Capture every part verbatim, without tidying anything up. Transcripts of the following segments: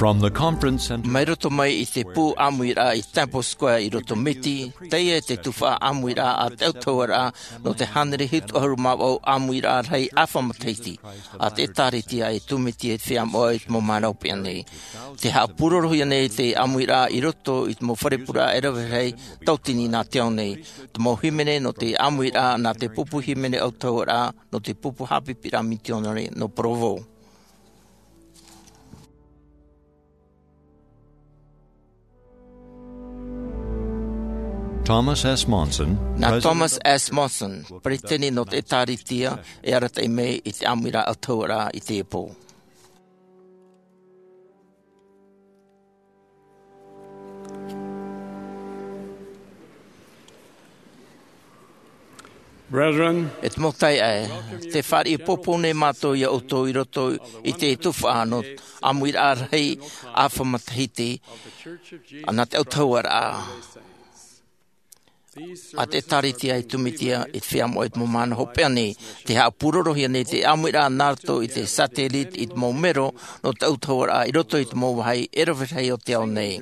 Mai roto mai i te pū ʻāmuiraʻa i Temple Square i roto Miti, teie te tuhaʻa ʻāmuiraʻa a te ʻautahuʻaraʻa nō te hānere hitu ʻahuru mā vaʻu ʻāmuiraʻa rahi ʻāfa matahiti a te ʻĒtārētia e tūmiti e te feiā moʻa i te mau mahana hopeʻa nei. Tē haʻapūrorohia nei te ʻāmuiraʻa i roto i te mau fare pureraʻa e rave rahi tauatini nā te ao nei. Te mau hīmene nō te ʻāmuiraʻa nā te pupu hīmene ʻautahuʻaraʻa nō te pupu haʻapiʻiraʻa mitionare nō Provo. Thomas S. Monson, Nā President Thomas S. Monson, peretiteni nō te ʻĒtārētia, e arataʻi mai i te ʻāmuiraʻa ʻautahuʻaraʻa i teie pō. Brethren, E te mau taeaʻe, tē fāriʻi poupou nei mātou ia ʻoutou i roto i te tuhaʻa nō ʻāmuiraʻa rahi ʻāfa matahiti nā te ʻautahuʻaraʻa a te ʻĒtārētia e tūmiti i te feiā moʻa i te mau mahana hopeʻa nei. Tē haʻapūrorohia nei te ʻāmuiraʻa nā roto i te satellite i te mau mero nō te ʻautahuʻaraʻa i roto i te mau vāhi e rave rahi o te ao nei.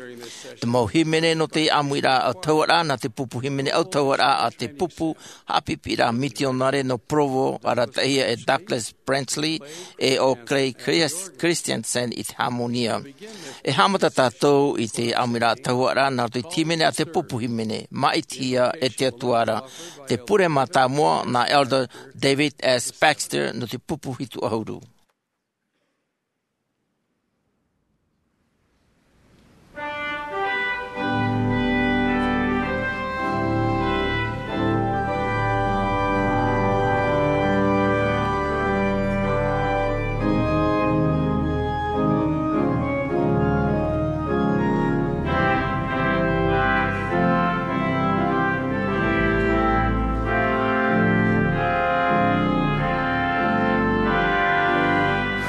Te mau hīmene nō te ʻāmuiraʻa ʻautahuʻaraʻa nā te pupu hīmene ʻautahuʻaraʻa a te pupu haʻapiʻiraʻa mitionare nō Provo, arataʻihia e Douglas Brantley e ʻo Clay Chris-, Christensen i te hāmonia. E haʻamata tātou i te ʻāmuiraʻa ʻautahuʻaraʻa nā roto i te hīmene a te pupu hīmene, Maʻitihia e te Atua ra. Te pure mātāmua nā Elder David S. Baxter nō te pupu hitu ʻahuru.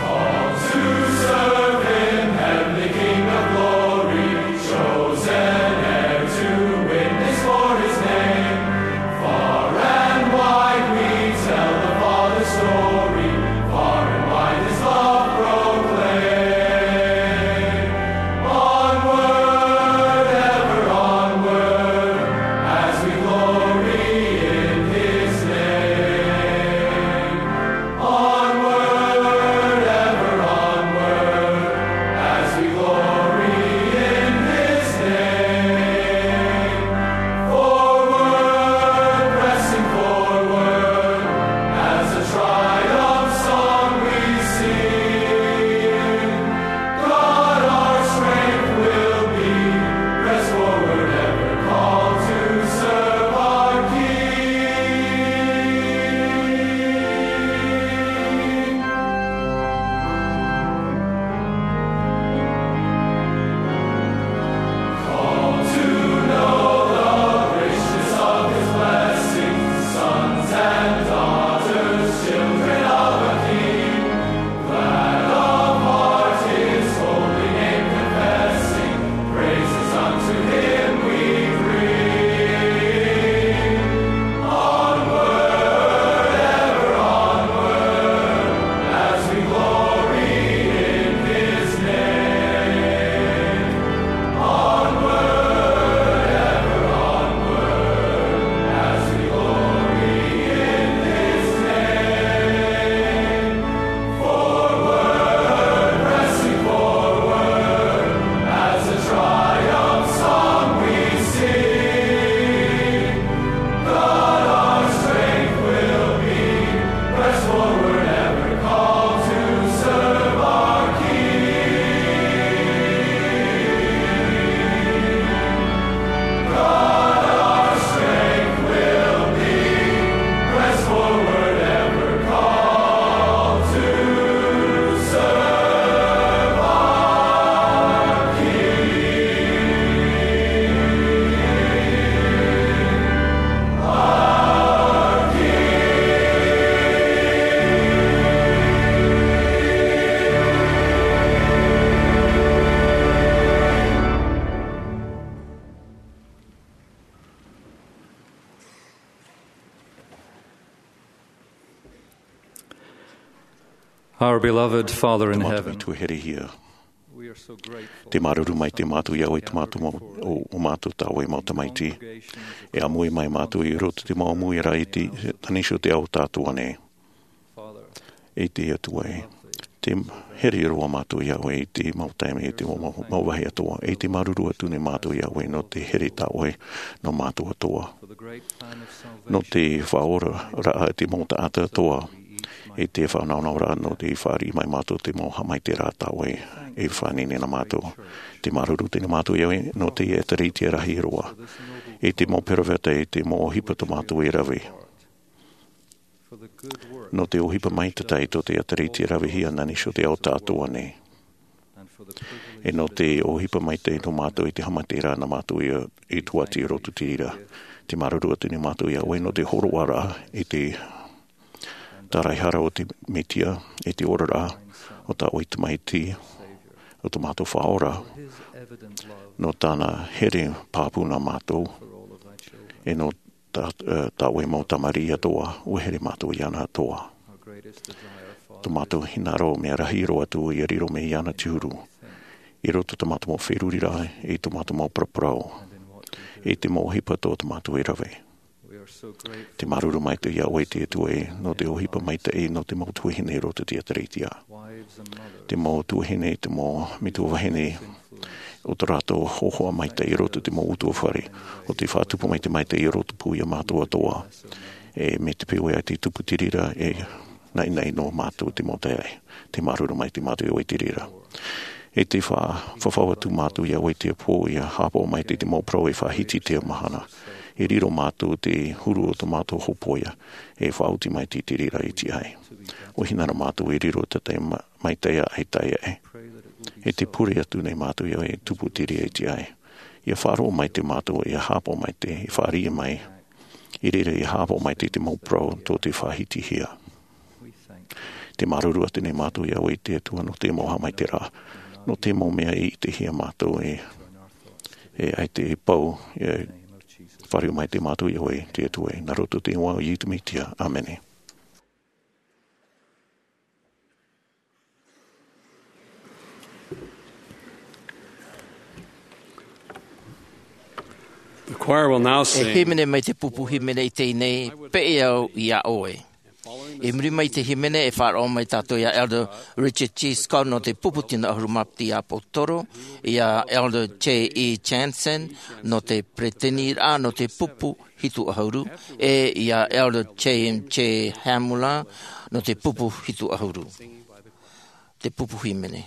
Called to serve him, heavenly King of glory, chosen heir to witness for his name. Far and wide we tell the Father's story, far and wide his love proclaim. Onward, ever onward, as we glory in his name. Onward, ever onward, as we glory in his name. Forward, pressing forward, as a triumph song we sing. God our strength will be, press forward, ever called to serve our King. Called to know the richness of his blessing, sons and daughters, children of a King. Glad of heart his holy name confessing, praises unto him we bring. Onward, ever onward, as we glory in his name. Onward, ever onward, as we glory in his name. Forward, pressing forward, as a triumph song we sing. God our strength will be, press forward, ever called to serve our King. God our strength will be, press forward, ever called to serve our King. Our King. Our beloved Father in heaven, Tamaiti tuahine, Te māuruuru maitaʻi mātou iā ʻoe, te mātou mau, ʻo, ʻo mātou tā ʻoe mau tamaiti. E ʻāmui mai mātou i roto i te mau ʻāmuiraʻa i te, nā niʻa iho i te ao tātou nei. E te Atua ē, tē here roa mātou iā ʻoe i te mau taime, i te mau, mau, mau vāhi atoʻa. E tē māuruuru atu nei mātou iā ʻoe nō te here tā ʻoe nō mātou atoʻa. Nō te faʻaoraraʻa i te mau taʻata atoʻa, e te faʻanahonahoraʻa nō te fāriʻi mai mātou i te mau haʻamaitaʻiraʻa tā ʻoe e faʻaineine nā mātou. Tē māuruuru atu nei mātou iā ʻoe nō te ʻētārētia rahi roa, e te mau peropheta, e te mau ʻohipa tā mātou e rave. Nō te ʻohipa maitaʻi tō te ʻētārētia ravehia nā niʻa iho i te ao tātou nei. E nō te ʻohipa maitaʻi nō mātou i te haʻamaitaʻiraʻa nā mātou i, i tuati i roto i te reira. Tē māuruuru atu nei mātou iā ʻoe nō te hōroʻaraʻa i te tāraʻehara o te Mesia, i te oraraʻa o tā ʻoe tamaiti, o tō mātou Faʻaora, nō tāna here pāpū nā mātou, e nō tā, e, tā ʻoe mau tamariʻi atoʻa, ʻua here mātou iāna atoʻa. Tō mātou hinaʻaro mea rahi roa atu ʻia riro mai iāna te huru. I roto i tā mātou mau feruriraʻa, i tō mātou mau paraparau, i te mau ʻohipa tō tā mātou e rave. Tē māuruuru maitaʻi iā ʻoe te Atua ē, nō te ʻohipa maitaʻi, nō te mau tuahine i roto i te ʻētārētia. Te mau tuahine, te mau metua vahine, ʻo tō rātou hōhoʻa maitaʻi i roto i te mau ʻutuāfare, ʻo tē faʻatupu mai te maitaʻi i roto pū iā mātou atoʻa. E mai te peu ē ʻaita i tupu te reira, e naʻinaʻi noa mātou i te mau taeaʻe. Tē māuruuru maitaʻi mātou iā ʻoe i te reira. E tē fa-, fafau atu mātou iā ʻoe i teie pō, ʻia haʻapaʻo maitaʻi i te mau parau e faʻahiti i teie mahana. E riro mātou i te huru o tō mātou hōpoiʻa, e faʻaoti maitaʻi i te reira i te ʻae. ʻUa hinaʻaro mātou e riro tātaʻi ma-, maitaʻi ʻaita ē. E tē pure atu nei mātou iā ʻoe e tupu te reira i te ʻae. ʻIa faʻaroʻo maitaʻi mātou, ʻia haʻapaʻo maitaʻi, ʻia fāriʻi mai. I reira ʻia haʻapaʻo maitaʻi i te mau parau tō te faʻahitihia. Tē māuruuru atu nei mātou iā ʻoe te Atua nō te mau haʻamaitaʻiraʻa, nō te mau mea e ʻitehia mātou e, e ʻaita e pau, e fāriʻi maitaʻi mātou iā ʻoe te Atua ē, nā roto i te iʻoa o Iesu Mesia. ʻĀmene. The choir will now E sing. Hīmene mai te pupu hīmene i teie nei, Peʻe Au iā ʻOe. I muri mai i te hīmene e faʻaroʻo mai tātou iā Elder Richard G. Scott nō te pupu tino ʻahuru mā piti ʻāpōsetolo, iā Elder J E Jansen nō te peresideni nō te pupu hitu ʻahuru, e iā Elder James J. Hamula nō te pupu hitu ʻahuru. Te pupu hīmene.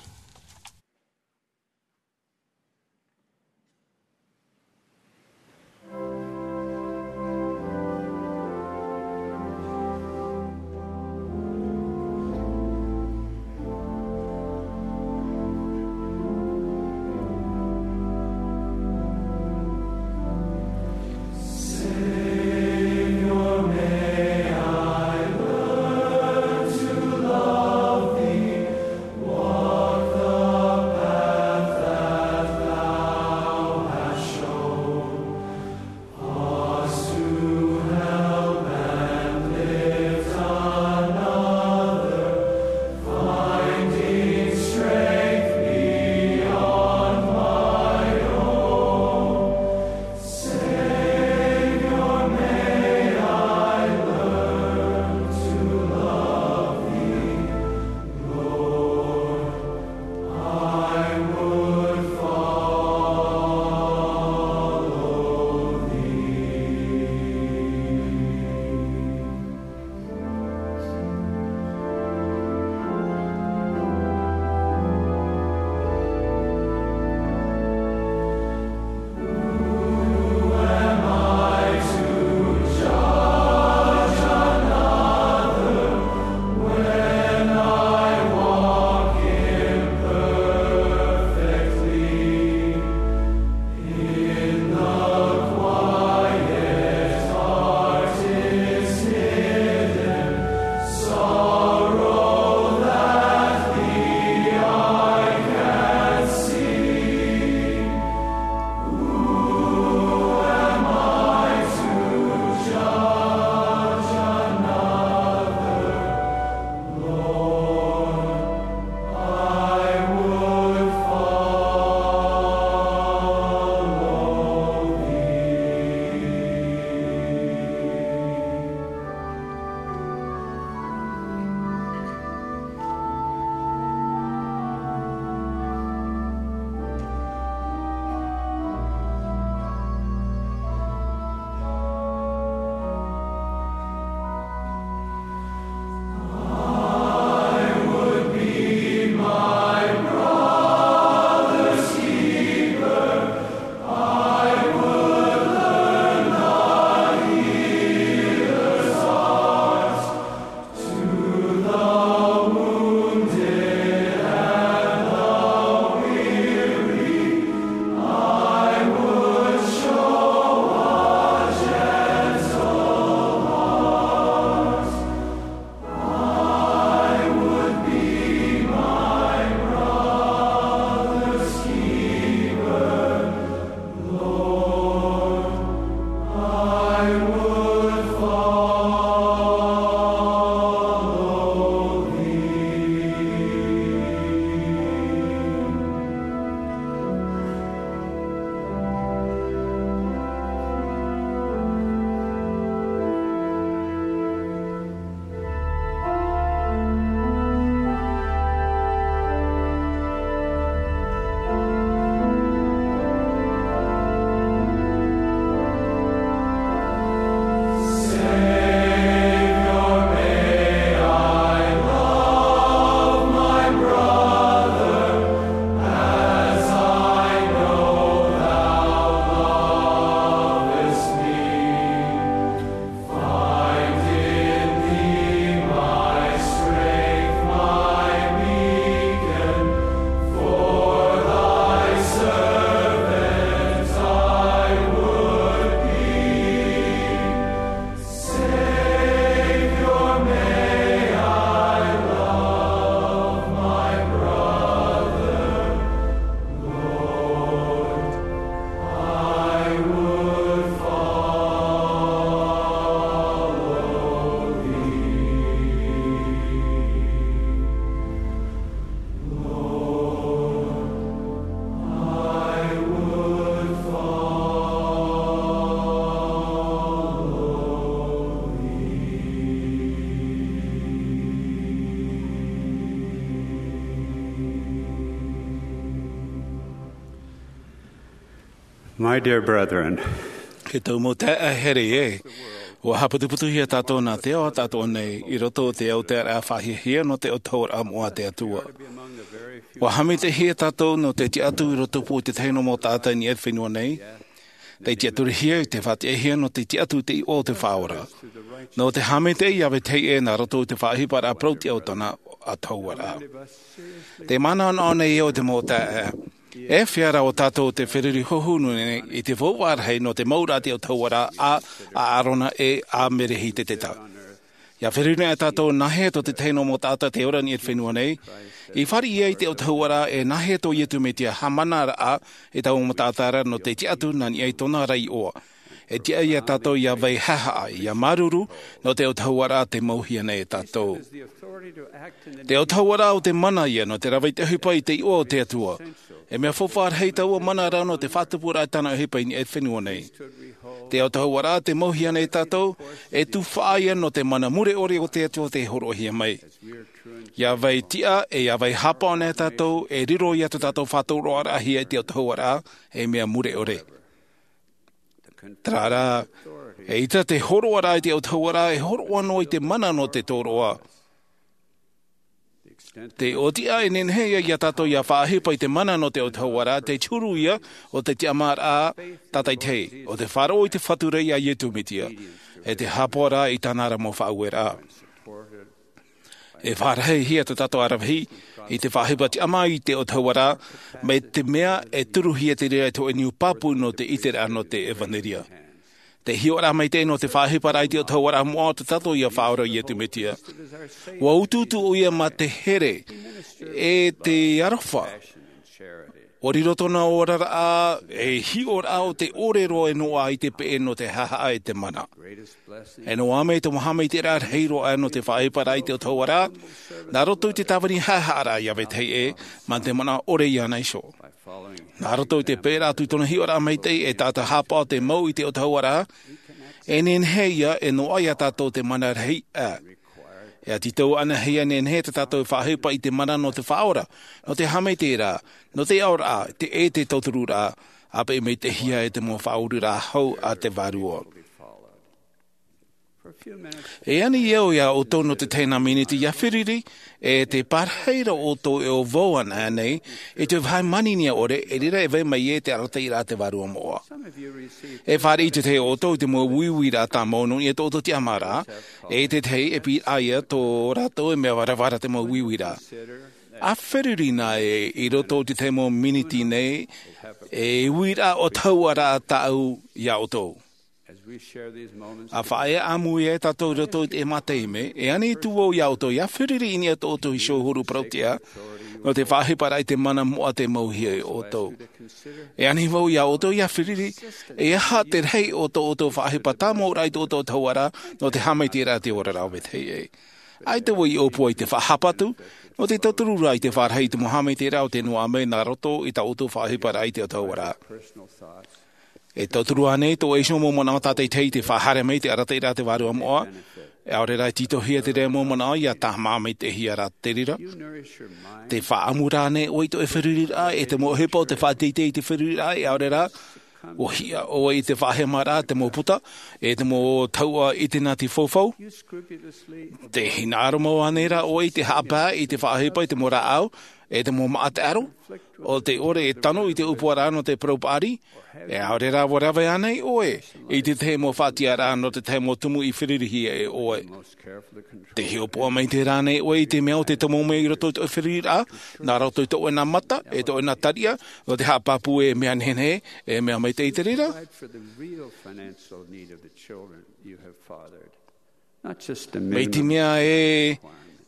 My dear brethren, e tau mau taeaʻe here e, ua haʻaputuputuhia tātou nā te ao atoʻa nei i roto i te autaʻiraʻa faʻahiahia nō te autahuʻaraʻa moʻa a te Atua. Ua haʻamaitaʻihia tātou nō te tiʻaturi i roto i te tahi mau taʻata i niʻa i te fenua nei. Tei tiʻaturihia i te faʻatiʻahia nō te tiʻaturi i te iʻoa o te Faʻaora, nō te haʻamaitaʻi ia vetahi ʻē nā roto i te faʻaʻohiparaʻa parau-tiʻa o tōna autahuʻaraʻa. Te manaʻo nei au, te mau taeaʻe, e fea rā ʻo tātou te feruri hōhonu nei i te faufaʻa rahi nō te mau ra te autahuʻaraʻa a, a Arona e a Merehiteta? ʻIa feruri anaʻe tātou nāhea tō te tahi mau taʻata tei ora i niʻa i te fenua nei, i fāriʻi ia i te autahuʻaraʻa, e nāhea tō Iesu Mesia haʻamanaraʻa i taua mau taʻata ra nō te tiʻaturi nā niʻa i tōna ra iʻoa? E tiʻa ia tātou ʻia vai haʻehaʻa, ʻia māuruuru nō te autahuʻaraʻa tei mauhia nei e tātou. Te autahuʻaraʻa ʻo te mana ia nō te rave i te ʻohipa i te iʻoa o te Atua. E mea faufaʻa rahi taua mana ra nō te faʻatupuraʻa i tāna ʻohipa i niʻa i te fenua nei. Te autahuʻaraʻa tei mauhia nei e tātou, e tuhaʻa ia nō te mana mure ʻore o te Atua tei hōroʻahia mai. ʻIa vai tiʻa e ʻia vai hāpaʻo anaʻe tātou, e riro ia tō tātou faʻatoroʻaraʻahia i te autahuʻaraʻa, e mea mure ʻore. Terā rā, eʻita te hōroʻaraʻa i te autahuʻaraʻa e hōroʻa noa i te mana nō te tōroʻa. Te ʻōtiʻa e nehenehe ia tātou ʻia faʻaʻohipa i te mana nō te autahuʻaraʻa, te huru ia o te tiʻamāraʻa tātaitahi, ʻo te faʻaroʻo i te Fatu ra ia Iesu Mesia, e te hāpaʻoraʻa i tāna ra mau faʻaueraʻa. E faʻarahihia tō tātou ʻaravihi i te faʻaʻohipa tiʻamā i te autahuʻaraʻa, mai te mea e turuhia te reira i te hōʻē niu pāpū nō te ʻiteraʻa nō te ʻevanelia. Te hiʻoraʻa maitaʻi nō te faʻaʻohiparaʻa i te autahuʻaraʻa moʻa o tō tātou ʻia Faʻaora Iesu Mesia. Ua utuutu ʻoia mā te here e te aroha. ʻUa riro tōna oraraʻa ei hiʻoraʻa o te ʻore roa e noaʻa i te peʻe nō te haʻehaʻa e te mana. E noaʻa mai te mau haʻamaitaʻiraʻa rahi roa nō te faʻaʻohiparaʻa i te autahuʻaraʻa, nā roto i te tāvini haʻehaʻaraʻa ia vetahi ʻē, mā te manaʻo ʻore iāna iho. Nā roto i te peʻeraʻa atu i tōna hiʻoraʻa maitaʻi e taʻata hāpaʻo te mau i te autahuʻaraʻa, e nehenehe ia e noaʻa ia tātou te mana rahi ʻā. E tītau anaʻe ia nehenehe tā tātou e faʻaʻohipa i te mana nō te Faʻaora, nō te haʻamaitaʻiraʻa, nō te aʻoraʻa, te, e te tautururaʻa, ʻāpeʻe maitaʻihia e te mau faʻaururaʻa hau a te Vārua. E ani au ia ʻoutou nō te tahi nā miniti ʻia feruri, e te pārahi ra ʻoutou e ʻōvau anaʻe nei i te vāhi manihini ʻore, i reira e vai mai ai te arataʻiraʻa a te Vārua moʻa. E fāriʻi te tahi ʻoutou i te mau uiuiraʻa tāmau nō niʻa i tō ʻoutou tiʻamāraʻa, e te tahi e pīraʻi ia tō rātou e mea varavara te mau uiuiraʻa. ʻA feruri anaʻe i roto i te tahi mau miniti nei, e uiraʻa autahuʻaraʻa tāʻu ia ʻoutou. ʻA faʻaea ʻāmui ai tātou i roto i te mau taime, e ani atu vau ia ʻoutou ʻia feruri i niʻa i tō ʻoutou iho huru parau-tiʻa, nō te faʻaʻohiparaʻa i te mana moʻa tei mauhia ia ʻoutou. E ani vau ia ʻoutou ʻia feruri, e aha te rahi o tō ʻoutou faʻaʻohipa tāmau ra i tō ʻoutou autahuʻaraʻa, nō te haʻamaitaʻiraʻa i te oraraʻa o vetahi ʻē. ʻAita vau i ʻōpua i te faʻahapa atu, nō te tauturu ra i te pārahi i te mau haʻamaitaʻiraʻa o tē noaʻa mai nā roto i tā ʻoutou faʻaʻohiparaʻa i te autahuʻaraʻa. E tauturu ānei tō ʻoe iho mau manaʻo tātaʻitahi i te faʻahaere mai i te arataʻiraʻa a te Vārua moʻa? E ʻaore rā e tītauhia te reira mau manaʻo ʻia tāmā maitaʻihia rā te reira. Te faʻaʻamu ra ānei ʻoe i tō ʻoe feruriraʻa, e te mau ʻohipa o te faʻateitei i te feruriraʻa, e ʻaore rā, ʻua hiʻa ʻoe i te faʻahemaraʻa, te mau puta, e te mau tahuʻa i te nati faufaʻa? Te hinaʻaro mau ānei rā ʻoe i te haʻapae i te faʻaʻohipa i te mau rāʻau, e te mau maʻa taʻero, ʻo te ʻore e tano i te ʻōpuaraʻa nō te parau paʻari, e ʻaore rā ʻua rave ānei ʻoe i te tahi mau faʻatiʻaraʻa nō te tahi mau tumu i ferurihia e ʻoe? Te hiʻopoʻa mai terā ānei ʻoe i te mea o te tomo mai i roto i tō ʻoe feruriraʻa, nā roto i tō ʻoe nā mata, e tō ʻoe nā tariʻa, nō te haʻapāpū e mea nehenehe, e mea maitaʻi te reira? Mai te mea ē,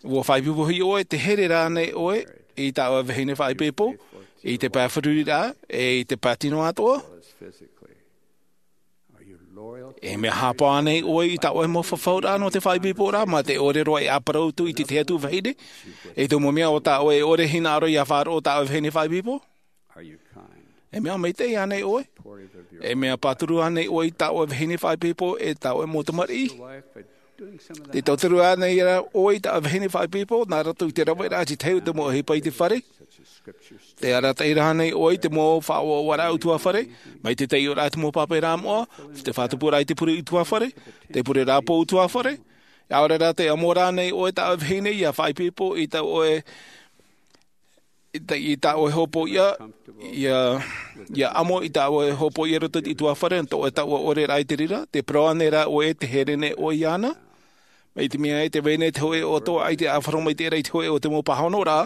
ʻua faʻaipoipo ʻoe, te here ra ānei ʻoe i tā ʻoe vahine faʻaipoipo, i te pae feruriraʻa, e i te pae tino atoʻa? E mea haʻapaʻo ānei ʻoe i tā ʻoe mau fafauraʻa nō te faʻaipoiporaʻa, mā te ʻore roa e ʻāparau atu i te tahi atu vahine, e te mau mea o tā ʻoe e ʻore hinaʻaro ʻia faʻaroʻo tā ʻoe vahine faʻaipoipo? E mea maitaʻi ānei ʻoe? E mea pāturu ānei ʻoe i tā ʻoe vahine faʻaipoipo, e tā ʻoe mau tamariʻi? Te tauturu ānei rā ʻoe i tā vahine faʻaipoipo nā roto i te raveraʻa te tahi o te mau ʻohipa i te fare? Te arataʻi rā ānei ʻoe i te mau faʻauauaraʻa ʻutuāfare, mai te taiʻoraʻa i te mau pāpā moʻa, te faʻatupuraʻa i te pure ʻutuāfare, te pure rāpō ʻutuāfare? ʻAore rā te amo rā ānei ʻoe i tā vahine ia faʻaipoipo i tā ʻoe i tā, i tā ʻoe hōpoiʻa, ia, ia amo i tā ʻoe hōpoiʻa i roto i te ʻutuāfare, nō tō ʻoe taua ʻore rā i te reira, te parau ānei rā ʻoe te here nei ʻoe iāna? Mai te mea e te vahine te hōʻē o tō ʻaita e ʻāfaro mai te reira i te hōʻē o te mau pāhono rā,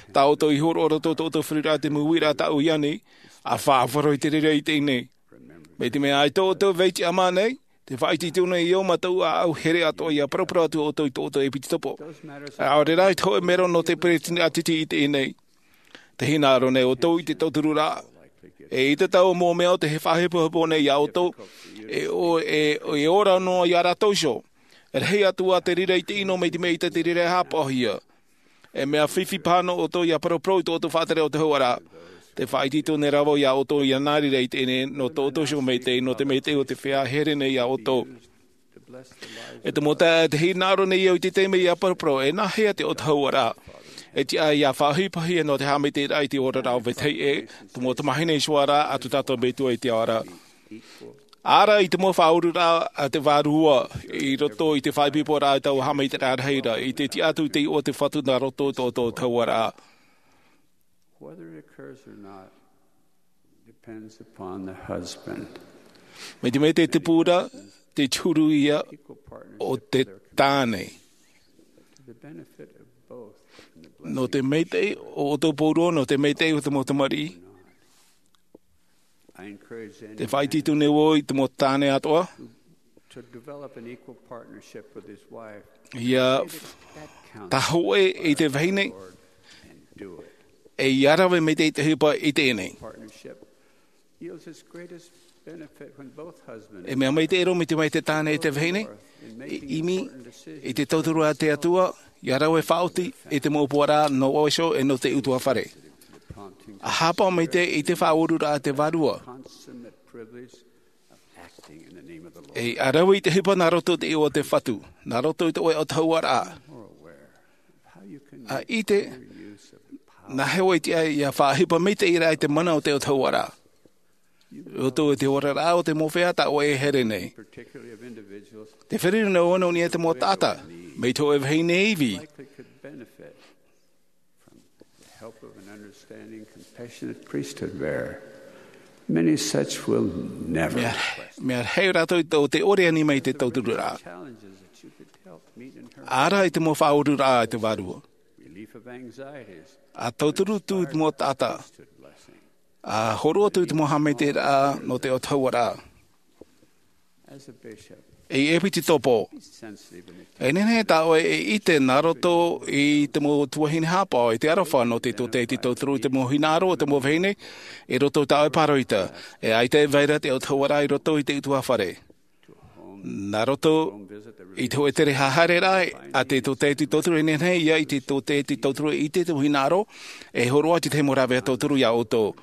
tā ʻoutou i hōroʻa roto tō ʻoutou feruriraʻa te mau uiraʻa tāʻu i ani, ʻa faʻaʻāfaro i te reira i teie nei. Mai te mea ʻaita ʻoutou vai tiʻamā nei, te faʻaitoito nei iō mātou ʻāʻau here atoʻa ia paraparau atu ʻoutou i tō ʻoutou ʻepitetopo. ʻAore rā i te hōʻē mero nō te peresideni ʻātiti i teie nei. Te hinaʻaro nei ʻoutou i te tauturu rā. E ʻite tāua mau mea o te faʻahepohepo nei iā ʻoutou, e, o, e, e ora noa iā rātou iho. E rahi atu ā te reira i te ʻino mai te mea ʻaita te reira e hāpaʻohia. E mea fifi paha nō ʻoutou ia paraparau i tō ʻoutou faʻatere o te hauʻaraʻa. Te faʻaitoito nei rā vau iā ʻoutou ia nā reira i teie nei, nō tō ʻoutou iho maitaʻi, nō te maitaʻi o te feiā e here nei iā ʻoutou. E te mau taeaʻe, te hinaʻaro nei au i te taime ia paraparau, e nāhea te ʻautahauaraʻa? E tiʻa ia faʻaʻohipahia nō te haʻamaitaʻiraʻa i te oraraʻa o vetahi ʻē, te mau tamāhine iho ā rā, a tō tātou Metua i te ao ra. Ara i te mau faʻaururaʻa a te Vārua i roto i te faʻaipoiporaʻa i taua haʻamaitaʻiraʻa rahi ra, i te tiʻa atu i te iʻoa o te Fatu nā roto i tō ʻoutou ʻautahauaraʻa. Whether it occurs or not depends upon the husband. Mai te mea te tupu ra, te huru ia o te tāne. To the benefit of both and the blessing. Nō te maitaʻi o ʻoutou pauroa, nō te maitaʻi o te mau tamariʻi. I encourage anyone Te faʻaitoito nei vau i te mau tāne atoʻa. To develop an equal partnership with his wife. Ia That counts. Tahoʻe i te vahine, Lord, and do it. E ia rave maitaʻi te ʻohipa i teie nei. Partnership yields its greatest benefit when both husbands E mea maitaʻi roa mai te, mai te tāne e te vahine, e ʻimi i te tauturu a te Atua, ia rave faʻaoti i te mau upoʻoraʻa nō vau iho e nō te ʻutuāfare. A hāpaʻo maitaʻi i te faʻaururaʻa a te Vārua. Consummate privilege of acting in the name of the Lord. E a rave i te ʻohipa nā roto i te iʻoa o te Fatu, nā roto i tō ʻoe ʻautahauaraʻa. More aware of how you can A ʻite, make better use of the power. Nāhea ʻoe e tiʻa ia faʻaʻohipa maitaʻi ra i te mana o te ʻautahauaraʻa. Roto i te oraraʻa o te mau feiā tā ʻoe e here nei. Particularly of individuals Te feruri nō ʻōna i niʻa i te mau taʻata, mai te hōʻē vahine ivi. Likely could benefit from the help of an understanding, compassionate priesthood bearer. Many such will never Mea, request. Mea rahi rātou i tō te ʻore ani mai te tauturu rā. Challenges that you could help meet in her Ara i te mau faʻaururaʻa a te Vārua. Relief of anxieties. A tauturu atu i te mau taʻata. Priesthood blessing. A hōroʻa atu i te mau haʻamaitaʻiraʻa nō te ʻautahauaraʻa. As a bishop, E ʻepitetopo, be sensitive in the e nehenehe tā ʻoe e ʻite nā roto i te mau tuahine hāpaʻo i te aroha nō te tōtaiete tauturu i te mau hinaʻaro o te mau vahine, i roto i tā ʻoe pāroita, e ʻaita e vai ra te ʻautahauaraʻa i roto i te ʻutuāfare. Nā roto i te hōʻē tere haereraʻa a te tōtaiete tauturu e nehenehe ia i te tōtaiete tauturu e ʻite te mau hinaʻaro, e hōroʻa te tahi mau rāveʻa tauturu iā ʻoutou.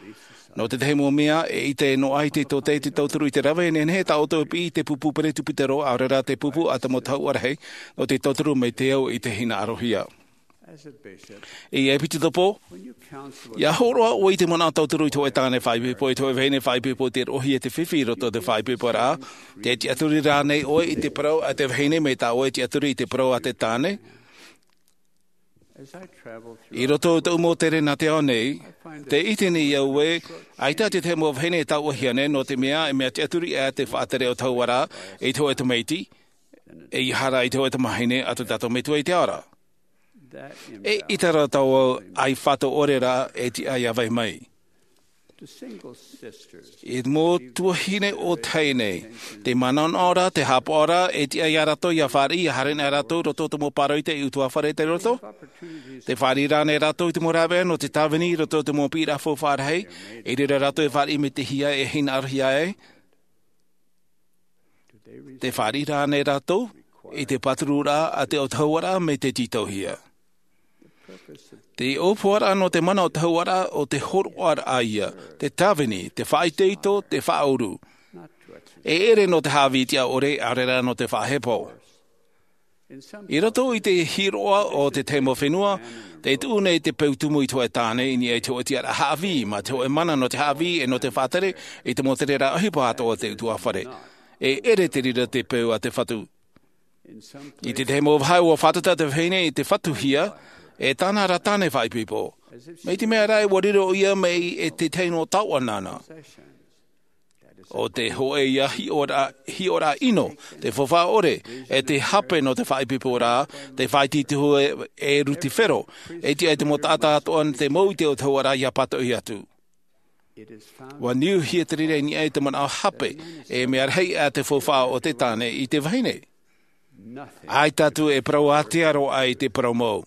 Nō te tahi mau mea, e ʻite noa ai te tōtaiete tauturu i te rave e nehenehe tā ʻoutou e piʻi i te pupu peresibutero, ʻaore rā te pupu a te mau tahuʻa rahi, nō te tauturu mai te au i te hinaʻarohia. As a bishop, E ʻepitetopo, when you counsel a ia hōroʻa ʻoe i te manaʻo tauturu i te hōʻē tāne faʻaipoipo, i te hōʻē vahine faʻaipoipo, te roʻohia te fifi i roto i te faʻaipoiporaʻa, tē tiʻaturi rā ānei ʻoe i te parau a te vahine mai tā ʻoe e tiʻaturi i te parau a te tāne? As I travel through I roto i tōʻu mau tere nā te ao nei, tē ʻite nei au ē, ʻaita te tahi mau vahine e tauʻahia nei, nō te mea, e mea tiʻaturi ʻā te faʻatere ʻautahauaraʻa i te hōʻē tamaiti, ʻeiaha rā i te hōʻē tamāhine a tō tātou Metua i te ao ra. E ʻite ra tāua ʻaifāto ʻore rā e tiʻa ia vai mai. To single sisters, I te mau tuahine ʻōtahi nei, te manaʻonaʻo ra, te hāpaʻo ra, e tiʻa ia rātou ia fāriʻi, ia haere nei rātou i roto i te mau pāroita e ʻutuāfare i roto. Te fāriʻi rānei rātou i te mau rāveʻa nō te tāvini i roto i te mau piʻiraʻa faufaʻa rahi, i reira rātou e fāriʻi mai te hia e hinaʻarohia ai? Te fāriʻi rānei rātou i te pātururaʻa a te ʻautahauaraʻa mai te tītauhia? Te ʻōpuaraʻa nō te mana ʻautahauaraʻa ʻo te hōroʻaraʻa ia, te tāvini, te faʻaitoito, te faʻauru. E ʻere nō te haʻavī tiʻa ʻore, ʻaore rā nō te faʻahepo. I roto i te hiroʻa o te tahi mau fenua, te tuʻu nei te peu tumu i te hōʻē tāne i niʻa i te hōʻē tiʻaraʻa haʻavī, mā te hōʻē mana nō te haʻavī e nō te faʻatere i te mau tereraʻa ʻohipa atoʻa o te ʻutuāfare. E ʻere te reira te peu a te fatu. I te tahi mau vāhi ʻua fātata te vahine i te fatuhia e tāna ra tāne faʻaipoipo. Mai te mea rā ʻua riro ʻoia mai e te tahi nō taoʻa nāna. ʻO te hōʻē ia hiʻoraʻa, hiʻoraʻa ʻino, te faufaʻa ʻore, e te hape nō te faʻaipoipo rā, te faʻaitoito e, e Rutifero, e tiʻa i te mau taʻata atoʻa te mau ʻite o te hauaraʻa ia pātoʻi atu. ʻUa niuhia te reira i niʻa i te manaʻo hape, e mea rahi a te faufaʻa o te tāne i te vahine. ʻAita atu e parau ātea roa ai te parau mau.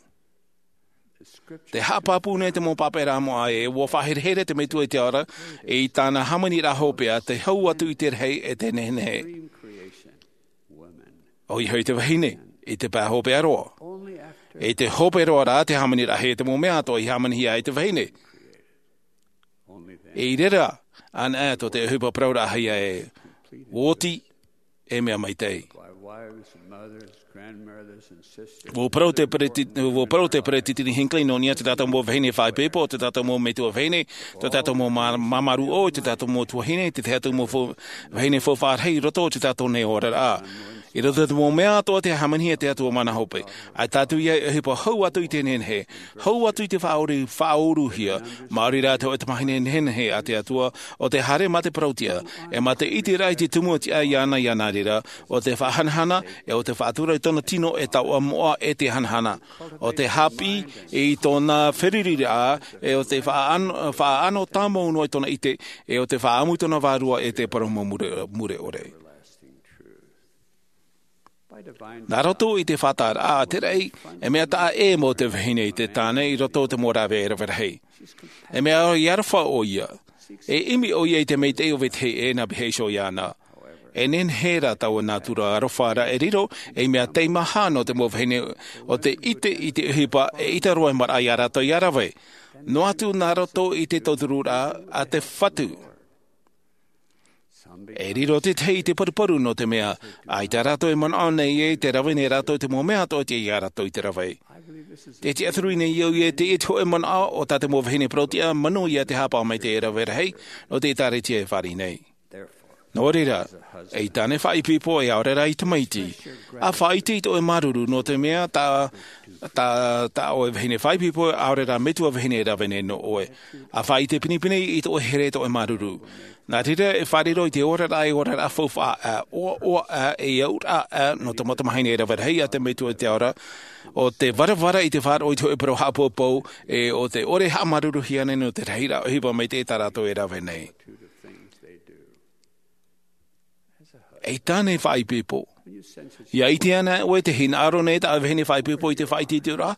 Te haʻapāpū nei te mau pāpaʻiraʻa moʻa ē, ʻua faʻaherehere te Metua i te Ao ra, i tāna hāmaniraʻa hopeʻa, te hau atu i te rahi e te nehenehe. ʻOia hoʻi te vahine, i te pae hopeʻa roa. I te hope roa rā te hāmaniraʻahia te mau mea atoʻa i hāmanihia ai te vahine. I reira anaʻe atoʻa te ʻohipa parauraʻahia ē, ʻua oti, e mea maitaʻi. ʻUa parau te Pereti-, ʻua parau te Peretiteni Hinckley nō niʻa i tā tātou mau vahine faʻaipoipo, tā tātou mau metua vahine, tā tātou mau mā-, māmārū ʻō, tā tātou mau tuahine, te tahi atu mau fau-, vahine faufaʻa rahi i roto i tā tātou nei oraraʻa. I roto i te mau mea atoʻa tē hāmanihia e te Atua māna hope, ʻaita atu ia e ʻohipa hau atu i te nehenehe, hau atu i te faʻaʻoru-, faʻaʻoruhia, maori rā te hōʻē tamahine nehenehe a te Atua, ʻo tē haere mā te parau-tiʻa, e mā te ʻiteraʻa i te tumu tiʻa iāna i nā reira, ʻo te faʻahanahana, e ʻo te faʻatura i tōna tino e taoʻa moʻa e te hanahana. ʻO te haʻapiʻi i tōna feruriraʻa, e ʻo te faʻaʻano, faʻaʻano tāmau noa i tōna ʻite, e ʻo te faʻaʻamu i tōna vārua e te parau mau mure, mure ʻore. Nā roto i te faʻataʻaraʻa a te raʻi, e mea taʻa ʻē mau te vahine i te tāne i roto i te mau rāveʻa e rave rahi. E mea ʻoia aroha ʻoia. E ʻimi ʻoia i te maitaʻi o vetahi ʻē nā vetahi iho iāna. E nehenehe rā taua nātura aroha ra e riro ei mea teimaha nō te mau vahine ʻo tē ʻite i te ʻohipa e ʻita roa e maraʻa ia rātou ia rave. Noa atu nā roto i te tautururaʻa a te Fatu. E riro te tahi i te paruparu nō te mea, ʻaita rātou e manaʻo nei ē, tē rave nei rātou i te mau mea atoʻa ia rātou i te rave. Tē tiʻaturi nei au ē, teie te hōʻē manaʻo o tā te mau vahine parau-tiʻa, manuia te haʻapaʻo maitaʻi e rave rahi, nō te ʻĒtārētia e fāriʻi nei. Nō reira, ei tāne faʻaipoipo e ʻaore rā ei tamaiti, ʻa faʻaʻite i tō ʻoe māuruuru, nō te mea tā, tā, tā ʻoe vahine faʻaipoipo e ʻaore rā metua vahine e rave nei nō ʻoe. ʻA faʻaʻite pinepine i tō ʻoe here, tō ʻoe māuruuru. Nā reira e faʻariro i te oraraʻa, e oraraʻa faufaʻa, ʻoaʻoa, e auraʻa, nō te mau tamahine e rave rahi a te Metua i te Ao ra, ʻo te varavara i te faʻaroʻo i te hōʻē parau haʻapoupou, e ʻo te ʻore haʻamāuruuruhia nei nō te rahiraʻa ʻohipa maitaʻi tā rātou e rave nei. Ei tāne faʻaipoipo. ʻIa ʻite ana ʻoe tē hinaʻaro nei tā ʻoe vahine faʻaipoipo i te faʻaitoitoraʻa,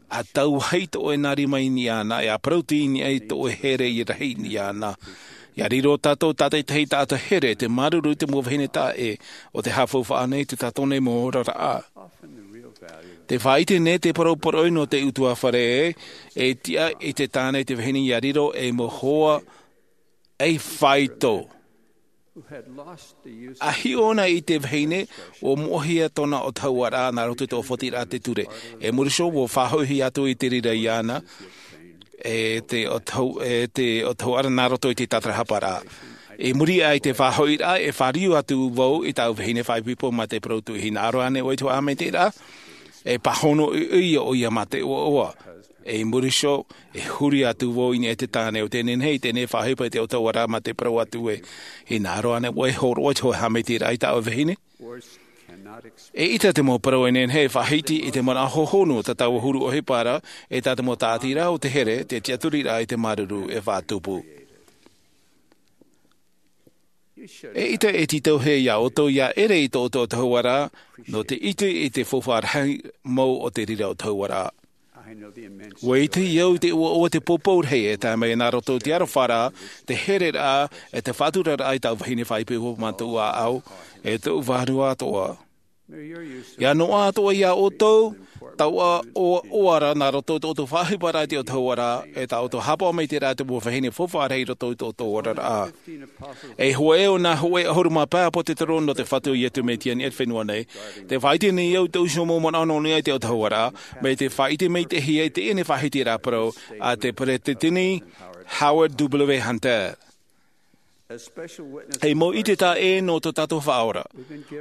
ʻa tauahi tō ʻoe nā rima i niʻa iāna, e ʻa parau-tiʻa i niʻa i tō ʻoe here rahi i niʻa iāna. ʻIa riro tātou tātaʻitahi taʻata here, te māuruuru i te mau vahine taʻa ʻē, ʻo tē haʻafaufaʻa nei i tā tātou nei mau oraraʻa. Tē faʻaʻite nei te parau poroʻi nō te ʻutuāfare ē, e tiʻa i te tāne, te vahine ʻia riro ei mau hoa ei faito. ʻA hiʻo anaʻe i te vahine, ʻua moʻehia tōna ʻoto hauaraʻa nā roto i te ʻōfatiraʻa a te ture. E muri iho, ʻua faʻahoʻihia atu i te reira iāna, e te ʻoto hau-, e te ʻoto hauaraʻa nā roto i te tātarahaparaʻa. I muri aʻe i te faʻahoʻiraʻa, e fāriu atu vau i tāʻu vahine faʻaipoipo mā te parau tuʻu, hinaʻaro ānei ʻoe i te hōʻē haʻamaitaʻiraʻa? E pāhono ʻoia, ʻoia mā te ʻoaʻoa. I muri iho, e huri atu vau i niʻa i te tāne ʻo tē nehenehe i teie nei faʻaʻohipa i te ʻoto hauaraʻa mā te parau atu ē, hinaʻaro ānei ʻoe e hōroʻa i te hōʻē haʻamaitaʻiraʻa i tā ʻoe vahine? E ʻita te mau parau e nehenehe e faʻahiti i te manaʻo hohonu o tā tāua huru ʻohipa ra, e tā te mau tāʻatiraʻa o te here, te tiʻaturiraʻa i te māuruuru e faʻatupu. E ʻita e tītauhia iā ʻoutou ʻia ʻere i tō ʻoutou ʻoto hauaraʻa, nō te ʻite i te faufaʻa rahi mau o te reira ʻoto hauaraʻa. ʻUa ʻite au i te ʻoaʻoa, te poupou rahi e tae mai nā roto i te arofaraʻa, te hereraʻa, e te faʻaturaraʻa i tāʻu vahine faʻaipoipo mā tōʻu ʻāʻau, e tōʻu vārua atoʻa. ʻIa noaʻa atoʻa iā ʻoutou, tauʻa ʻoaʻoa ra nā roto i tō ʻoutou faʻaʻohiparaʻa i te ʻautahuʻaraʻa, e tā ʻoutou haʻapaʻo maitaʻi ra te mau vahine faufaʻa rahi i roto i tō ʻoutou oraraʻa. E hōʻē o nā hōʻē ʻahuru mā pae ʻāpōsetolo nō te Fatu o Iesu Mesia i niʻa i te fenua nei, tē faʻaʻite nei au i te uso mau manaʻo nō niʻa i te ʻautahuʻaraʻa, mai te faʻaʻite maitaʻi i teie nei faʻahitiraʻa parau a te Peresideni Howard W. Hunter. E mau ʻite tāʻē nō tō tātou Faʻaora.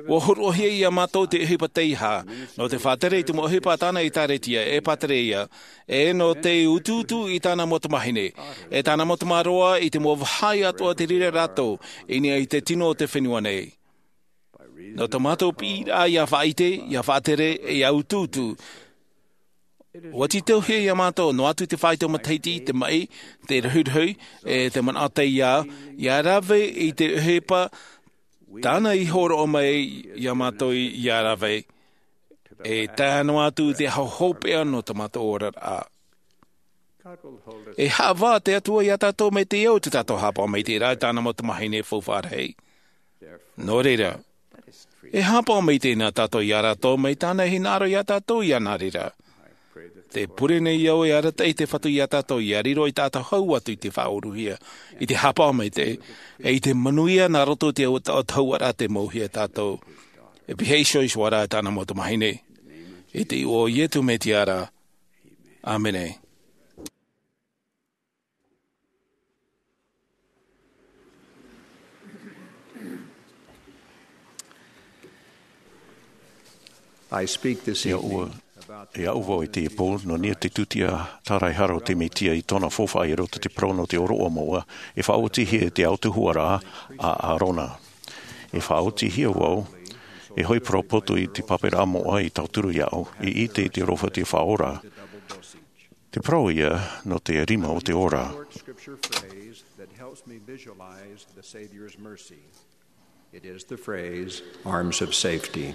ʻUa hōroʻahia iā mātou te ʻohipa teiaha, nō te faʻatere i te mau ʻohipa a tāna ʻĒkālesia, e pātireia, e nō te utuutu i tāna mau tamāhine, e tāna mau tamāroa i te mau vāhi atoʻa tei reira rātou, i niʻa i te tino o te fenua nei. Nō tō mātou piʻiraʻa ʻia faʻaʻite, ʻia faʻatere, e ʻia utuutu. ʻUa tītauhia iā mātou, noa atu te faito matahiti, te maʻi, te rohirohi, e te manaʻo taiā, ʻia rave i te ʻohipa, tāna i hōroʻa mai iā mātou ʻia rave. E tae noa atu i te aho hopeʻa nō tō mātou oraraʻa. E haʻavā te Atua iā tātou mai te ao i tō tātou haʻapaʻo maitaʻi ra i tāna mau tamāhine faufaʻa rahi. Nō reira, e haʻapaʻo maitaʻi na tātou iā rātou mai tāna e hinaʻaro iā tātou iā nā reira. Tē pure nei au e arataʻi te Fatu iā tātou ʻia riro i tā tātou hau atu i te faʻauruhia, i te haʻapaʻo maitaʻi, e i te manuia nā roto i te ʻautahuʻaraʻa tei mauhia tātou. E pīhaʻi iho iho ā rā e tāna mau tamāhine. I te iʻoa o Iesu Mesia ra. ʻĀmene. I speak this evening about the ʻIa ʻoaʻoa vau i teie pō, nō niʻa i te tūtia tāraehara o te Mesia i tōna faufaʻa i roto i te parau nō te ʻōroʻa moʻa, e faʻaotihia i te ʻautahuʻaraʻa a ʻĀrona. E faʻaotihia vau, e hoʻi parau poto i te pāparaʻa moʻa i tauturu iāʻu, i ʻite i te aroha o te Faʻaora. Te parau ia nō te rima o te ora. Short scripture phrase that helps me visualize the Savior's mercy. It is the phrase, arms of safety.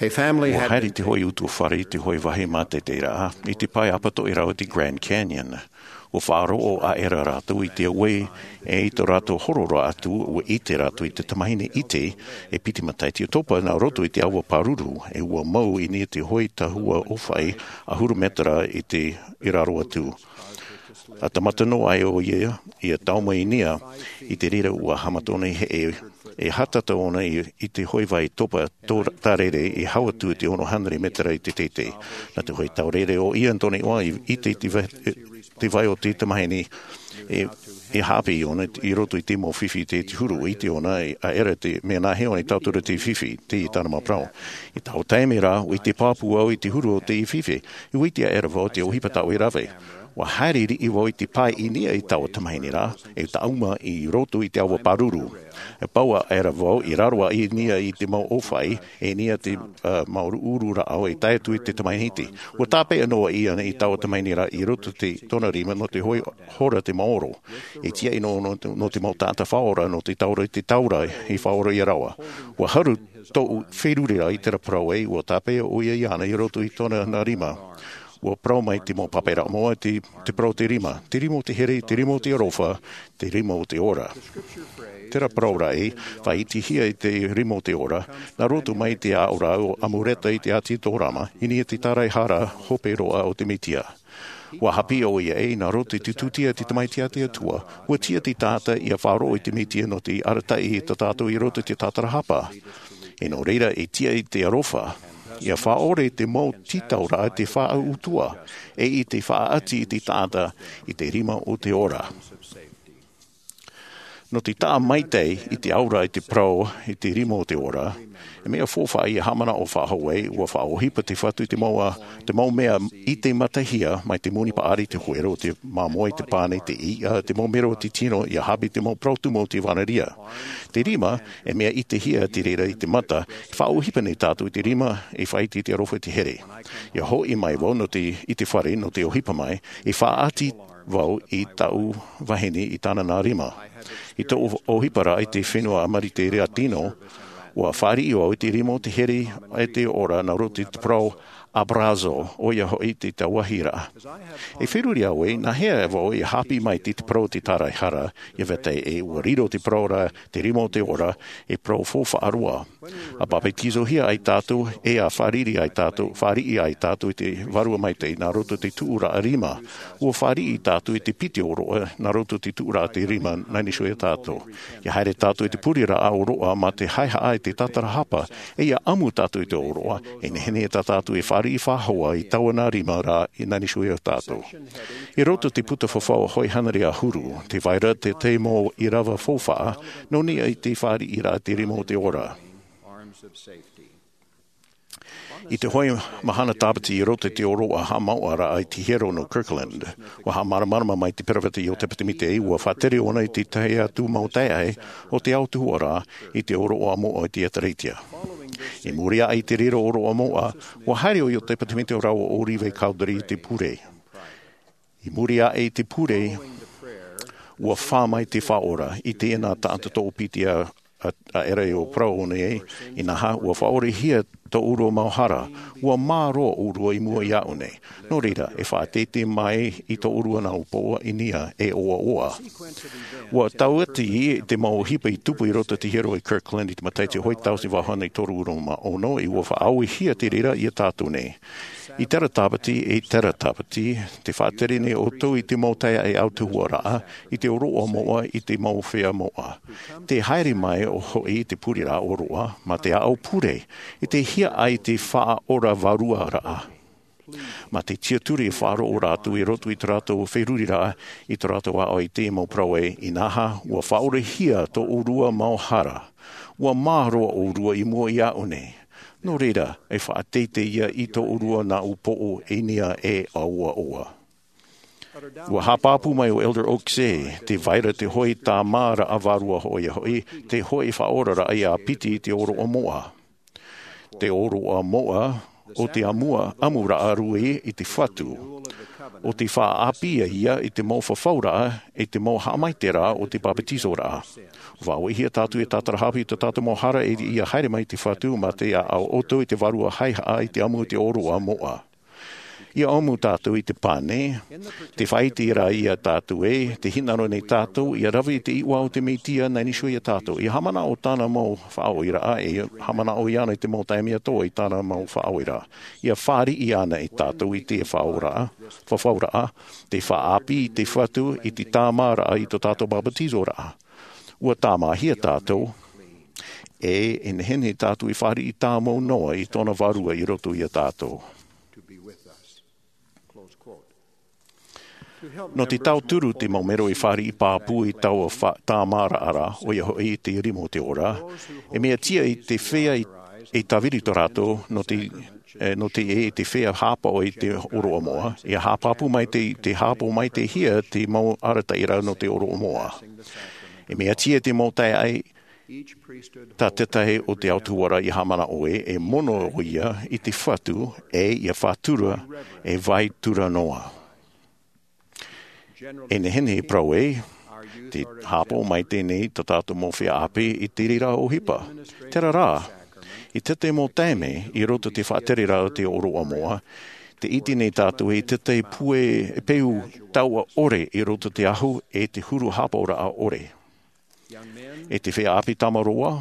A family ʻUa had haere been te hōʻē utuafare i te hōʻē vāhi mātaʻitaʻiraʻa, i te pae apatoʻi rahi o te Grand Canyon. ʻUa faʻaroʻo aʻera rātou i te auē, e i tō rātou hororaʻa atu, ʻua ʻite rātou i te tamāhine ʻite, e piti matahiti ʻotopa nā roto i te ʻāua pāruru, e ʻua mau i niʻa i te hōʻē tahua ʻōfaʻi, ʻahuru mētera i te, i raro atu. ʻA tāmata noa aʻe ʻoia, ʻia tae mai i niʻa, i te reira ʻua haʻamata ʻōna i heʻe, e hātata ʻōna i, i te hōʻē vai topa tō-, tārere, e hau atu i te ono hānere mētera i te teitei. Nā te hōʻē taureʻareʻa o ia tōna iʻoa i, i te, te vai, te vai o te tamāhine, e, e haʻapiʻi ʻōna i roto i te mau fifi i te, te huru, ʻua ʻite ʻōna, e, aʻera te mea nāhea ʻōna i tauturu i te fifi, teie tāna mau parau. I taua taime rā, ʻua ʻite pāpū au i te huru o te fifi, ʻua ʻite aʻera vau te ʻohipa tāʻu e rave. ʻUa haere riʻi vau i te pae i niʻa i taua tamāhine ra, e tāʻuma i roto i te ʻāua pāruru. E pau aʻera vau i raro aʻe i niʻa i te mau ʻōfaʻi, e niʻa i te, ā, mau ʻuruʻuru rāʻau e tae atu i te tamāhine ʻite. ʻUa tāpeʻa noa aʻe i taua tamāhine ra i roto i te, tōna rima nō te hōʻē hora te maoro. E tiaʻi noa nō, nō te mau taʻata faʻaora, nō te taura i te taura i faʻaora ia rāua. ʻUa haru tōʻu feruriraʻa i terā parau ē, ʻua tāpeʻa ʻoia iāna i roto i tōna nā rima. ʻUa parau mai te mau pāparaʻa moʻa te, te parau o te rima, te rima o te here, te rima o te aroha, te rima o te ora. Terā parau ra ē, faʻaʻitehia i te rima o te ora, nā roto mai i te aʻoraʻa o Amuleka i te ʻāti Zorama, i niʻa i te tāraehara hope roa o te Mesia. ʻUa haʻapiʻi ʻoia ē, nā roto i te tūtia a te Tamaiti a te Atua, ʻua tiʻa te taʻata ʻia faʻaroʻo i te Mesia nō te arataʻi i tō tātou i roto i te tātarahapa. E nō reira, e tiʻa i te aroha, ʻia faʻaʻore te mau tītauraʻa te faʻautuʻa, e i te faʻaʻati i te taʻata i te rima o te ora. Nō te taʻa maitaʻi i te aura i te parau i te rima o te ora, e mea faufaʻa ʻia haʻamanaʻo faʻahou ai, ʻua faʻaʻohipa te Fatu i te mau, te mau mea ʻite matahia mai te moni paʻari, te huero, te māmoe, te pane, te iʻa, te mau mero o te tino, ʻia haʻapiʻi te mau parau tumu o te ʻevanelia. Te rima, e mea ʻitehia te reira i te mata, e faʻaʻohipa nei tātou i te rima, e faʻaʻite i te aroha i te here. ʻIa hoʻi mai vau nō te, i te fare, nō te ʻohipa mai, e faʻaʻati vau i taʻu vahine i tāna nā rima. I tōʻu ʻohipa ra i te fenua Amerika Latino, ʻua fāriʻi vau i te rima o te here e te ora nā roto i te parau Abrazo, ʻoia hoʻi te tauahiraʻa. E feruri au ē, nā hea vau i hāpiʻi mai i te parau o te tāraehara, ia vetahi ē, ua riro te parau ra, te rima o te ora, e parau faufaʻa roa. ʻA papetizohia ai tātou, e ʻa fāriʻi ai tātou, fāriʻi ai tātou i te Vārua Maitaʻi, nā roto i te tuʻuraʻa rima. Ua fāriʻi tātou i te piti ʻōroʻa, nā roto i te tuʻuraʻa te rima, nā niʻa iho ia tātou. Ia haere tātou i te pureraʻa ʻōroʻa mā te haehaʻa i te tātarahapa, e ia ʻamu tātou i te ʻōroʻa, e nehenehe tā tātou e fāriʻi faʻahou i taua nā rima ra, i nā niʻa iho ia tātou. I roto i te puta fafau hōʻē hānere ʻahuru, tē vai ra te tahi mau ʻīrava faufaʻa, nō niʻa i te fāriʻiraʻa te rima o te ora. I te hōʻē mahana tāpati i roto i te ʻōroʻa haʻamauʻa ra i te hiero nō Kirtland, ua haʻamāramarama mai te peropheta Iotepa Temeti, ua faʻatere ʻōna i te tahi atu mau taeaʻe o te autahuʻaraʻa i te ʻōroʻa moʻa i te ʻĒtārētia. I muri aʻe i te riro ʻōroʻa moʻa, ua haere ʻo Iotepa Temeti rāua ʻo Levi Cowdery i te pure. I muri aʻe i te pure, ua fā mai te Faʻaora i teie nā taʻata toʻopiti a, a, a ʻere o parau nei, inaha, ua faʻaorehia tō ʻōrua mau hara, ua mā roa ʻōrua i mua iāʻu nei. Nō reira, e faʻateitei mai i tō ʻōrua nā ʻūpoʻo i niʻa e ʻoaʻoa. Ua tauati te mau ʻohipa i tupu i roto i te hiero i Kirtland i te matahiti hōʻē tauatini vaʻu hānere toru ʻahuru mā ono, e ua faʻaauehia te reira ia tātou nei. I terā tāpati, i terā tāpati, tē faʻatere nei ʻoutou i te mau taeaʻe autahuʻaraʻa, i te ʻōroʻa moʻa, i te mau feiā moʻa. Tē haere mai hoʻi te pureraʻa ʻōroʻa, mā te aʻo pure, i te hiaʻai te Faʻaora vāruaraʻa. Mā te tiʻaturi e faʻaroʻo rātou i roto i tō rātou feruriraʻa, i tō rātou aʻo i te mau parau ē, inaha, ua faʻaorehia tō ʻōrua mau hara. Ua mā roa ʻōrua i mua iāʻu nei. Nō reira, e faʻateitei ia i tō ʻōrua nā ʻūpoʻo i niʻa e ʻoaʻoa. Ua haʻapāpū mai ʻo Elder Oaks ē, tē vai ra te hōʻē tāmāraʻa vārua ʻoia hoʻi, te hōʻē faʻaoraraʻa ia piti i te ʻōroʻa moʻa. Te ʻōroʻa moʻa, ʻo te ʻamua, ʻamuraʻa rūʻi i te Fatu. ʻO te faʻaʻāpī ia i te mau fafauraʻa, i te mau haʻamaitaʻiraʻa o te papetizoraʻa. Faʻaauehia tātou e tātarahapa i tō tātou mau hara e ia haere mai te Fatu mā te aʻo ʻoutou i te vārua haehaʻa i te ʻamu i te ʻōroʻa moʻa. Ia ʻamu tātou i te pane, te faʻaʻite ra ia tātou ē, tē hinaʻaro nei tātou, ia rave i te iʻoa o te Mesia nā niʻa iho ia tātou. Ia haʻamanaʻo tāna mau faʻaoreraʻa, e haʻamanaʻo iāna i te mau taime atoʻa i tāna mau faʻaoreraʻa. Ia fāriʻi iāna ia tātou i te fafauraʻa, fafauraʻa, te faʻaʻāpī i te Fatu, i te tāmāraʻa i tō tātou papetizoraʻa. Ua tāmāhia tātou, e, e nehenehe tātou e fāriʻi tāmau noa i tōna vārua i roto ia tātou. Nō te tauturu te mau mero e fāriʻi pāpū i taua fa-, tāmāraʻa ra, ʻoia hoʻi te rima o te ora, e mea tiʻa i te feiā i, i tāviri tō rātou, nō te, e, nō te, e, te feiā hāpaʻo i te ʻōroʻa moʻa, ia haʻapāpū mai te, te hāpaʻo mai te hia te mau arataʻiraʻa nō te ʻōroʻa moʻa. E mea tiʻa te mau taeaʻe, tā te tahi o te autahuʻaraʻa ia haʻamanaʻo ē, e mono ʻoia i te Fatu, e ia faʻatura, e vai tura noa. E nehenehe e parau ē, tē hāpaʻo mai teie nei tā tātou mau feiā ʻāpī i te reira ʻohipa. Terā rā, i te tahi mau taime, i roto i te faʻatereraʻa o te ʻōroʻa moʻa, tē ʻite nei tātou i te tahi pū e peu taua ʻore i roto i te ahu e te huru hāpaʻoraʻa ʻore. E te feiā ʻāpī tāmau roa,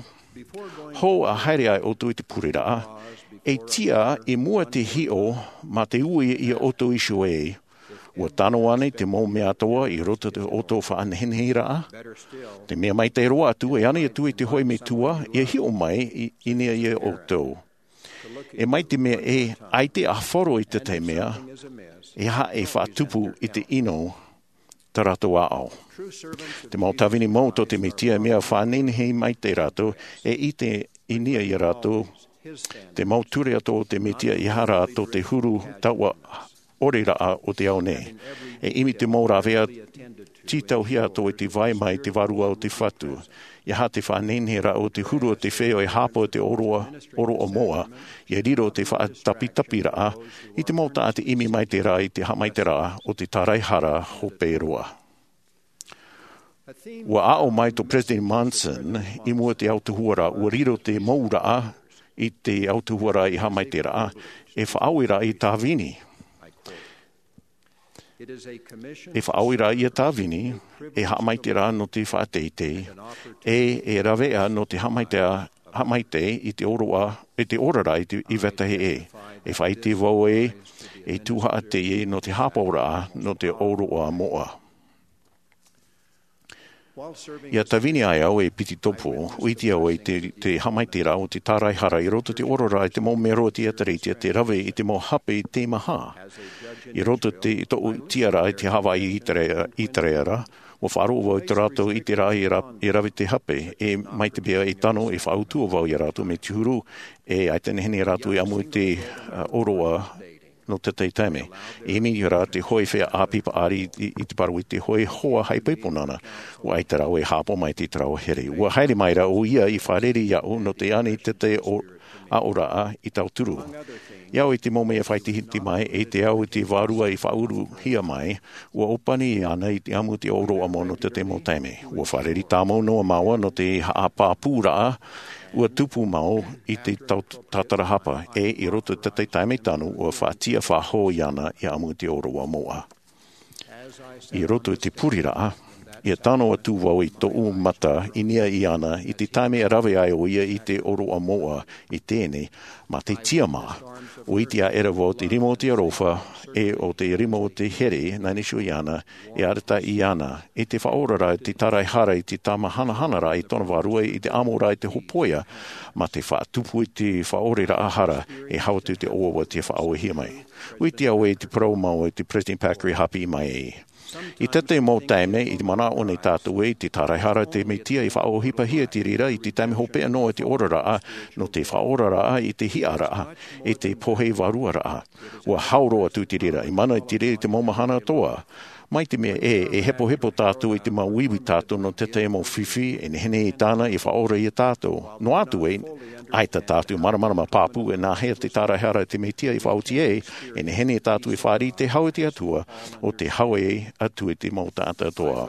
hou ʻa haere ai ʻoutou i te pureraʻa, e tiʻa i mua te hiʻo mā te ui ia ʻoutou iho ē, ua tano ānei te mau mea atoʻa i roto i tō ʻoutou faʻaneheneheraʻa? Te mea maitaʻi roa atu, e ani atu i te hōʻē metua, ia hiʻo mai i, i niʻa ia ʻoutou. E mai te mea e ʻaita e ʻāfaro i te tahi mea, e aha e faʻatupu i te ʻino tā rātou aʻo. Te mau tāvini mau tō te Mesia, mea faʻanehenehe mai tā rātou, e ʻite i niʻa ia rātou, te mau ture atoʻa o te Mesia, e aha rā tō te huru taua ʻoreraʻa o te ao nei. E ʻimi te mau rāveʻa tītauhia atoʻa i te vai mai te Vārua o te Fatu. E aha te faʻaneneheraʻa o te huru o te feiā e hāpaʻo i te ʻōroʻa, ʻōroʻa moʻa, ia riro te faʻatapitapiraʻa, i te mau taʻata ʻimi maitaʻi ra i te haʻamaitaʻiraʻa o te tāraehara hope roa. Ua aʻo mai tō Peresideni Monson i mua i te autahuʻaraʻa, ua riro te mouraʻa i te autahuʻaraʻa i haʻamaitaʻiraʻa, E faʻaʻohiparaʻa tāvini. E faʻaʻohiparaʻa ia tāvini, e haʻamaitaʻiraʻa nō te faʻateitei, e e raveʻa nō te haʻamaitaʻi, haʻamaitaʻi i te ʻōroʻa, i te oraraʻa i te, i vetahi ʻē. E faʻaʻite vau ē, e tuhaʻa teie nō te haʻapaʻoraʻa, nō te ʻōroʻa moʻa. Ia tāvini ai au e piti tōpō, ʻua ʻite au i te, te haʻamaitaʻiraʻa o te tāraehara i roto i te oraraʻa i te mau mero o te ʻĒtārētia te rave i te mau hape teimaha. I roto i te, tōʻu tiʻaraʻa i te Hāvaiʻi ʻĪteraʻera, ʻĪteraʻera, ʻua faʻaroʻo vau i tō rātou ʻiteraʻa i ra-, i rave te hape, e mai te mea e tano e faʻautuʻa vau ia rātou mai te huru, e ʻaita e nehenehe rātou e ʻamu i te, ā, ʻōroʻa nō te tahi taime. E ʻimi rā te hōʻē feiā ʻāpī paʻari i, i te parau i te hōʻē hoa haʻaipoipo nāna, ʻua ʻaita rāua e haʻapaʻo mai i te rāua here. ʻUa haere mai rā ʻoia i fārerei iāʻu nō te ani tete o, aʻoraʻa i tauturu. I au i te mau mea faʻaitehia mai, e te au i te vārua i faʻauruhia mai, ʻua ʻōpani ana i te ʻamu te ʻōroʻa moʻa nō te tahi mau taime. ʻUa fārerei tāmau noa māua nō te haʻapāpūraʻa, ʻua tupu mau i te tau-, tātarahapa, e i roto i te tahi taime tano, ʻua faʻatiʻa faʻahou iāna i ʻamu te ʻōroʻa moʻa. I roto i te puriraʻa, ia tano atu vau i tōʻu mata i niʻa iāna i te taime e rave ai ʻoia i te ʻōroʻa moʻa i teie nei, mā te tiʻamā. ʻUa ʻite aʻera vau te rima o te aroha, e ʻo te rima o te here, nā Iesu iāna, e arataʻi iāna, i te faʻaoraraʻa, i te tāraehara, i te tāmāhanahanaraʻa i tōna vārua, i te ʻamoraʻa, i te hōpoiʻa, mā te faʻatupu i te faʻaʻoreraʻa hara, e hau atu te ʻoaʻoa te faʻaʻōhie mai. ʻUa ʻite au ē te parau mau i te Peresideni Packer i haʻapiʻi mai ai. I te tahi mau taime, i te manaʻo nei tātou ē, te tāraehara te Mesia i faʻaʻohipahia te reira i te taime hopeʻa noa i te oraraʻa, nō te faʻaoraraʻa i te hiʻaraʻa, i te pohe vāruaraʻa. ʻUa hau roa atu te reira, i mana i te reira i te mau mahana atoʻa. Mai te mea ē, e hepohepo tātou i te mau uiui tātou nō te tahi mau fifi, e nehenehe tāna i faʻaora ia tātou. Noa atu ē, ʻaita tātou māramarama pāpū e nāhea te tāraehara te Mesia i faʻaoti ai, e nehenehe tātou i fārerei i te hau i te Atua, ʻo te hau atu i te mau taʻata atoʻa.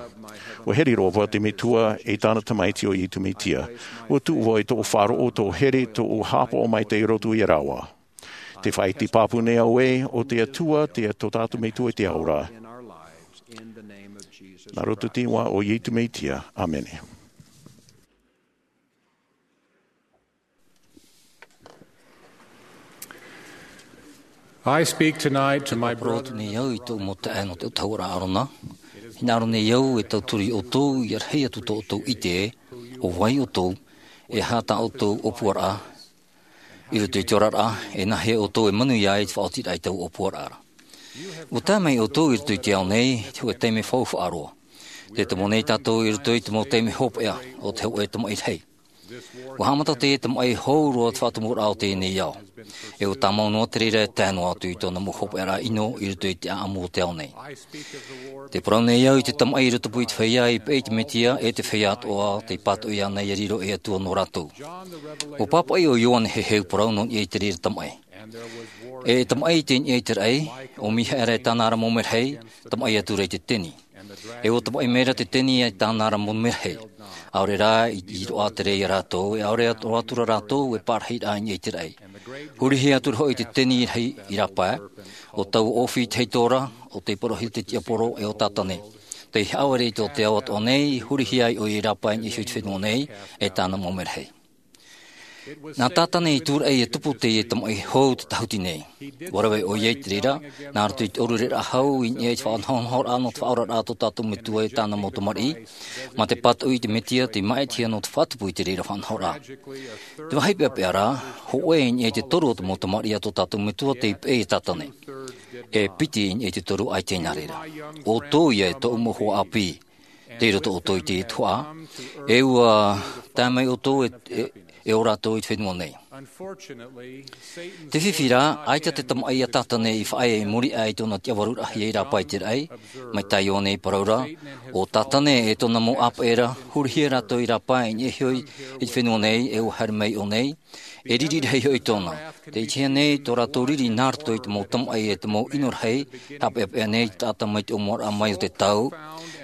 ʻUa here roa vau i te Metua e tāna Tamaiti ʻo Iesu Mesia. ʻUa tuʻu vau i tōʻu faʻaroʻo, tōʻu here, tōʻu haʻapaʻo maitaʻi i roto ia rāua. Tē faʻaʻite pāpū nei au ē, ʻo te Atua, te, tō tātou Metua i te ao ra. Nā roto i te iʻoa o Iesu Mesia. ʻĀmene. I speak tonight to my brother. Parau atu nei au i tōʻu mau taeaʻe nō te ʻautahuʻaraʻa ʻĀrona. Hinaʻaro nei au e tauturu ia ʻoutou, ʻia rahi atu tō ʻoutou ʻite, ʻo vai ʻoutou, e aha tā ʻoutou ʻōpuaraʻa, i roto i te oraraʻa, e nāhea ʻoutou e manuia ai te faʻaotiraʻa i taua ʻōpuaraʻa ra. ʻUa tae mai ʻoutou i roto i te ao nei, i te hōʻē taime faufaʻa roa. Tē tomo nei tātou i roto i te mau taime hopeʻa, ʻo te hōʻē tamaʻi rahi. ʻUa haʻamata teie tamaʻi hou roa te faʻatomuraʻa o teie nei ao. E ʻua tāmau noa te reira e tae noa atu i tōna mau hopeʻaraʻa ʻino i roto i te ʻāʻamu o te ao nei. Tē parau nei au i te tamaʻi i rotopū i te feiā i peʻe i te Mesia, e te feiā atoʻa tei pātoʻi ana ʻia riro ei Atua nō rātou. ʻUa pāpaʻi ʻo Ioane Heheu parau nō niʻa i te reira tamaʻi. E tamaʻi i niʻa i te raʻi, ʻo Mihaera e tāna ra mau merahi, tamaʻi atu ra i te teni. E ʻua tamaʻi mai ra te teni e tāna ra mau merahi. ʻAore rā i, i roaʻa te rē ia rātou, e ʻaore atu, roa atu ra rātou e pārahiraʻa i niʻa i te raʻi. Hurihia atu ra hoʻi te teni rahi i rāpae, ʻo taua ʻōfī te heitora, ʻo te parauhia te tiaporo, e ʻo Tātane. Tei haʻavare i tō te ao atoʻa nei, hurihia ai ʻoia i rāpae i niʻa iho i te fenua nei, e tāna mau merahi. Nā Tātane i tūraʻi ʻia tupu teie tamaʻi hou te tahuti nei. ʻUa rave ʻoia i te reira, nā roto i te ʻōrureraʻa hau i niʻa i te faʻanahonahoraʻa nō te faʻaoraraʻa tō tātou Metua e tāna mau tamariʻi, mā te pātoʻi i te Mesia tei māʻitihia nō te faʻatupu i te reira faʻanahoraʻa. Te vāhi peʻapeʻa rā, hōʻē i niʻa i te toru o te mau tamariʻi a tō tātou Metua tei peʻe ia Tātane. E piti i niʻa i te toru ʻaita i nā reira. ʻOutou ia e tōʻu mau hoa ʻāpī. Tei roto ʻoutou i te tuhaʻa, e ʻua tae mai ʻoutou e, e, e ō rātou i te fenua nei. Te fifi rā, ʻaita te tamaʻi a Tātane i faʻaea i muri aʻe i tōna tiʻavaruraʻahia i rāpae i te raʻi, mai tā Ioane i parau ra, ʻo Tātane e tōna mau ʻāpeʻe ra, hurihia rātou i rāpae i niʻa iho i, i te fenua nei, e ʻua haere mai iʻō nei, e riri rahi hoʻi tōna. Tē ʻitehia nei tō rātou riri nā roto i te mau tamaʻi e te mau ʻino rahi, haʻapeʻapeʻa nei te taʻata mai te ʻōmuaraʻa mai o te tau,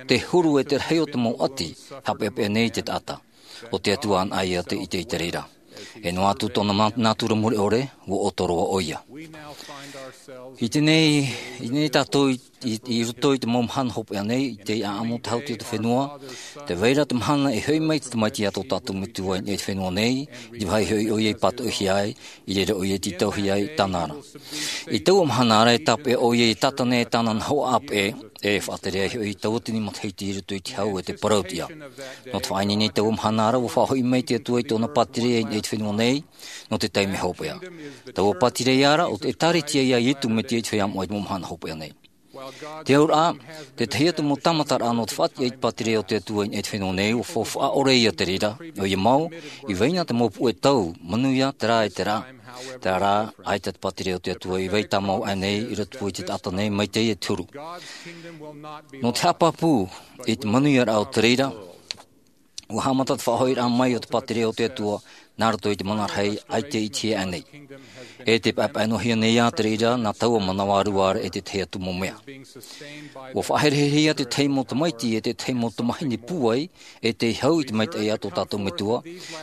te huru e te rahi o te mau ʻati, haʻapeʻapeʻa nei te taʻata. ʻO te Atua anaʻe ia tei ʻite i te reira. E noa atu tōna ma-, nātura mure ʻore, ʻua ʻoto roa ʻoia. I teie nei, i teie nei tātou i, i, i roto i te mau mahana hopeʻa nei, i te ʻāʻamu tahuti o te fenua, tē vai ra te mahana e hoʻi mai te Tamaiti i tō tātou Metua i niʻa i te fenua nei, i te vāhi hoʻi ʻoia i pātoʻihia ai, i reira ʻoia i tītauhia ai tāna ra. I taua mahana ra e tāpeʻa ʻoia i Tātane e tāna nahoʻa ʻāpeʻe, e faʻatere ai hoʻi taua tini matahiti i roto i te hau e te parauʻtiʻa. Nō te faʻaineine i taua mahana ra, ʻua faʻahoʻi mai te Atua i tōna pātireia i niʻa i te fenua nei, nō te taime hopeʻa. Taua pātireia ra, ʻo te ʻĒtārētia ia Ietu Metia i te feiā moʻa i te mau mahana hopeʻa nei. Te auraʻa, te tahi atu mau tāmataraʻa nō te faʻatiʻa i te pātireia o te Atua i niʻa i te fenua nei, ʻua faufaʻa ʻore ia te reira, ʻoia mau, i vai na te mau puʻe tau, manuia, terā e terā. Terā rā, ʻaita te pātireia o te Atua i vai tāmau aʻenei, i roto i te taʻata nei, mai teie te huru. Nō te haʻapāpū, i te manuiaraʻa o te reira, ʻua haʻamata te faʻahoʻiraʻa mai o te pātireia o te Atua, nā roto i te mana rahi, ʻaita i ʻitehia aʻenei. E tē paʻepaʻenohia nei ā te reira, nā taua manava rua ra e te tahi atu mau mea. ʻUa faʻahereherehia te tahi mau tamaiti, e te tahi mau tamahine pūai, e tei hau i te maitaʻi a tō tātou Metua,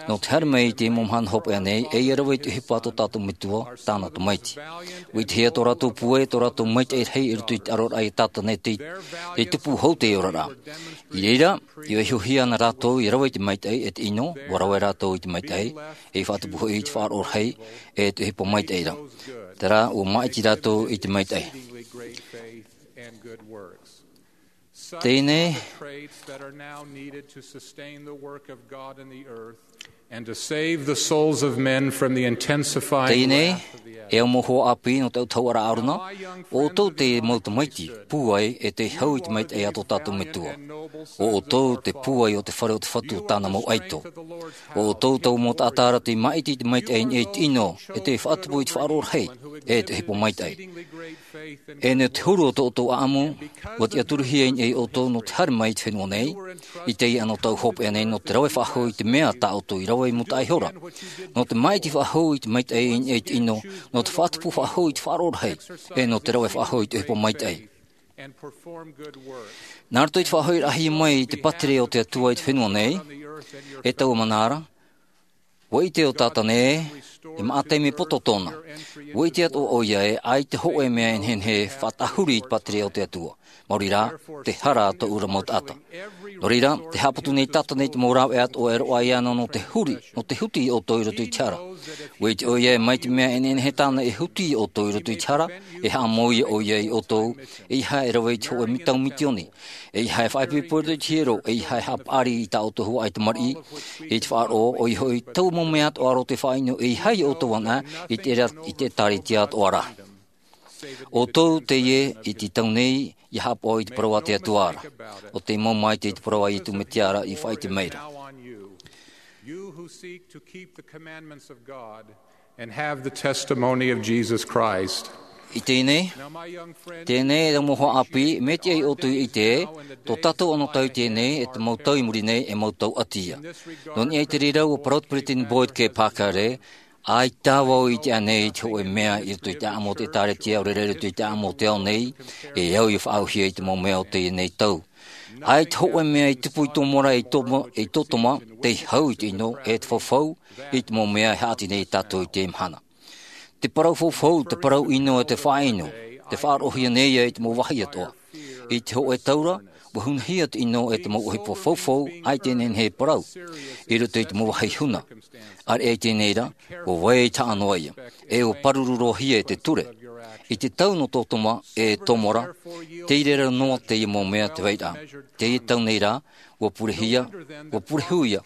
nō te haere mai i te mau mahana hopeʻa nei, e ʻia rave i te ʻohipa a tō tātou Metua, tāna tamaiti. ʻUa ʻitehia tō rātou pūai, tō rātou maitaʻi rahi i roto i te ʻaroraʻa i Tātane tei, tei tupu hou te oraraʻa. I reira, i vaihohia ana rātou, i rave i te maitaʻi, e te ʻino, ʻua rave rātou i te maitaʻi, e i faʻatupu hoʻi i te faʻaroʻo rahi, e te ʻohipa maitaʻi ra. Terā, ʻua māʻiti rātou i te maitaʻi. Teie nei, and to save the souls of men from the intensifying teie nei, wrath of the e au mau hoa ʻāpī nō te ʻautahuʻaraʻa ʻārona, ʻo ʻoutou te mau tamaiti, pūai, e tei hau i te maitaʻi a tō tātou Metua. ʻO ʻoutou te pūai o te fare o te Fatu o tāna mau ʻaito. ʻO ʻoutou taua mau taʻata ra tei māʻiti i te maitaʻi i niʻa i te ʻino, e tei faʻatupu i te faʻaroʻo rahi, e te ʻohipa maitaʻi. E nō te huru o tō ʻoutou ʻāʻamu, ʻua tiʻaturuhia i niʻa ia ʻoutou nō te haere mai i te fenua nei, i teie anotau hopeʻa nei nō te rave faʻahou i te mea tā ʻoutou i rave i mūtaʻa ihora. Nō te māʻiti faʻahou i te maitaʻi i niʻa i te ʻino, nō te faʻatupu faʻahou i te faʻaroʻo rahi, e nō te rave faʻahou i te ʻohipa maitaʻi. Nā roto i te faʻahoʻiraʻahia mai i te pātireia o te Atua i te fenua nei, e taua mahana ra, ʻua ʻite ʻo Tātane ē, e maʻa taime poto tōna. ʻUa ʻite atoʻa ʻoia ē, ʻaita hōʻē mea e nehenehe e faʻatahuri i te pātireia o te Atua. Maori rā, te hara a tōʻu ra mau taʻata. Nō reira, tē haʻaputu nei Tātane i te mau rāveʻa atoʻa e roaʻa iāna nō te huri, nō te huti ia ʻoutou i roto i te hara. ʻUa ʻite ʻoia ē, mai te mea e nehenehe tāna e huti ia ʻoutou i roto i te hara, e haʻamou ia ʻoia ia ʻoutou, ʻeiaha e rave i te hōʻē mau tau mitioni. ʻEiaha e faʻaipoipo i roto i te hiero, ʻeiaha e haʻapaʻari i tā ʻoutou huaʻai tamariʻi, i te faʻaroʻo, ʻoia hoʻi, taua mau mea atoʻa rā o te faʻaʻino, ʻeiaha ia ʻoutou anaʻe, i te ra-, i te ʻĒtārētia atoʻa ra. ʻO ʻoutou teie i te tau nei, ʻia haʻapaʻo i te parau a te Atua ra. ʻO tē mau māʻiti i te parau a Ietu Metia ra i faʻaʻite mai ra. You who seek to keep the commandments of God and have the testimony of Jesus Christ. I teie nei, teie nei e te mau hoa ʻāpī, mea tiʻa ia ʻoutou e ʻite ē, tō tātou anotau i teie nei, e te mau tau i muri nei, e mau tau ʻati ia. Nō niʻa i te reira, ʻua parau te Peresideni Boyd K. Packer ē, ʻaita vau i ʻite ānei i te hōʻē mea i roto i te ʻāʻamu o te ʻĒtārētia, ʻaore rā i roto i te ʻāʻamu o te ao nei, e au ia faʻaauhia i te mau mea o teie nei tau. ʻAita hōʻē mea i tupu i tō mora, i tō mo-, i tō toma, tei hau i te ʻino, e te faufau, i te mau mea e haʻati nei ia tātou i teie mahana. Te parau faufau, te parau ʻino, e te faʻaʻino, tē faʻaroʻohia nei ia i te mau vāhi atoʻa. I te hōʻē tau ra, ʻua hunahia te ʻino e te mau ʻohipa faufau, ʻaita e nehenehe e parau. I roto i te mau vāhi huna. ʻAreʻa i teie nei rā, ʻua vai i te haʻa noa ia. E ʻua pāruru roahia e te ture. I te tau nō tō toma, e tō mora, tei reira noa teie mau mea te vairaʻa. Teie tau nei rā, ʻua purehia, ʻua purehū ia,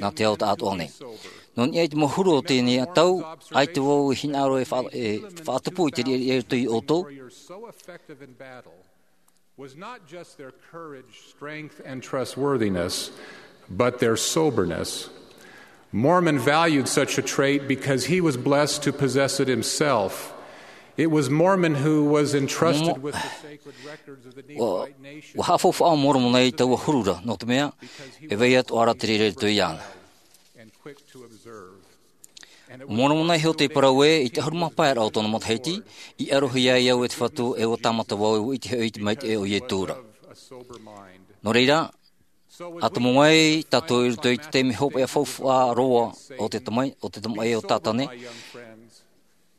nā te ao taʻatoʻa nei. Nō niʻa i te mau huru o teie nei tau, ʻaita vau i hinaʻaro e fa-, e faʻatupu i te riʻariʻa i roto ia ʻoutou. Was not just their courage, strength, and trustworthiness, but their soberness. Mormon valued such a trait because he was blessed to possess it himself. It was Mormon who was entrusted with the sacred records of the Nephites. ʻUa, ʻua haʻafaufaʻa ʻo Moromona i taua huru ra, nō te mea, e vai atoʻa ra te reira i roto iāna. ʻO Moromona iho tei parau ē, i te ʻahuru mā pae ra o tōna matahiti, i ʻarohia ai au e te Fatu, e ʻua tāmata vau, e ʻua ʻite hoʻi i te maitaʻi o Ietu ra. Nō reira, ʻa tomo ai tātou i roto i te taime hopeʻa faufaʻa roa o te tamai-, o te tamaʻi o Tātane.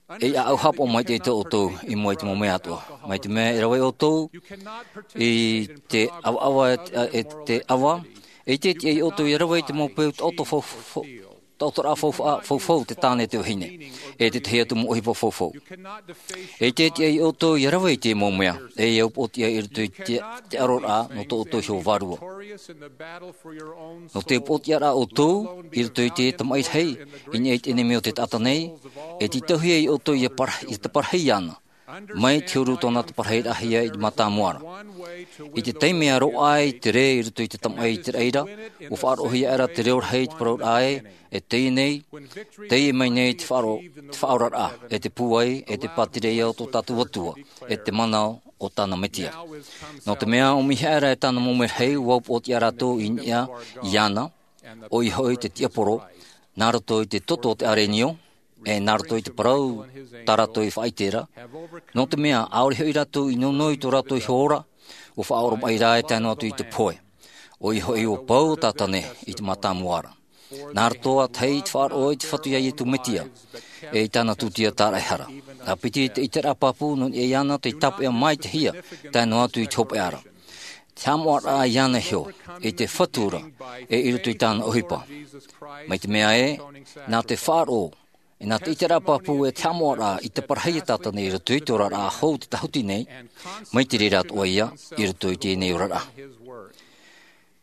E ʻaʻau haʻapaʻo maitaʻi tō ʻoutou i mua i te mau mea atoʻa. Mai te mea e rave ʻoutou i te ʻavaʻava e te ʻava, e ʻite tiʻa ʻoutou ia rave i te mau peu taʻoto fau-, fau-, taʻotoraʻa faufaʻa, faufau te tāne te vahine, e te tahi atu mau ʻohipa faufau. E ʻite tiʻa ʻoutou ia rave i te mau mea, e ia upoʻotiʻa i roto i te, te ʻaroraʻa nō tō ʻoutou iho vārua. Nō te upoʻotiʻaraʻa ʻoutou i roto i te tamaʻi rahi, i niʻa i te ʻenemi o te taʻata nei, e tītauhia ʻoutou ia para-, ia taparahi iāna, mai te huru tōna taparahiraʻahia i te mātāmua ra. I te taime e roaʻa ai te rē i roto i te tamaʻi i te raʻi ra, ʻua faʻaroʻohia ra te reo rahi i te parauraʻa ē, e teie nei, teie mai nei te faʻaro-, te faʻaoraraʻa, e te pūai, e te pātireia o tō tātou Atua, e te mana o tāna Metia. Nō te mea ʻua ʻomiʻia ra e tāna mau merahi, ʻua upoʻotiʻa rātou i niʻa iāna, ʻoia hoʻi te tiaporo, nā roto i te toto o te arenio, e nā roto i te parau tā rātou i faʻaʻite ra, nō te mea ʻaore hoʻi rātou i nono i tō rātou iho ora, ʻua faʻaoromaʻi ra e tae noa atu i te pohe. ʻOia hoʻi ʻua pau ʻo Tātane i te mātāmua ra. Nā roto ā tahi i te faʻaroʻo i te Fatu iā Iesu Mesia, e i tāna tūtia tāraʻehara. ʻA piti te ʻiteraʻa pāpū nō niʻa iāna tei tāpeʻa maitaʻihia, tae noa atu i te hopeʻa ra. Te haʻamoʻaraʻa iāna iho, i te Fatu ra, e i roto i tāna ʻohipa. Mai te mea ē, nā te faʻaroʻo, e nā te ʻiteraʻa pāpū e te haʻamoʻaraʻa i te parahiraʻa a Tātane i roto i te oraraʻa hou te tāhuti nei, mai te reira atoʻa ia, i roto i teie nei oraraʻa.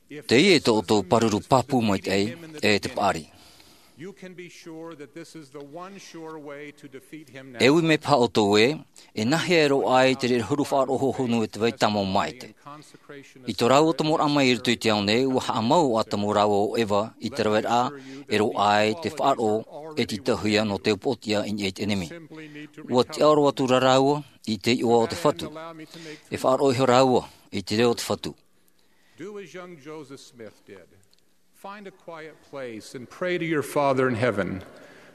Teie tō ʻoutou pāruru pāpū maitaʻi, e te paʻari. E ui mai paha ʻoutou ē, e nāhea e roaʻa ai te reira huru faʻaroʻo hōhonu e te vai tāmau maitaʻi. I tō rāua tomoraʻa mai i roto i te ao nei, ʻua haʻamau ʻo Atamu rāua ʻo Eva i te raveraʻa e roaʻa ai te faʻaroʻo e tītauhia nō te upoʻotiʻa i niʻa i te ʻenemi. ʻUa tiʻaoro atu rā rāua i te iʻoa o te Fatu. E faʻaroʻo iho rāua i te reo o te Fatu. Do as young Joseph Smith did. Find a quiet place and pray to your Father in heaven.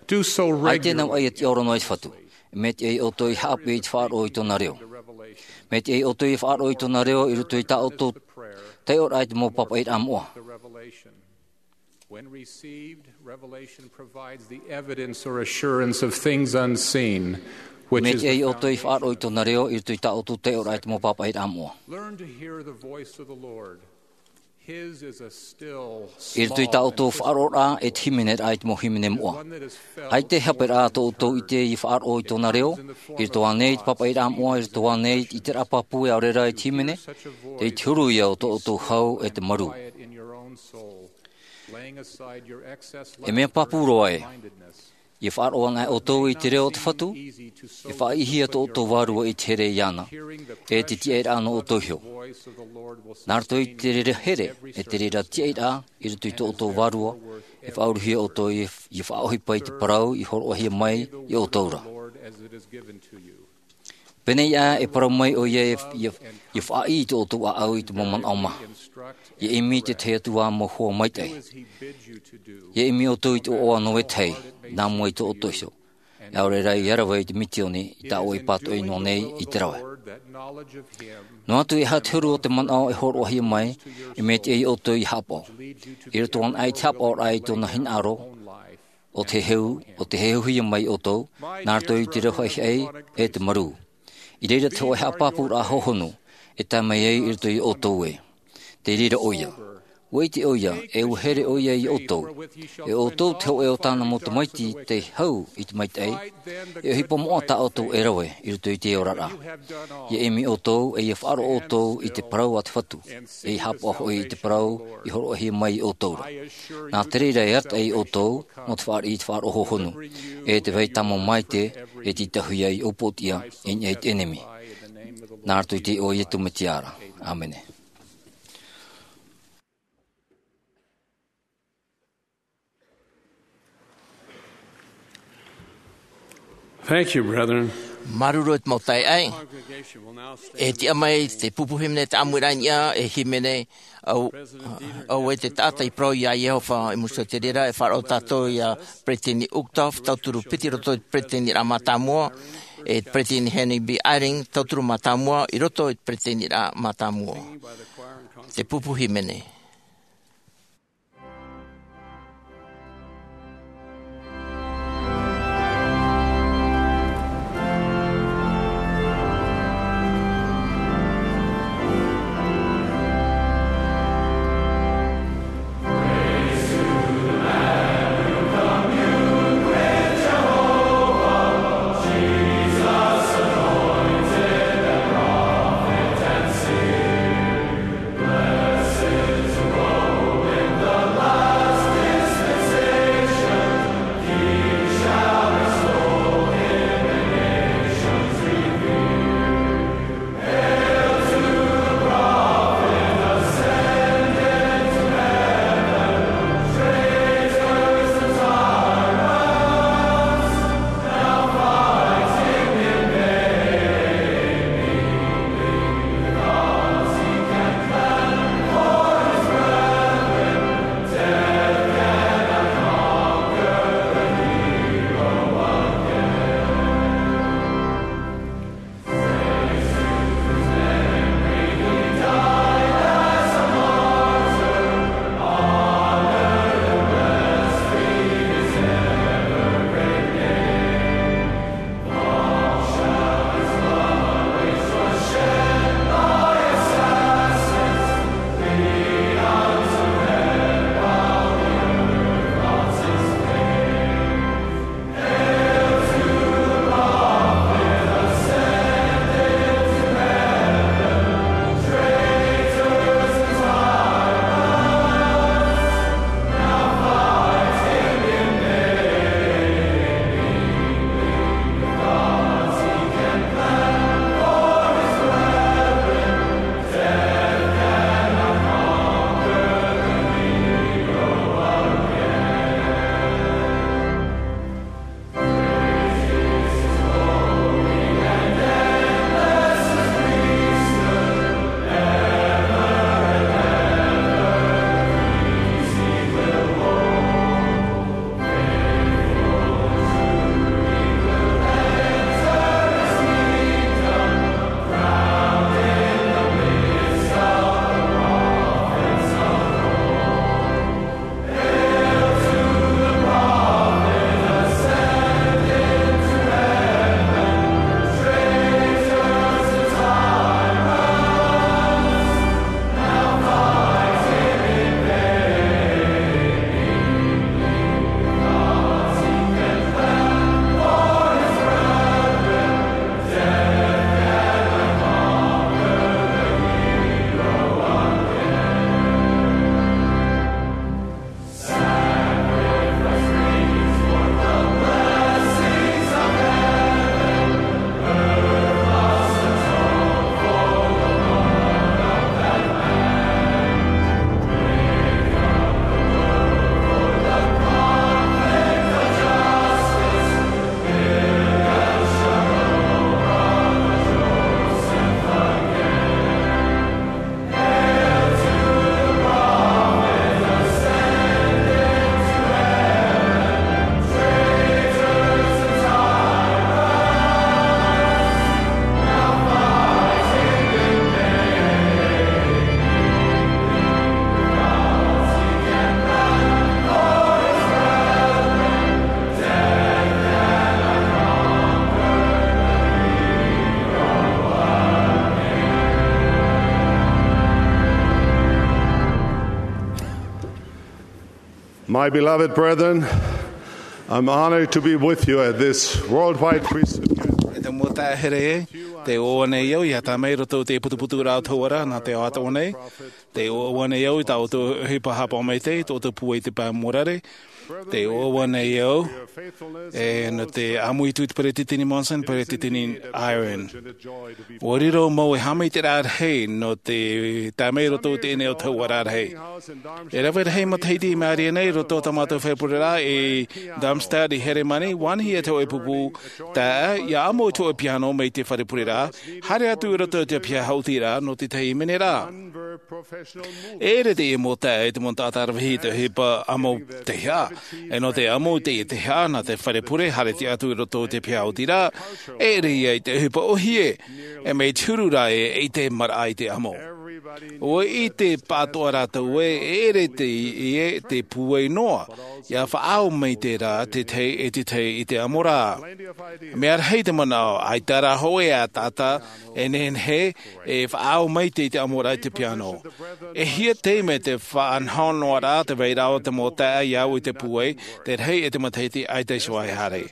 Do so regularly. ʻAita e nā vaʻa ia tiʻaoro noa i te Fatu. Mea tiʻa ia ʻoutou ia haʻapiʻi i te faʻaroʻo i tōna reo. Mea tiʻa ia ʻoutou ia faʻaroʻo i tōna reo i roto i tā ʻoutou taiʻoraʻa i te mau pāpaʻiraʻa moʻa. When received, revelation provides the evidence or assurance of things unseen, which is the foundation. Mea tiʻa ia ʻoutou ia faʻaroʻo i tōna reo i roto i tā ʻoutou taiʻoraʻa i te mau pāpaʻiraʻa moʻa. Learn to hear the voice of the Lord. His is a still, small, and persistent voice. I roto i tā ʻoutou faʻaroʻoraʻa e te hīmeneraʻa i te mau hīmene moʻa. ʻAita e hāpaʻo rā tō ʻoutou ʻite ia faʻaroʻo i tōna reo, i roto ānei i te pāpaʻiraʻa moʻa, i roto ānei i te ʻiteraʻa pāpū e ʻaore rā i te hīmene, tei te huru ia o tō ʻoutou hau e te marū. E mea pāpū roa ē, ia faʻaroʻo anaʻe ʻoutou i te reo o te Fatu, e faʻaʻitehia tō ʻoutou vārua i te here iāna, e te tiaʻiraʻa nō ʻoutou iho. Nā roto i te reira here, e te reira tiaʻiraʻa i roto i tō ʻoutou vārua, e faʻaurahia ʻoutou ia, ia faʻaʻohipa i te parau i hōroʻahia mai ia ʻoutou ra. Pēnei ā, e parau mai ʻoia, ia, ia, ia faʻaʻī i tō ʻoutou ʻāʻau i te mau manaʻo maha. Ia ʻimi i te tahi atu ā mau hoa maitaʻi. Ia ʻimi ʻoutou i te ʻoaʻoa nō vetahi, nā mua i tō ʻoutou iho. E ʻaore rā ia rave i te misiōni, i tā ʻoe e pātoʻi noa nei i te rave. Noa atu e aha te huru o te manaʻo e hōroʻahia mai, e mea tiʻa ia ʻoutou ia haʻapaʻo. I roto anaʻe i te haʻapaʻoraʻa i tōna hinaʻaro, ʻo te heheu, ʻo te heheuhia mai ʻoutou, nā roto i te reo haʻihaʻi e te marū. I reira te hōʻē haʻapāpūraʻa hōhonu, e tae mai ai i roto ia ʻoutou ē. Tei reira ʻoia. ʻUa ʻite ʻoia, e ʻua here ʻoia ia ʻoutou. E ʻoutou te hōʻē o tāna mau tamaiti tei hau i te maitaʻi, e ʻohipa moʻa tā ʻoutou e rave i roto i te oraraʻa. Ia ʻimi ʻoutou, e ia faʻaroʻo ʻoutou i te parau a te Fatu, e ia haʻapaʻo hoʻi i te parau i hōroʻahia mai ia ʻoutou ra. Nā te reira e arataʻi ia ʻoutou, nō te fāriʻi i te faʻaroʻo hōhonu, e te vai tāmau maitaʻi, e tītauhia ia upoʻotiʻa i niʻa i te ʻenemi. Nā roto i te iʻoa o Iesu Mesia ra. ʻĀmene. Thank you, brethren. Māuruuru e te mau taeaʻe. E tiʻa mai te pupu hīmene, te ʻāmuiraʻa i niʻa, e hīmene, ʻo, ʻo vai te taʻata i parau iā Iehova i muri iho i te reira, e faʻaroʻo tātou ia Peresideni Uchtdorf, tauturu piti i roto i te Peresideniraʻa Mātāmua, e Peresideni Henry B. Eyring, tauturu mātāmua i roto i te Peresideniraʻa Mātāmua. Te pupu hīmene. My beloved brethren, I'm honored to be with you at this worldwide priesthood gathering. E te mau taeaʻe here, tē ʻoaʻoa nei au ʻia tāmau i roto i te putuputuraʻa o te ʻōpuaraʻa nā te ao atoʻa nei. Tē ʻoaʻoa nei au i tā ʻoutou ʻohipa haʻapaʻo maitaʻi, tō ʻoutou pūai i te pae mōrare. Tē ʻoaʻoa nei au, e, nō te ʻāmui atu i te Peresideni Monson, Peresideni Eyring. ʻUa riro mau e haʻamaitaʻiraʻa rahi nō te tāmau i roto i teie nei autahuʻaraʻa rahi. E rave rahi matahiti i mārie nei i roto i tā mātou fare pureraʻa i Darmstadt i Heremani, ʻua ʻānaʻi te hōʻē pupu taeaʻe ʻia ʻamo i te hōʻē piano mai te fare pureraʻa, haere atu i roto i te piha haʻutiraʻa nō te tahi minera. E ʻere teie mau taeaʻe i te mau taʻata rave rahi i te ʻohipa ʻamo teiaha. E nō te ʻamo i teie teiaha, nā te fare pure, haere atu i roto i te piha haʻutiraʻa, e ʻere ia i te ʻohipa ʻōhie, e mea huru rā ē, ʻeita e maraʻa i te ʻamo. ʻUa ʻite pāʻatoʻa rātou ē, e ʻere teie, te pūai noa, ʻia faʻaau mai te rā, te tahi e te tahi i te ʻamo ra. Mea rahi te manaʻo, ʻaita rā hōʻē taʻata, e nehenehe, e faʻaau maitaʻi i te ʻamo ra i te piano. E hia taime te faʻanahonahoraʻa, te vairaʻa o te mau taeaʻe ʻia au i te pūai, te rahi e te matahiti ʻaita iho e haere.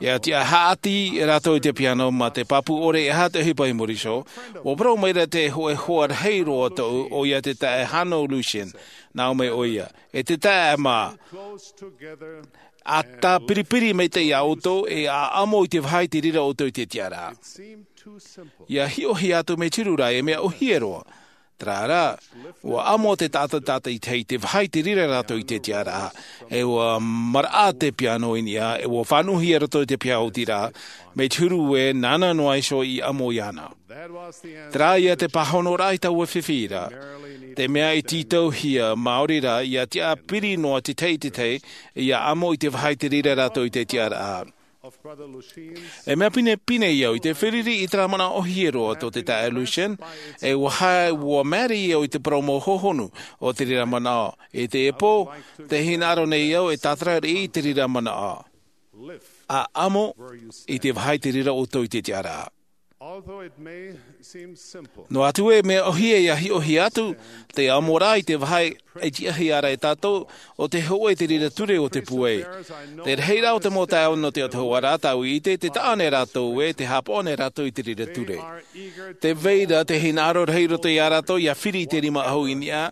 ʻIa tiʻa haʻati rātou i te piano mā te pāpū ʻore e aha te ʻohipa i muri iho, ʻua parau mai ra te hōʻē hoa rahi roa tōʻu, ʻoia te taeaʻe Hanno Luschen, nā ʻō mai ʻoia. E te taeaʻe mā, ʻa tāpiripiri maitaʻi ia ʻoutou, e ʻa ʻamo i te vāhi te reira ʻoutou i te tiʻaraʻa. ʻIa hiʻohia atu mea huru rā, e mea ʻōhie roa. Terā rā, ʻua ʻamo te taʻata, taʻata i te, i te vāhi te reira rātou i te tiʻaraʻa, e ʻua maraʻa te piano i niʻa, e ʻua fānuʻuhia i roto i te piha haʻutiraʻa, mea huru ē, nāna noa iho i ʻamo iāna. Terā ia te pāhonoraʻa i taua fifi ra. Te mea i tītauhia, maori rā, ʻia tiʻa piri noa te tahi i te tahi, ʻia ʻamo i te vāhi te reira rātou i te tiʻaraʻa. E mea pinepine au i te feruri i terā manaʻo ʻōhie roa tō te taeaʻe Luschen, e ʻua haere, ʻua maere au i te parau mau hohonu o te reira manaʻo. I teie pō, tē hinaʻaro nei au e tātara riʻi i te reira manaʻo. ʻA ʻamo i te vāhi te reira ʻoutou i te tiʻaraʻa. Although it may seem simple, Noa atu e mea ʻōhie ʻia hiʻohia atu, te ʻamoraʻa i te vāhi e tiʻahia ra e tātou, ʻo te hōʻē te reira ture o te pūai. Te rahiraʻa o te mau taeaʻe nō te autahuʻaraʻa tāʻu i ʻite, tē taʻa nei rātou ē, tē haʻapaʻo nei rātou i te reira ture. Tē vai ra te hinaʻaro rahi roto ia rātou ʻia firi i te rima ʻahu i niʻa,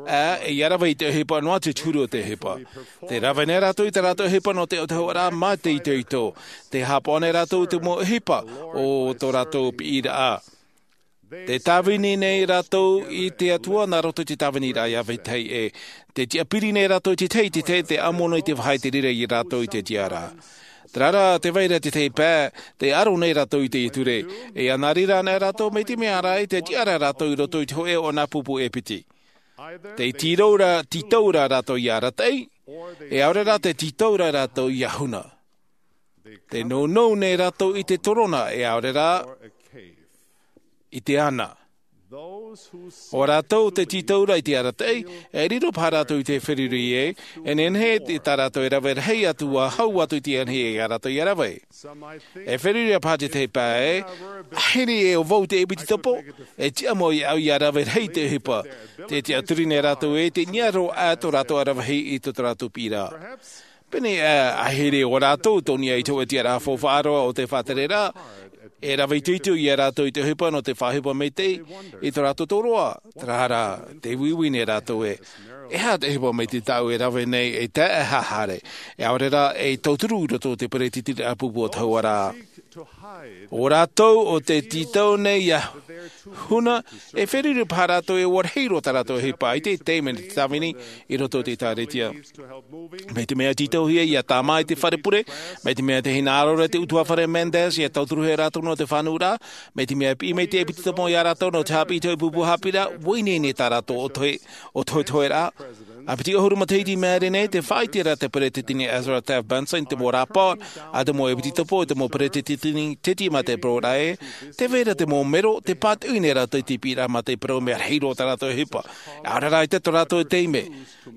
ā, ʻia rave i te ʻohipa noa atu i te huru o te ʻohipa. Tē rave nei rātou i tā rātou ʻohipa nō te autahuʻaraʻa mā te itoito. Tē haʻapaʻo nei rātou i te mau ʻohipa o tō rātou piʻiraʻa. Tē tāvini nei rātou i te Atua nā roto i te tāviniraʻa ʻia vetahi ʻē. Tē tiʻapiri nei rātou i te tahi, te tahi, tē ʻamo nei te vāhi te reira ia rātou i te tiʻaraʻa. Terā rā, tē vai ra te tahi pae, tē aro nei rātou i te ture. E ʻia nā reira anaʻe rātou mai te mea ra, tē tiʻa ra rātou i roto i te hōʻē o nā pupu e piti. Tē tītau ra, tītau ra rātou ʻia arataʻi, e ʻaore rā tē tītau ra rātou ʻia huna. Tē nounou nei rātou i te torona, e ʻaore rā i te ana. ʻO rātou tē tītau ra i te arataʻi, e riro paha rātou i te feruri ē, e nehenehe tā rātou e rave rahi atu ʻua hau atu i te anahi ia rātou ʻia rave. E feruri paha te tahi pae, ʻahiri e ʻo vau te ʻepitopo, e tiʻa mau ia au ʻia rave rahi i te ʻohipa. Tē tiʻaturi nei rātou ē, tē niʻa roa atu tō rātou ʻaravihi i tō rātou piʻiraʻa. Pēnei ā, ʻahiri ʻo rātou tō niʻa i te hōʻē tiʻaraʻa faufaʻa roa o te faʻatereraʻa, e rave itoito ia rātou i te ʻohipa nō te faʻaʻohipa maitaʻi i tō rātou tōroʻa. Terā rā, tē uiui nei rātou ē, e aha te ʻohipa maitaʻi tāʻu e rave nei, e tae e haere, e ʻaore rā, e tauturu i roto i te peretitiraʻa pupu o te autahuʻaraʻa. ʻO rātou ʻo tē tītau nei ʻia huna, e feruri paha rātou e ʻua rahi roa tā rātou ʻohipa, ʻaita e taime nō te tāvini i roto i te ʻĒtārētia. Mai te mea tītauhia ʻia tāmā i te fare pure, mai te mea tē hinaʻaro ra te ʻutuāfare Mendes ʻia tauturuhia rātou nō te fānauraʻa, mai te mea piʻi mai te ʻepitopo ia rātou nō te haʻapiʻi i te hōʻē pupu haʻapiʻiraʻa, ʻua ineine tā rātou ʻōtohe, ʻōtohetoheraʻa. ʻA piti ʻahuru matahiti i maʻiri nei, tē faʻaʻite ra te peretiteni Ezra Taft Benson i te mau rāpae a te mau ʻepitopo, i te mau peretiteni teti mā te parau ra ē, tē vai ra te mau mero, tē pātoʻi nei rātou i te piʻiraʻa mā te parau mea rahi roa tā rātou ʻohipa. ʻAore rā ʻaita tō rātou taime.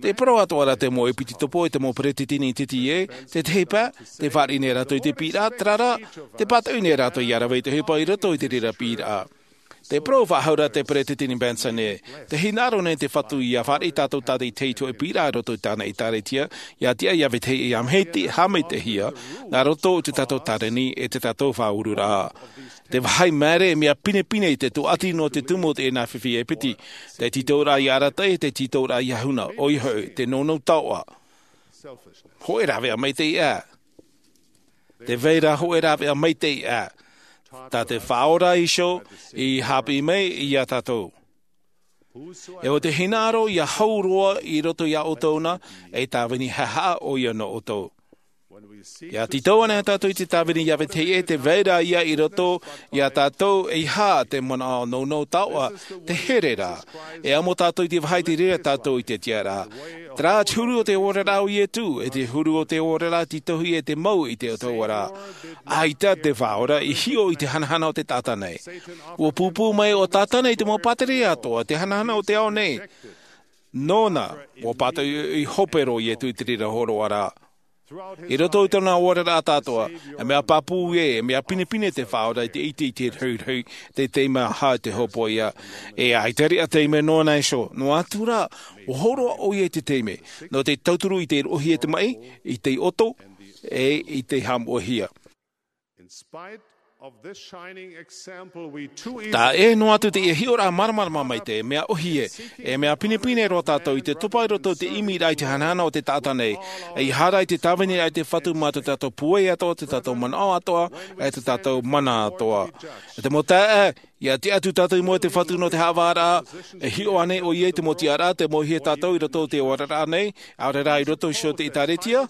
Tē parau atoʻa ra te mau ʻepitopo, i te mau peretiteni teti ē, te tahi pae, tē fāriʻi nei rātou i te piʻiraʻa, terā rā, tē pātoʻi nei rātou ʻia rave i te ʻohipa i roto i te reira piʻiraʻa. Te parau faʻahou ra te peresideni Benson ē, te hinaʻaro nei te Fatu ʻia fāriʻi tātou tātaʻitahi i te hoʻe piʻiraʻa i roto i tāna ʻĒtārētia, ʻia tiʻa ʻia vetahi ʻia maitaʻi, haʻamaitaʻihia, nā roto i tō tātou tāvini ʻe tō tātou faʻaururaʻa. Te vāhi māere, mea pinepine i te tūʻati nō te tumu o teie nā fifi e piti, te tītauraʻa ʻia arataʻi, te tītauraʻa ʻia huna, ʻoia hoʻi, te nounou taoʻa. Hōʻē rāveʻa maitaʻi ā. Te vai ra hōʻē rāveʻa maitaʻi ā. Tā te Faʻaora Iēsu i haʻapiʻi mai iā tātou. E ʻo te hinaʻaro ʻia hau roa i roto iā ʻoutou na, e tāvini haʻahaʻa ʻoia nō ʻoutou. ʻIa tītau ana tātou i te tāvini ʻia vetahi ʻē, te vai ra ïa i roto iā tātou, e aha te manaʻo nounou taoʻa, te here ra. E amo tātou i te vāhi i te reira tātou i te tiʻaraʻa. Terā te huru o te oraraʻa o Ietu, e te huru o te oraraʻa tītauhia e te mau i te ʻOtua ra. ʻAita te Faʻaora i hiʻo i te hanahana o te taʻata nei. ʻUa pūpū mai ʻo Tātana i te mau pātireia atoʻa, te hanahana o te ao nei. Nōna, ʻua pātoʻi hope roa Ietu i te reira hōroʻaraʻa. I roto i tōna oraraʻa atoʻa, e mea pāpū ē, e mea pinepine te Faʻaora i te ʻite i te rahirahi, te taime aha te hōpoiʻa. E ʻaita riʻa taime nōna iho, noa atu rā, ʻua hōroʻa ʻoia i te taime, nō te tauturu i te roʻohia i te maʻi, i te ʻoto, ʻe i te haʻamoʻehia. In spite of this shining example, we too easily Tā ʻē noa atu teie hiʻoraʻa māramarama maitaʻi, mea ʻōhie, e mea pinepine roa tātou i te topa i roto i te ʻimiraʻa i te hanahana o te taʻata nei, e ʻia haere i te tāviniraʻa i te Fatu mā tō tātou pūai atoʻa, tō tātou manaʻo atoʻa, e tō tātou mana atoʻa. E te mau taeaʻe, ʻia tiʻa atu tātou i mua i te Fatu nō te haʻavāraʻa, e hiʻo ānei ʻoia i te mau tiʻaraʻa, tē mauhia tātou i roto i te oraraʻa nei, ʻaore rā i roto iho i te ʻĒtārētia?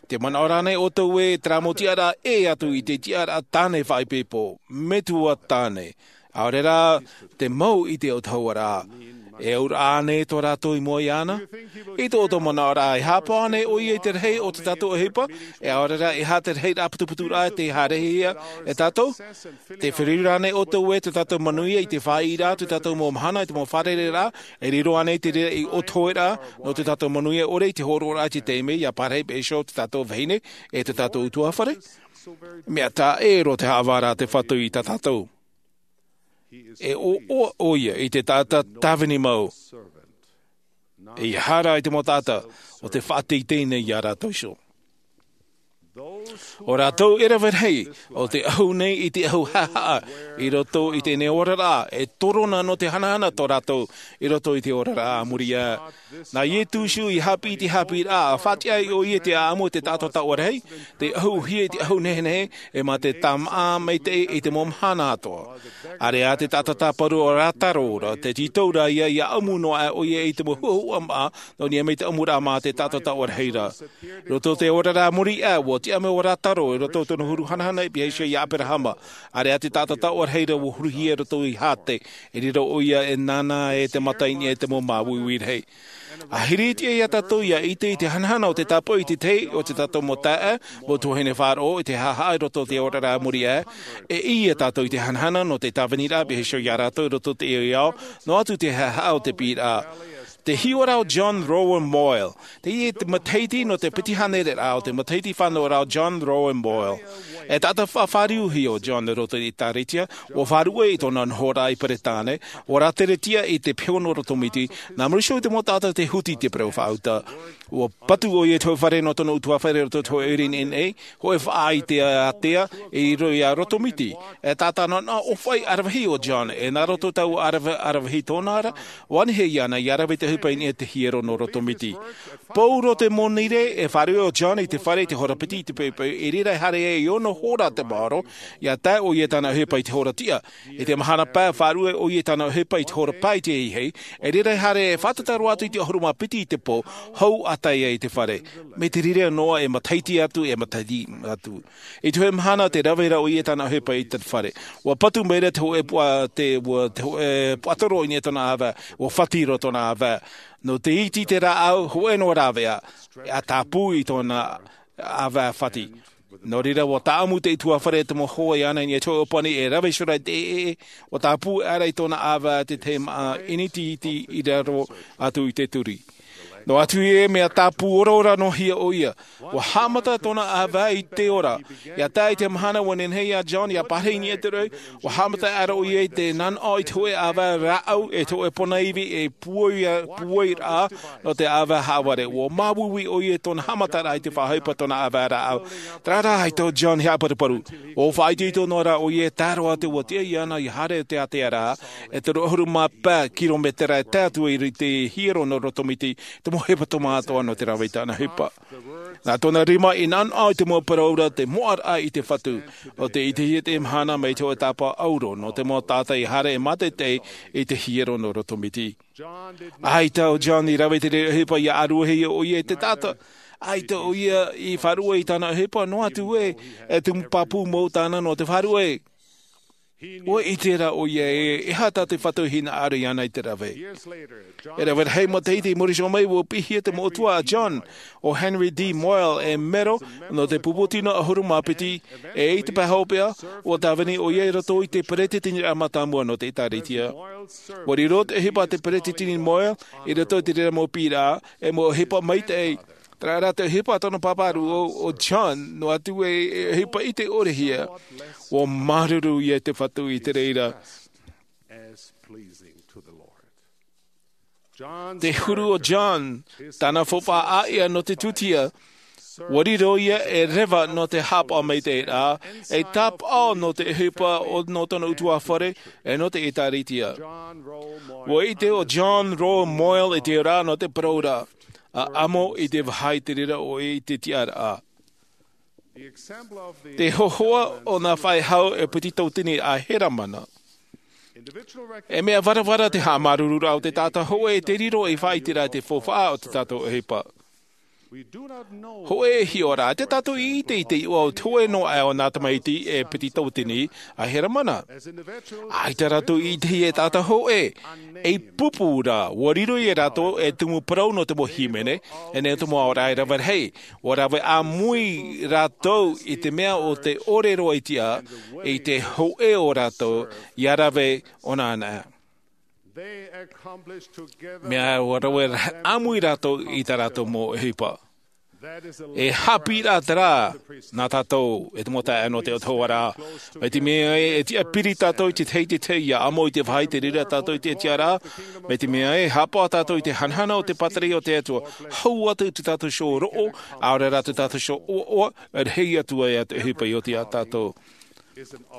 Tē manaʻo ra ānei ʻoutou ē, terā mau tiʻaraʻa ʻē atu i te tiʻaraʻa tāne faʻaipoipo, metua tāne. ʻAore rā, te mau i te autahuʻaraʻa. E auraʻa ānei tō rātou i mua iāna? I tō ʻoutou manaʻoraʻa, e haʻapaʻo ānei ʻoia i te rahi o tō tātou ʻohipa, e ʻaore rā, e aha te rahiraʻa putuputuraʻa tē haerehia e tātou? Tē feruri ra ānei ʻoutou ē, tō tātou manuia i te faʻaʻiteraʻa, tō tātou mau mahana, i te mau fārereiraʻa, e riro ānei te reira ei ʻohipa nō tō tātou manuia ʻore i te hōroʻaraʻa i te taime, ʻia pārahi paʻi iho tō tātou vahine, e tō tātou ʻutuāfare? Mea taʻa ʻē roa te haʻavāraʻa a te Fatu i tā tātou. E ʻoaʻoa ʻoia i te taʻata tāvini mau. E ʻia haere i te mau taʻata, ʻo tē faʻateitei nei iā rātou iho. ʻO rātou e rave rahi, ʻo te ʻahu nei i te ʻahu haʻahaʻa, i roto i teie nei oraraʻa, e torona nō te hanahana tō rātou, i roto i te oraraʻa a muri aʻe. Nā Ietu iho i haʻapiʻi i te haʻapiʻiraʻa, ʻa faʻatiʻa ai ʻoia i te ʻāʻamu o te taʻata taoʻa rahi, tei ʻahuhia i te ʻahu nehenehe, ʻe mā te tāmāʻa maitaʻi i te mau mahana atoʻa. ʻĀreʻa te taʻata tāparu ʻo Rātaro ra, tē tītau ra ïa ʻia ʻamu noa aʻe ʻoia i te mau huʻahuʻa māʻa, nō niʻa mai te ʻamuraʻa mā te taʻata taoʻa rahi ra. Roto i te oraraʻa a muri aʻe, ʻua tiʻa mai ʻo Rātaro, i roto i tōna huru hanahana i pihaʻi iho iā ʻĀperahama. ʻĀreʻa te taʻata taoʻa rahi ra ʻua huruhia i roto i Hate, i reira ʻoia e nānā e te mata i niʻa i te mau māuiui rahi. ʻA hiri atu iā tātou ʻia ʻite i te hanahana o te tāpaʻo i te tahi o tō tātou mau taeaʻe, mau tuahine faʻaroʻo i te haʻahaʻa i roto i te oraraʻa a muri aʻe, e ʻī tātou i te hanahana nō te tāviniraʻa pihaʻi iho iā rātou i roto i teie ao, noa atu te haʻahaʻa o te piʻiraʻa. Te hiʻoraʻa o John Rowan Boyle, teie te matahiti nō te piti hānere ra o te matahiti fānauraʻa o John Rowan Boyle. E taʻata faʻafāriuhia ʻo John i roto i te ʻĒtārētia, ʻua faʻaruʻe i tōna nohoraʻa i Peretāne, ʻua rāteretia i te peho nō Roto Miti, nā muri iho i te mau taʻata tei huti i te parau faʻauta. ʻUa patu ʻoia i te hōʻē fare nō tōna ʻutuāfare i roto i te hōʻē ʻoire i nehenehe, hōʻē faʻaʻite ātea, i riro iā Roto Miti. E taʻata nā, nā ʻōfaʻi ʻaravihi ʻo John, e nā roto i taua ʻaravi-, ʻaravihi tōna ra, ʻua nehenehe iāna ʻia rave i te ʻohipa i niʻa i te hiero nō Roto Miti. Pau roa te monirē, e fāriʻi ʻo John i te fare i te hora piti i te poipoi, i reira e haere ai i ono hora te maoro, ʻia tae ʻoia i tāna ʻohipa i te hora tiʻa. I te mahana pae, fāriʻi ʻoia i tāna ʻohipa i te hora pae i te ahiahi, i reira e haere e fātata roa atu i te ʻahuru mā piti i te pō, hou ʻa tae ai i te fare. Mai te reira noa e matahiti atu, e matahiti atu. I te hōʻē mahana tē rave ra ʻoia i tāna ʻohipa i te fare. ʻUa patu mai ra te hōʻē puʻa-, te, ʻua, te hōʻē puaʻatoro i niʻa i tōna ʻāvae, ʻua fati roa tōna ʻāvae. Nō te iti i te rāʻau, hōʻē noa rāveʻa, ʻa tāpū i tōna ʻāvae fati. Nō reira, ʻua tāʻamu te ʻutuāfare i te mau hoa iāna i niʻa i te hōʻē ʻōpani e rave iho ra i te ʻēʻē, ʻua tāpū aʻera i tōna ʻāvae te tahi māʻa ʻinitiiti i raro atu i te turi. Noa atu ē, mea tāpū oraora noa hia ʻoia. Ua haʻamata tōna ʻāvae i te ora. ʻIa tae i te mahana ua nehenehe iā John ʻia pārahi i niʻa i te roʻi, ua haʻamata aʻera ʻoia i te nanaʻo i te hōʻē ʻāvae rāʻau, e te hōʻē pona ivi, e puai, puai rā, nō te ʻāvae haʻavare. Ua māuiui ʻoia i tōna haʻamataraʻa i te faʻaʻohipa tōna ʻāvae rāʻau. Terā rā, ʻaita ʻo John i haʻaparuparu. Ua faʻaitoito noa rā ʻoia, e tae roa atu ua tiʻa iāna ʻia haere i te ātea ra, e toru ʻahuru mā pae kirometera e tae atu i te hiero nō Rotomiti, te mau hepetoma atoʻa nō te rave i tāna ʻohipa. Nā tōna rima i nanaʻo i te mau parau ra, te moʻaraʻa i te Fatu, ʻo tē ʻitehia i teie mahana mai te hōʻē tāpaʻo ʻauro, nō te mau taʻata i haere e mātaitai i te hiero nō Rotomiti. ʻAita ʻo John i rave i te reira ʻohipa ʻia ʻāruahia ʻoia e te taʻata. ʻAita ʻoia i faʻaruʻe i tāna ʻohipa, noa atu ē, e tumu pāpū mau tāna nō te faʻaruʻe. Ua ʻite ra ʻoia ē, e aha tā te Fatu i hinaʻaro iāna i te rave. E rave rahi matahiti i muri iho mai, ua piʻihia te moʻotua a John, ʻo Henry D. Moyle, ei mero nō te pupu tino ʻahuru mā piti, ʻe i te pae hopeʻa, ua tāvini ʻoia i roto i te peretiteniraʻa mātāmua nō te ʻĒtārētia. Ua riro te ʻohipa a te peretiteni Moyle i roto i te reira mau piʻiraʻa, ei mau ʻohipa maitaʻi. Terā rā te ʻohipa a tōna pāpā rūʻau, ʻo John, noa atu ē, e ʻohipa ʻite-ʻore-hia. Ua māuruuru ïa i te Fatu i te reira. Te huru o John, tāna faufaʻa ʻāʻia nō te tūtia, ua riro ïa ei reva nō te haʻapaʻo maitaʻi ra, ei tāpaʻo nō te ʻohipa o, nō tōna ʻutuāfare, ʻe nō te ʻĒtārētia. Ua ʻite ʻo John Rowe Moyle i te ora nō te parau ra, ʻa ʻamo i te vāhi i te reira ʻoe i te tiʻaraʻa. Te hōhoʻa o nā faʻehau e piti tauatini a Heramana. E mea varavara te haʻamāuruururaʻa o te taʻata hōʻē e te riro ei faʻaʻiteraʻa i te faufaʻa o tō tātou ʻohipa. Hōʻē e hiʻo ra, ʻaita tātou i ʻite i te iʻoa o te hōʻē noa aʻe o nā tamaiti e piti tauatini a Heramana. ʻAita rātou i ʻitehia e taʻata hōʻē, ei pupu ra, ua riro ia rātou ei tumu parau nō te mau hīmene, e nā te mau aoraʻi rave rahi, ua rave ʻāmui rātou i te mea o te ʻore roa i tiʻa, i te hōʻē o rātou, ʻia rave ʻōna ana. Mea ua rave ʻāmui rātou i tā rātou mau ʻohipa. E haʻapiʻiraʻa terā nā tātou, e te mau taeaʻe nō te Atua ra. Mai te mea ē, e tiʻa piri tātou i te tahi i te tahi ʻia ʻamo i te vāhi i te reira tātou i te tiʻaraʻa. Mai te mea ē, haʻapaʻo tātou i te hanahana o te pātireia o te Atua. Hau atu i tō tātou iho roʻo, ʻaore rā tō tātou iho ʻoaʻoa, rahi atu ai ā te ʻohipa i oti iā tātou.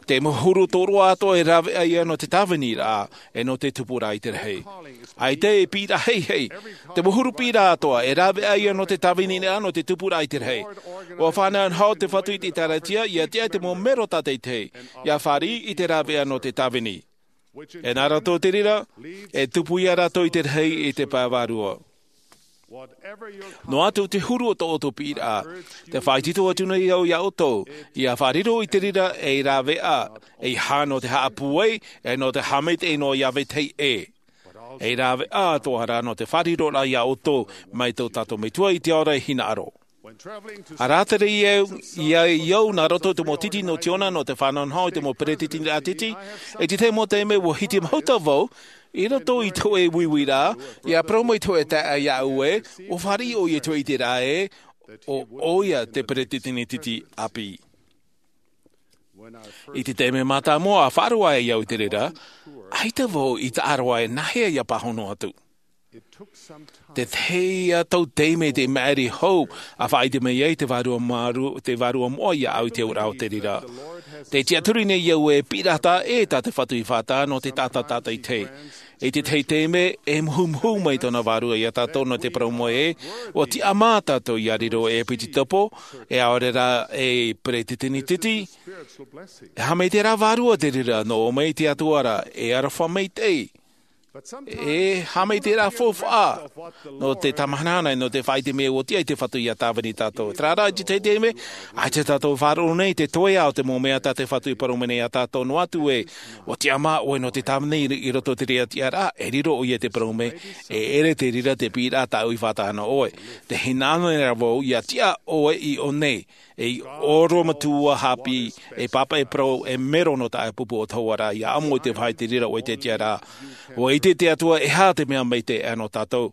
Te mau huru tōroa atoʻa e rāveʻa ïa nō te tāviniraʻa, ʻe nō te tupuraʻa i te rahi. ʻAita e piʻiraʻa heihei. Te mau huru piʻiraʻa atoʻa e rāveʻa ïa nō te tāviniraʻa, nō te tupuraʻa i te rahi. ʻUa faʻanahonaho te Fatu i te ʻĒtārētia, ʻia tiʻa te mau mero tātaʻitahi, ʻia fāriʻi i te rāveʻa nō te tāvini. E nā roto i te reira, e tupu ïa rātou i te rahi i te pae vārua. Noa atu te huru o tō ʻoutou piʻiraʻa, tē faʻaitoito atu nei au iā ʻoutou, ʻia faʻariro i te reira ei rāveʻa, ʻeiaha nō te haʻapūai, ʻe nō te haʻamaitaʻi noa iā vetahi ʻē. Ei rāveʻa atoʻa rā nō te faʻariroraʻa iā ʻoutou, mai tō tātou Metua i te ao ra e hinaʻaro. ʻA rātere ïa au, ïa au nā roto i te mau titi nō Tiona nō te faʻanahonaho i te mau peretiteniraʻa titi, i te tahi mau taime ua hitimahuta vau, i roto i te hōʻē uiuiraʻa, ʻia parau mai te hōʻē taeaʻe iāʻu ē, ʻua fāriʻi ʻoia i te ʻiteraʻa ē, ʻo ʻoia te peretiteni titi ʻāpī. I te taime mātāmua ʻa faʻaroʻo ai au i te reira, ʻaita vau i taʻa roa e nāhea ʻia pāhono atu. Te tahi ïa tau taime te maʻiri hou, ʻa faʻaʻite mai ai te Vārua Māru-, te Vārua moʻa iāʻu i te auraʻa o te reira. Tē tiʻaturi nei au e piʻiraʻa ē tā te Fatu i faʻatae nō te taʻata tātaʻitahi. I te tahi taime, e muhumuhu mai tōna Vārua iā tātou nō te parau mai ē, ʻua tiʻamā tātou ʻia riro ei piti topo, ʻe ʻaore rā ei peretiteni titi, e haʻamaitaʻiraʻa vārua te reira nō ʻō mai te Atua ra, e aroha maitaʻi. E haʻamaitaʻiraʻa faufaʻa nō te tāmāhana nei, nō te faʻaʻite mea ʻua tiʻa i te Fatu ʻia tāvini tātou. Terā rā, i te tahi taime, ʻaita tātou e faʻaroʻo nei te toeʻa o te mau mea tā te Fatu i parau mai nei iā tātou, noa atu ē, ʻua tiʻamā ʻoe nō te tāvini i, i roto i te reira tiʻaraʻa, e riro ʻoia i te parau mai, e ʻere te reira te piʻiraʻa tāʻu i faʻatae na ʻoe. Tē hinaʻaro nei ra vau ʻia tiʻa ʻoe i ʻō nei, ei orometua haʻapiʻi, ei pāpaʻi parau, ei mero nō taʻata pupu o te Atua ra, ʻia ʻamo i te vāhi i te reira ʻoe i te tiʻaraʻa. ʻUa ʻite te Atua e aha te mea maitaʻi nō tātou.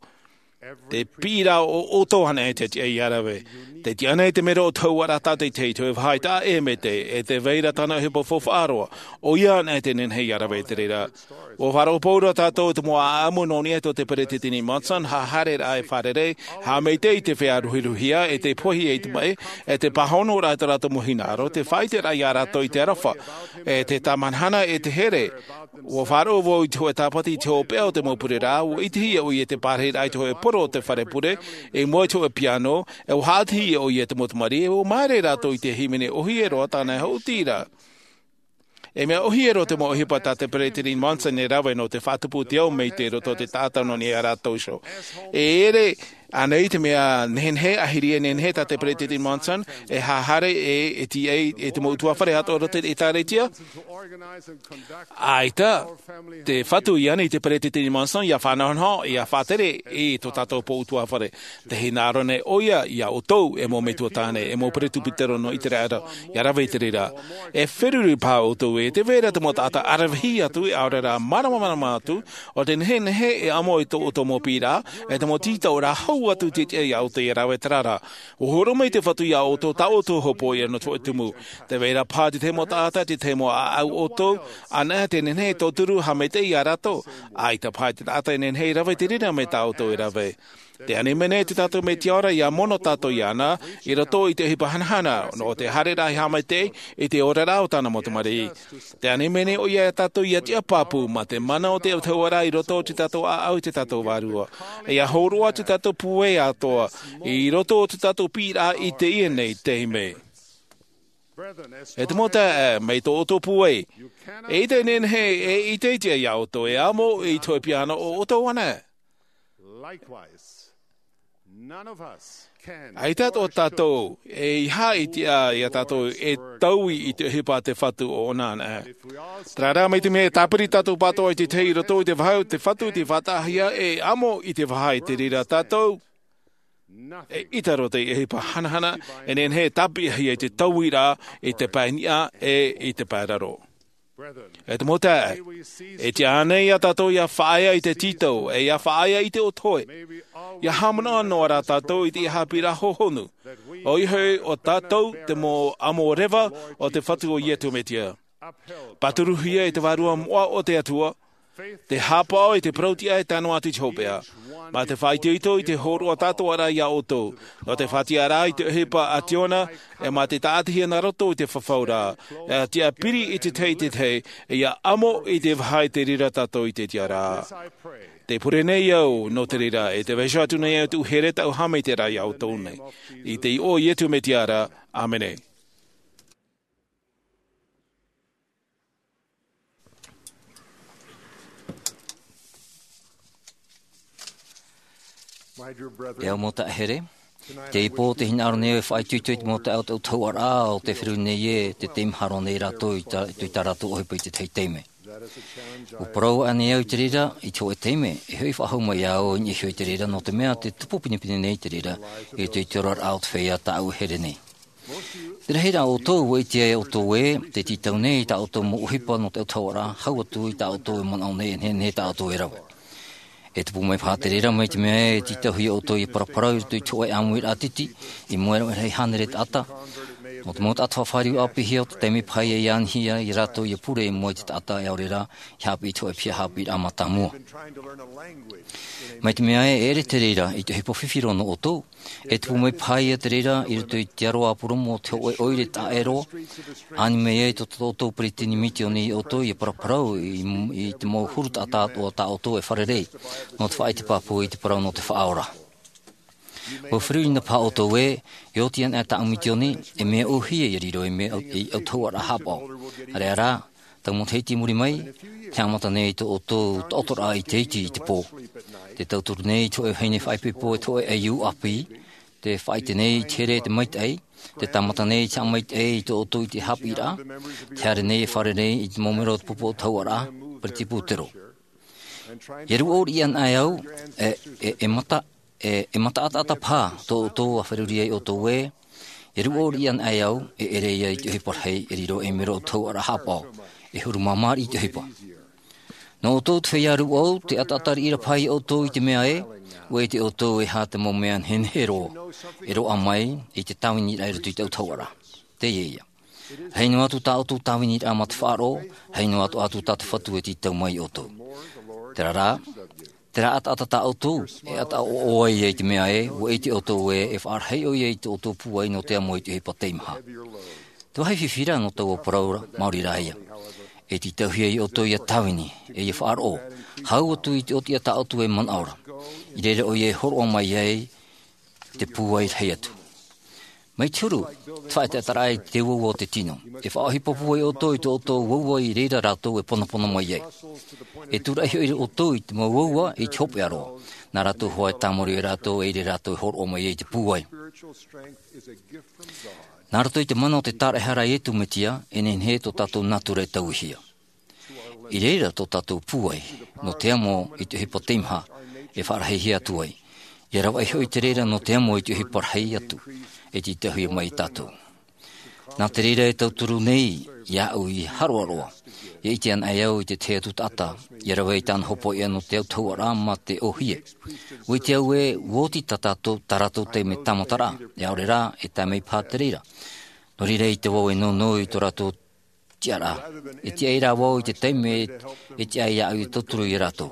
Te piʻiraʻa o ʻoutou anaʻe te tiʻa ia rave. Te tiʻa nei te mero o te hauʻaraʻa tātaʻitahi, te vāhi taʻa ʻēmete, e te vai ra tāna ʻohipa faufaʻa roa, ʻoia anaʻe te nehenehe ia rave i te reira. Ua faʻaroʻo pauroa tātou i te mau ʻaʻamu nō niʻa i tō te peresideni Monson, haʻahaereraʻa e fārerei, haʻamaitaʻi i te feiā ruhiruhia, e te pohe i te maʻi, e te pāhonoraʻa i tō rātou mau hinaʻaro, te faʻaʻiteraʻa ia rātou i te aroha, e te tāmahanahana, e te here. Ua faʻaroʻo vau i te hōʻē tāpati i te hopeʻa o te mau pureraʻa, ua ʻitehia ʻoia i te pārahiraʻa i te hōʻē poro o te fare pure, i mua i te hōʻē piano, e ua haʻatihia ʻoia i te mau tamariʻi, e ua māere rātou i te hīmene ʻōhie roa tāna e haʻuti ra. E mea ʻōhie roa te mau ʻohipa tā te peresideni Monson e rave nō te faʻatupu i te ao maitaʻi i roto i te taʻata nō niʻa iā rātou iho. E ʻere ānei te mea nehenehe, ʻahiri e nehenehe tā te peresideni Monson, e haʻahaere, e, e tiʻa i, e te mau ʻutuāfare atoʻa i roto i te ʻĒtārētia? ʻAita, te fatu i ani i te peresideni Monson, ia faʻanahonaho, ia faʻatere i tō tātou pō ʻutuāfare. Te hinaʻaro nei ʻoia iā ʻoutou, e mau metua tāne, e mau peresideni nō ʻĪteraʻera, ia rave i te reira. E feruri paha ʻoutou ē, tē vai ra te mau taʻata ʻaravihi atu, e ʻaore rā māramarama atu, ʻo te nehenehe e amo i tō ʻoutou mau piʻiraʻa, e te mau tītauraʻa hau atu i te tiʻa iā ʻoutou ia rave, terā rā. ʻUa hōroʻa mai te fatu iā ʻoutou tā ʻoutou hopoiʻa nō te hōʻē tumu. Tē vai ra paha te tahi mau taʻata, te tahi mau ʻāʻau ʻoutou, anaʻe te nehenehe e tauturu haʻamaitaʻi iā rātou. ʻAita paha te taʻata e nehenehe e rave i te reira mai tā ʻoutou e rave. Tē ani mai nei tō tātou Metua ra ia mono tātou iāna, i roto i te ʻohipa hanahana, nō te haereraʻa haʻamaitaʻi, i te oraraʻa o tāna mau tamariʻi. Tē ani mai nei ʻoia iā tātou ia tiʻa pāpū, mā te mana o te autahuʻaraʻa i roto i tō tātou ʻāʻau i tō tātou Vārua. E ia hōroʻa tō tātou pūai atoʻa, i roto i tō tātou piʻiraʻa i teie nei taime. E te mau taeaʻe, mai tō ʻoutou pūai. E ʻite e nehenehe, e ʻite i te tiʻa iā ʻoutou, e amo i te hōʻē piano o ʻoutou anaʻe. Likewise, none of us can ʻAita tō tātou, eiaha i tiʻa iā tātou e taui i te ʻohipa a te fatu ʻo ʻōna anaʻe. Terā rā, mai te mea e tāpiri tātou pātoʻa i te tahi i roto i te vāhi o te fatu i te faʻataʻahia, e amo i te vaha i te reira tātou, e ʻita roa te ʻohipa hanahana, e nehenehe e tāpiʻihia i te tauiraʻa, i te pae niʻa, e i te pae raro. E te mau taeaʻe, e tiʻa ānei iā tātou ia faʻaea i te tītau, e ia faʻaea i te ʻotoʻe, ia haʻamanaʻo noa rā tātou i te haʻapiʻiraʻa hōhonu, ʻoia hoʻi ʻo tātou te mau amo reva o te fatu o Iesu Mesia. Pāturuhia i te Vārua moʻa o te Atua, te haʻapaʻo i te parau-tiʻa e tae noa atu i te hopeʻa. Mā te faʻaitoito i te hōroʻa atoʻa ra iā ʻoutou, nō te faʻatiʻaraʻa i te ʻohipa a Siona, e mā te tāʻatihia nā roto i te fafauraʻa, e tiʻa piri i te tahi i te tahi, e ia amo i te vaha i te reira tātou i te tiʻaraʻa. Tē pure nei au nō te reira, e tē vaiiho atu nei au i te here tāʻu haʻamaitaʻiraʻa iā ʻoutou nei. I te iʻoa o Iesu Mesia ra, ʻāmene. E au mau taeaʻe here, teie pō tē hinaʻaro nei au e faʻaitoito i te mau taeaʻe o te autahuʻaraʻa, ʻo tē feruri nei ē, tē teimaha roa nei rātou i tā, i tā rātou ʻohipa i te tahi taime. ʻUa parau aʻe nei au i te reira, i te hōʻē taime, e hoʻi faʻahou mai au i niʻa iho i te reira, nō te mea tē tupu pinepine nei te reira, i te, i te oraraʻa o te feiā tāʻu e here nei. Te rahiraʻa o ʻoutou, ʻua ʻite ʻoutou ē, tē tītau nei tā ʻoutou mau ʻohipa nō te autahuʻaraʻa, hau atu i tā ʻoutou e manaʻo nei, e nehenehe tā ʻoutou e rave. E tupu mai paha te reira mai te mea e tītauhia ʻoutou ia paraparau i roto i te hōʻē ʻāmuiraʻa titi, i mua i te hānere taʻata. Nō te mau taʻata faʻafāriu ʻāpīhia, ʻo te taime paha ia i anihia ia rātou ia pure i mua i te taʻata e ʻaore rā, i haʻapiʻi i te hōʻē piha haʻapiʻiraʻa mātāmua. Mai te mea ē, e ʻere te reira, i te ʻohipa fifi roa nō ʻoutou, e tupu mai paha ia te reira, i roto i te aro ʻāpōromo o te hōʻē ʻoire taʻero, ani mai ai tō, tō, tō peresideni misiōni iā ʻoutou, ia paraparau i, i te mau huru taʻata atoʻa tā ʻoutou e fārerei, nō te faʻaʻite pāpū i te parau nō te Faʻaora. ʻUa feruri na paha ʻoutou ē, e oti anaʻe tāʻu misiōni, e mea ʻōhie ia riro ei mea, ei autahuʻaraʻa haʻapaʻo. ʻAreʻa rā, tau matahiti i muri mai, tē haʻamata nei tō ʻoutou taʻotoraʻa i te iti i te pō. Tē tauturu nei te hōʻē vahine faʻaipoipo e te hōʻē ʻaiū ʻāpī, tē faʻaʻite nei i te here e te maitaʻi, tē tāmata nei te haʻamaitaʻi i tō ʻoutou iti haʻapiʻiraʻa, tē haere nei e fārerei i te mau mero o te pupu autahuʻaraʻa, Peretiteni Pūtero. E rūʻau riʻi anaʻe au, e, e, e mata, e, e mataʻataʻata paha tō ʻoutou ʻa feruri ai ʻoutou ē, e rūʻau riʻi anaʻe au, e ʻere ia i te ʻohipa rahi, e riro ei mero o te autahuʻaraʻa haʻapaʻo, e huru māmā riʻi te ʻohipa. Nō ʻoutou te feiā rūʻau, te ʻataʻata riʻi ra paha iā ʻoutou i te mea ē, ʻua ʻite ʻoutou e aha te mau mea nehenehe roa e roaʻa mai i te tāviniraʻa i roto i te autahuʻaraʻa. Teie ïa. Rahi noa atu tā ʻoutou tāviniraʻa mā te faʻaroʻo, rahi noa atoʻa atu tā te Fatu e tītau mai iā ʻoutou. Terā rā, terā ʻataʻata tā ʻoutou e ʻataʻoʻo ai ia i te mea ē, ʻua ʻite ʻoutou ē, e faʻarahi ʻoia i tō ʻoutou pūai nō te amo i te ʻohipa teimaha. Te vāhi fifi ra nō taua parau ra, maori rā ïa. E tītauhia iā ʻoutou ʻia tāvini, e ʻia faʻaroʻo, hau atu i te ʻōtiʻa tā ʻoutou e manaʻo ra. I reira ʻoia e hōroʻa mai ai te pūai rahi atu. Mai te huru, te faʻaʻetaʻetaraʻa i te uaua o te tino. E faʻaʻohipa pūai ʻoutou i tō ʻoutou uaua i reira rātou e ponapono mai ai. E tūraʻi hoʻi ʻoutou i te mau uaua i te hopeʻa roa. Nā rātou hoʻi e tāmau iā rātou, e ʻere rātou e hōroʻa mai ai te pūai. Nā roto i te mana o te tāraʻehara a Iesu Mesia, e nehenehe tō tātou natura e tauihia. I reira tō tātou pūai, nō te amo i te ʻohipa teimaha, e faʻarahihia atu ai. ʻIa ravaʻi hoʻi te reira nō te amo i te ʻohipa rahi atu, e tītauhia mai iā tātou. Nā te reira e tauturu nei iāʻu i haroaroa, ʻia ʻite anaʻe au i te tahi atu taʻata, ʻia rave i tāna hōpoiʻa nō te autahuʻaraʻa mā te ʻōhie. ʻUa ʻite au ē, ʻua oti tā tātou, tā rātou taime tāmataraʻa, e ʻaore rā, e tae mai paha te reira. Nō reira ʻaita vau e nounou i tō rātou tiʻaraʻa. E tiʻa rā vau i te taime e tiʻa iāʻu e tauturu iā rātou.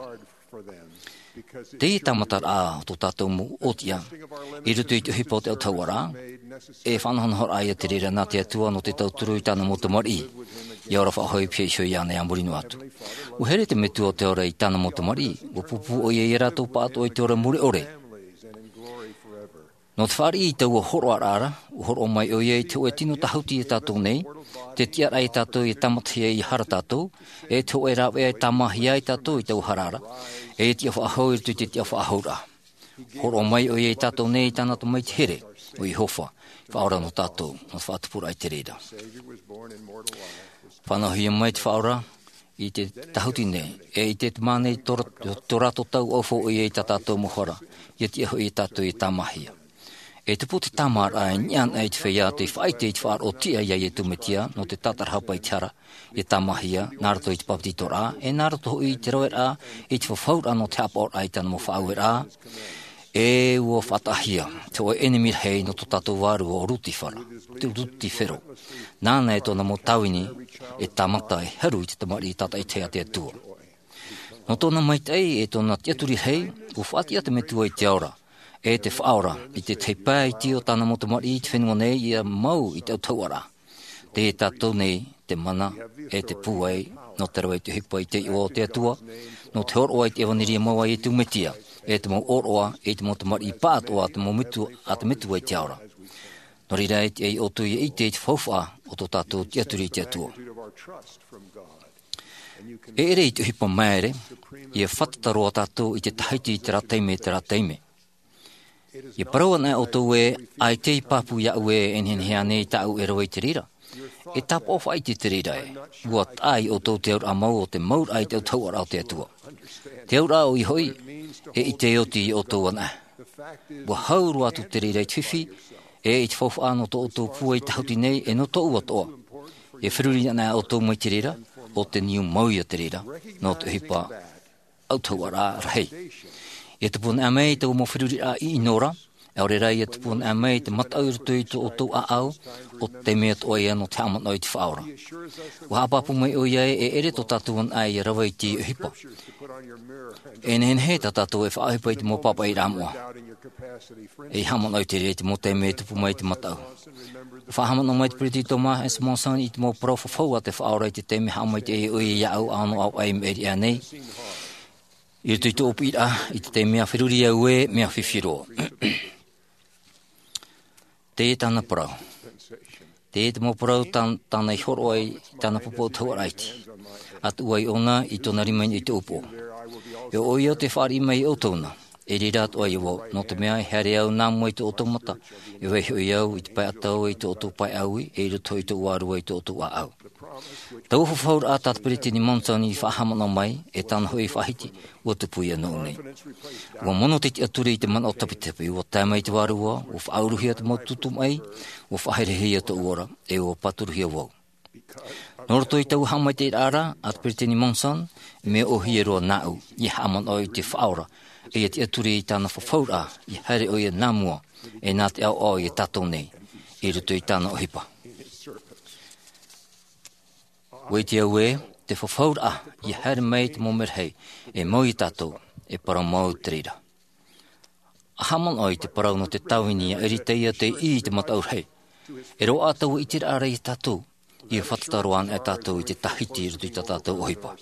Teie tāmataraʻa o tō tātou mau ʻōtiʻa, i roto i te ʻohipa o te autahuʻaraʻa, e faʻanahonahoraʻa ïa te reira nā te Atua nō te tauturu i tāna mau tamariʻi, ʻia ora faʻahou i te piha iho iāna ā muri noa atu. ʻUa here te Metua o te Ora i tāna mau tamariʻi, ʻua pūpū ʻoia iā rātou pāʻatoʻa i te ora mure ʻore. Nō te fāriʻi i taua hōroʻaraʻa ra, ʻua hōroʻa mai ʻoia i te hōʻē tino tāhuti iā tātou nei, te tiʻaraʻa iā tātou ʻia tāmatahia ʻia hara tātou, e te hōʻē rāveʻa e tāmāhia ai tātou i taua hara ra, e tiʻa faʻahou i roto i te tiʻa faʻahouraʻa. Hōroʻa mai ʻoia iā tātou nei i tāna Tamaiti here, ʻo Iehova, Faʻaora nō tātou, nō te faʻatupuraʻa i te reira. Faʻanahohia mai te Faʻaora i te tāhuti nei, e i te mā nei tō, tō rātou tau ʻaufau ʻoia i tā tātou mau hara, ʻia tiʻa hoʻi iā tātou ʻia tāmāhia. E tupu te tāmāraʻa e niʻa anaʻe i te feiā tei faʻaʻite i te faʻaroʻo tiʻa iā Iesu Mesia nō te tātarahapa i te hara, ʻia tāmāhia, nā roto i te bāpetizoraʻa, e nā roto hoʻi i te raveraʻa, i te fafauraʻa nō te haʻapaʻoraʻa i tāna mau faʻaueraʻa, e ʻua faʻataʻahia te hōʻē ʻenemi rahi nō tō tātou vārua ʻo Lusifera, te Lusifero. Nāna e tōna mau tāvini e tāmata e haru i te tamariʻi tātaʻitahi a te Atua. Nō tōna maitaʻi e tōna tiʻaturi rahi, ʻua faʻatiʻa te Metua i te ao ra, e te Faʻaora, i te tahi pae iti o tāna mau tamariʻi i te fenua nei ʻia mau i te autahuʻaraʻa. Tei iā tātou nei te mana, e te pūai, nō te rave i te ʻohipa i te iʻoa o te Atua, nō te hōroʻa i te ʻevanelia mau a Iesu Mesia, e te mau ʻōroʻa, e te mau tamariʻi pāʻatoʻa a te mau Metua, a te Metua i te ao ra. Nō reira e tiʻa iā ʻoutou ʻia ʻite i te faufaʻa o tō tātou tiʻaturi i te Atua. E ʻere i te ʻohipa māere, ʻia fātata roa tātou i te tahiti i terā taime, i terā taime. ʻIa parau anaʻe ʻoutou ē, ʻaita e pāpū iāʻu ē, e nehenehe ānei tāʻu e rave i te reira? E tāpaʻo faʻaʻite te reira ē, ʻua taʻa iā ʻoutou te auraʻa mau o te mauraʻa i te autahuʻaraʻa o te Atua. Te auraʻa ʻoia hoʻi, e ʻite oti iā ʻoutou anaʻe. ʻUa hau roa atu te reira i te fifi, e i te faufaʻa nō tō ʻoutou pūai tāhuti nei, e nō tōʻu atoʻa. E feruri anaʻe ʻoutou mai te reira, ʻo te niu mau ïa te reira, nō te ʻohipa autahuʻaraʻa rahi. E tupu anaʻe mai taua mau feruriraʻa ʻino ra, ʻaore rā ʻia tupu anaʻe mai te mataʻu i roto i tō ʻoutou ʻāʻau, ʻo te taime atoʻa ïa nō te haʻamanaʻo i te Faʻaora. ʻUa haʻapāpū mai ʻoia ē, e ʻere tō tātou anaʻe ʻia rave i teie ʻohipa. E nehenehe tā tātou e faʻaʻohipa i te mau pāpaʻiraʻa moʻa. E haʻamanaʻo i te reira i te mau taime e tupu mai te mataʻu. Faʻahaʻamanaʻo mai te Peresideni Thomas S. Monson i te mau parau fafau a te Faʻaora i te taime haʻamaitaʻi ai ʻoia iāʻu ʻānoʻa ʻāvaʻe i maʻiri aʻe nei. I roto i tōʻu piʻiraʻa, i te taime a feruri au ē, mea fifi roa. Teie tāna parau. Teie te mau parau tā-, tāna i hōroʻa i tāna pupu autahuʻaraʻa iti. A tuʻu ai ʻōna i tōna rima i niʻa i te upoʻo. E ʻo ʻoia te fāriʻi mai iā ʻoutou na. I reira atoʻa ïa vau, nō te mea e haere au nā mua i tō ʻoutou mata, e vaiiho au i te pae ʻatau i tō ʻoutou pae ʻāui, e i roto i tōʻu vārua i tō ʻoutou ʻāʻau. Taua fafauraʻa tā te Peresideni Monson i faʻahaʻamanaʻo mai, e tāna hoʻi faʻahiti, ʻua tupu ïa nōʻu nei. ʻUa mono te tiʻaturi i te manaʻo tapitapi, ʻua tae mai te Vārua, ʻua faʻauruhia te mau tūtū maʻi, ʻua faʻaherehia tōʻu ora, e ʻua pāturuhia vau. Nō roto i taua haʻamaitaʻiraʻa a te peresideni Monson, mea ʻohie roa nāʻu ia haʻamanaʻo i te faʻaora, ia tiʻaturi i tāna fafauraʻa ia haere ʻoia nā mua, e nā te ʻaoʻao ia tātou nei i roto i tāna ʻohipa. Ua ʻite au ē, te fafauraʻa ia haere mai te mau merahi e mau ia tātou, e parau mau te reira. A haʻamanaʻo i te parau nō te tāvini a Eritaia tei ʻī i te mataʻu rahi, e roaʻa taua ʻiteraʻa ra ia tātou ia fātata roa ana e tātou i te tahiti i roto i tā tātou ʻohipa.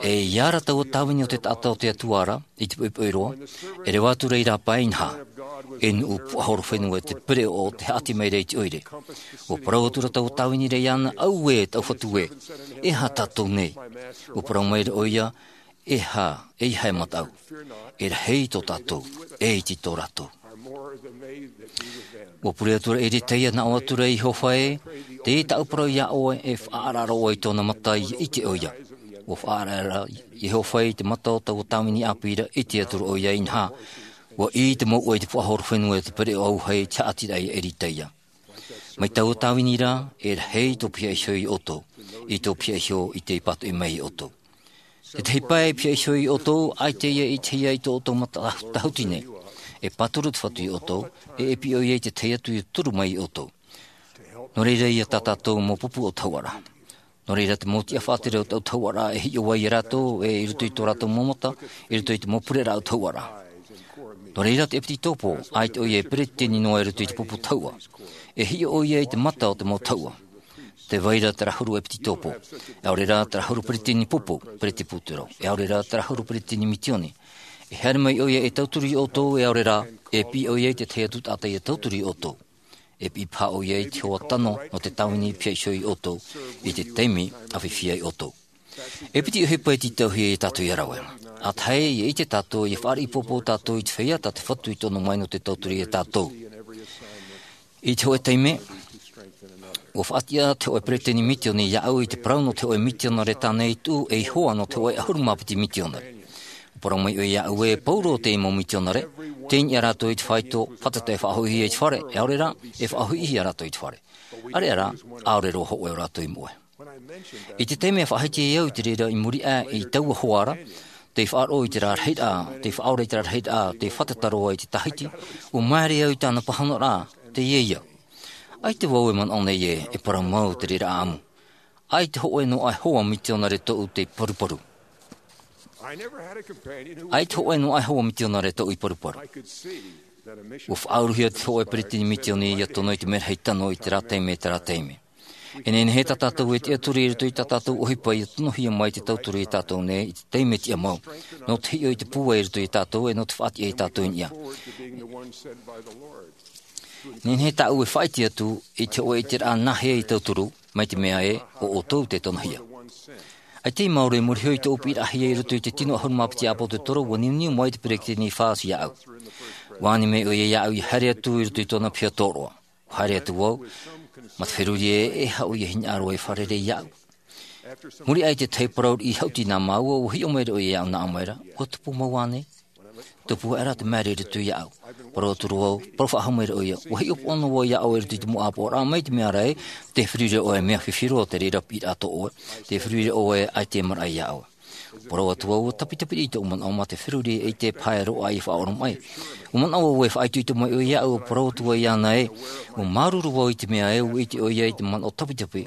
E ia ra taua tāvini o te taʻata o te Atua ra i te poʻipoʻi roa, e reva atu reira pae inaha, e nuʻu puaʻahorofenua te pereʻoʻo te haʻati mai ra i te ʻoire. Ua parau atu ra taua tāvini ra iāna, auē tau fatu ē, e aha tātou nei? Ua parau mai ra ʻoia, e aha, e aha e mataʻu, e rahi tō tātou, e iti tō rātou. Ua pure atu ra Eritaia, nā ʻō atu ra, Iehova ē, tei tāʻu parau iā ʻoe, e faʻaara roa i tōna mata ia ʻite ʻoia. Ua faʻaara ra Iehova i te mata o taua tāvini ʻāpī ra, ʻite atu ra ʻoia inaha, ua ʻī te mouʻa i te puaʻahorofenua te pereʻoʻo auahi i te haʻati ra ia Eritaia. Mai taua tāvini ra, e rahi tō pihaʻi iho ia ʻoutou i tō pihaʻi iho i tei pātoʻi mai ia ʻoutou. Tētahi pae e pihaʻi iho ia ʻoutou, ʻaita ia ʻitehia i tō ʻoutou mata tahu-, tahuti nei. E pāturu te Fatu ia ʻoutou, e e piʻo ia i te tahi atu ia turu mai ia ʻoutou. Nō reira ia tā tātou mau pupu ʻautahuʻaraʻa. Nō reira te mau tiʻa faʻatere o te ʻautahuʻaraʻa e hiʻo ai ia rātou, e i roto i tō rātou mau mata, i roto i te mau pureraʻa ʻautahuʻaraʻa. Nō reira te ʻepititopo, ʻaita ʻoia e peretiteni noa i roto i te pupu tahuʻa. E hiʻo ʻoia i te mata o te mau tahuʻa. Tē vai ra terā huru ʻepititopo, e ʻaore rā terā huru peretiteni pupu, peretiteni pūtero, e ʻaore rā terā huru peretiteni misioni. E haere mai ʻoia e tauturu ia ʻoutou, e ʻaore rā, e piʻi ʻoia i te tahi atu taʻata ia tauturu ia ʻoutou. E piʻi paha ʻoia i te hoa tano nō te tāvini i pihaʻi iho ia ʻoutou, i te taime a fifi ai ʻoutou. E piti ʻohipa e tītauhia ia tātou ia rave. ʻA tahi, ia ʻite tātou, ia fāriʻi pōpō tātou i te feiā tā te Fatu i tono mai nō te tauturu ia tātou. I te hōʻē taime, ua faʻatiʻa te hōʻē peretiteni misioni iāʻu i te parau nō te hōʻē misionare tāna i tuʻu ei hoa nō te hōʻē ʻahuru mā piti misionare. Ua parau mai ʻoia iāʻu ē, pauroa teie mau misionare, tei niʻa rātou i te faito, fātata e faʻahoʻihia i te fare, e ʻaore rā, e faʻahoʻihia rātou i te fare. ʻAreʻa rā, ʻaore roa hōʻē o rātou i moʻe. I te taime e faʻahiti ai au i te reira i muri aʻe i taua hoa ra, tei faʻaroʻo i te rārahi ra, tei faʻaora i te rārahi ra, tei fātata roa i te tahiti, ua māere au i tāna pāhonoraʻa, teie ïa. ʻAita vau e manaʻo nei ē, e parau mau te reira ʻāʻamu. ʻAita hōʻē noa e hoa misionare tōʻu tei paruparu. ʻAita hōʻē noa e hoa misionare tōʻu i paruparu. Ua faʻauruhia te hōʻē peretiteni misioni ia tono i te merahi tano i terā taime, terā taime. E nehenehe tā tātou e tiʻaturi i roto i tā tātou ʻohipa ia tonohia mai te tauturu ia tātou nei i te taime tiʻamau. Nō te hiʻo i te pūai i roto ia tātou, e nō te faʻatiʻa ia tātou i niʻa. Nehenehe tāʻu e faʻaʻite atu i te hōʻē ʻiteraʻa nāhea i tauturu, mai te mea ē, ʻo ʻoutou te tonohia. ʻAita i maoro i muri iho i tōʻu piʻiraʻahia i roto i te tino ʻahuru mā piti ʻāpōsetolo, ua niuniu mai te peretiteni Faust iāʻu. Ua ani mai ʻoia iāʻu ia haere atu i roto i tōna piha tōroʻa. Ua haere atu vau, mā te feruri ē, e aha ʻoia e hinaʻaro ai e fārerei iāʻu. Muri aʻe i te tahi parau riʻi haʻuti nā māua, ua hiʻo mai ra ʻoia iāʻu, nā ʻō mai ra, ʻua tupu mau ānei? Tupu aʻera te māere i roto iāʻu. Parau atu ra vau, parau faʻahou mai ra ʻoia, ua hiʻopoʻa noa vau iā ʻoe i roto i te mau ʻāpoʻoraʻa, mai te mea ra ē, tē feruri ra ʻoe, mea fifi roa te reira piʻiraʻa tō ʻoe, tē feruri ra ʻoe, ʻaita e maraʻa iā ʻoe. Parau atu vau, ua tapitapi riʻi tōʻu manaʻo mā te feruri e ʻite paha e roaʻa i faʻaoromaʻi. Ua manaʻo vau e faʻaitoito mai ʻoia iāʻu, ua parau atu vau iāna ē, ua māuruuru vau i te mea ē, ua ʻite ʻoia i te manaʻo tapitapi,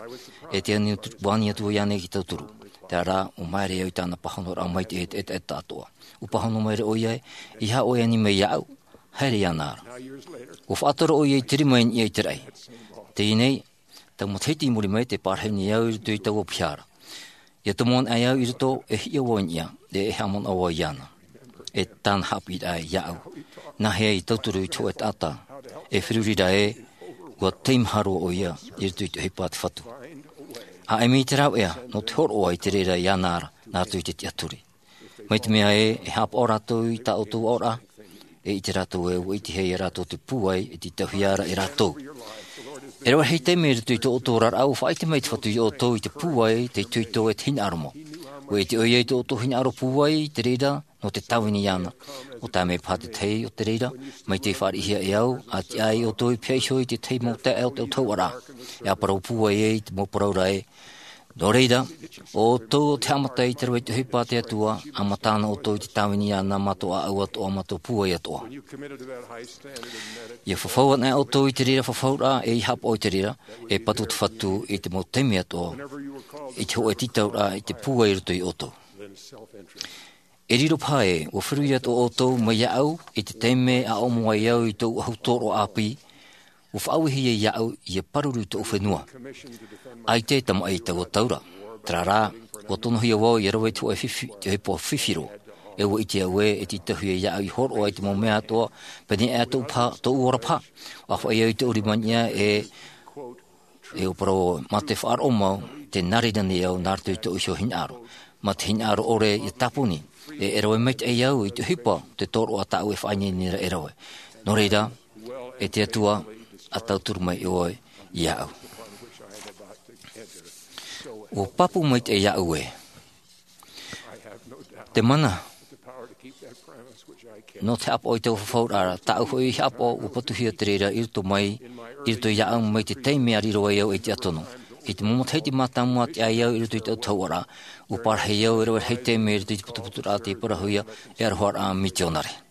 e tē ani atu, ua ani atu vau iāna i te tauturu. Terā rā, ua māere au i tāna pāhonoraʻa maitaʻi e te ʻetaʻeta atoʻa. Ua pāhono mai ra ʻoia ē, e aha ʻoe e ani mai iāʻu? Haere iāna ra. Ua faʻatora ʻoia i te rima i niʻa i te raʻi. Teie nei, taua matahiti i muri mai, tē pārahi nei au i roto i taua piha ra. ʻIa tomo anaʻe au i roto, e hiʻo vau i niʻa, e, e haʻamanaʻo vau iāna. E tāna haʻapiʻiraʻa iāʻu. Nāhea e tauturu i te hōʻē taʻata e feruri ra ē, ua teimaha roa ʻoia i roto i te ʻohipa a te Fatu. ʻA ʻimi i te rāveʻa, nō te hōroʻa i te reira iāna ra, nā roto i te tiʻaturi. Mai te mea ē, e haʻapaʻo rātou i tā ʻoutou aʻoraʻa, e ʻite rātou ē, ua ʻitehia ia rātou te pūai e tītauhia ra e rātou. E rave rahi taime i roto i tō ʻoutou oraraʻa, ua faʻaʻite mai te Fatu iā ʻoutou i te pūai, te itoito, e te hinaʻaro mau. Ua ʻite ʻoia i tō ʻoutou hinaʻaro pūai, i te reira, nō te tāvini iāna. ʻO tae mai paha te tahi o te reira, mai te fāriʻihia e au, ʻa tiʻa ai ʻoutou i pīhaʻi iho i te tahi mau taeaʻe o te autahuʻaraʻa, e ʻa parau pūai ai i te mau parau ra ē. Nō reira, ʻo ʻoutou ʻo te haʻamata i te rave i te ʻohipa a te Atua, ʻa mata ana ʻoutou i te tāvini iāna mā tō ʻāʻau atoʻa, mā tō pūai atoʻa. ʻIa fafau anaʻe ʻoutou i te reira fafauraʻa, e ʻia haʻapaʻo i te reira, e patu te Fatu i te mau taime atoʻa, i te hōʻē tītauraʻa, i te pūai i roto iā ʻoutou. E riro paha ē, ʻua feruri atoʻa ʻoutou mai iāʻu, i te taime a ʻomo ai au i tōʻu ʻahu tōroʻa ʻāpī, ʻua faʻaauehia iāʻu ʻia pāruru i tōʻu fenua. ʻAita e tamaʻi i taua tau ra. Terā rā, ʻua tonohia vau ʻia rave i te hōʻē fifi-, te ʻohipa fifiro. E ʻua ʻite au ē, e tītauhia iāʻu ʻia hōroʻa i te mau mea atoʻa, pēneiaʻe tōʻu paha, tōʻu ora paha. ʻUa faʻaʻī au i tōʻu rima i niʻa e, e ʻua parau, mā te faʻaroʻo mau, tē nā reira nei au nā roto i tōʻu iho hinaʻaro. Mā te hinaʻaro ʻore ʻia tāpuni, e, e rave maitaʻi au i te ʻohipa, te tōroʻa tāʻu e faʻaineine ra e rave. Nō reira, e te Atua, ʻa tauturu mai ʻoe iāʻu. ʻUa pāpū maitaʻi iāʻu ē. Te mana. Nō te haʻapaʻo i taua fafauraʻa, tāʻu hoʻi haʻapaʻo, ʻua patuhia te reira i roto mai, i roto iāʻu mai te taime a riro ai au ei tiʻa tono. I te mau matahiti mātāmua a tiʻa ai au i roto i te autahuʻaraʻa, ʻua parahi au e rave rahi taime i roto i te putuputuraʻa tei parauhia, e aroharaʻa mitionare.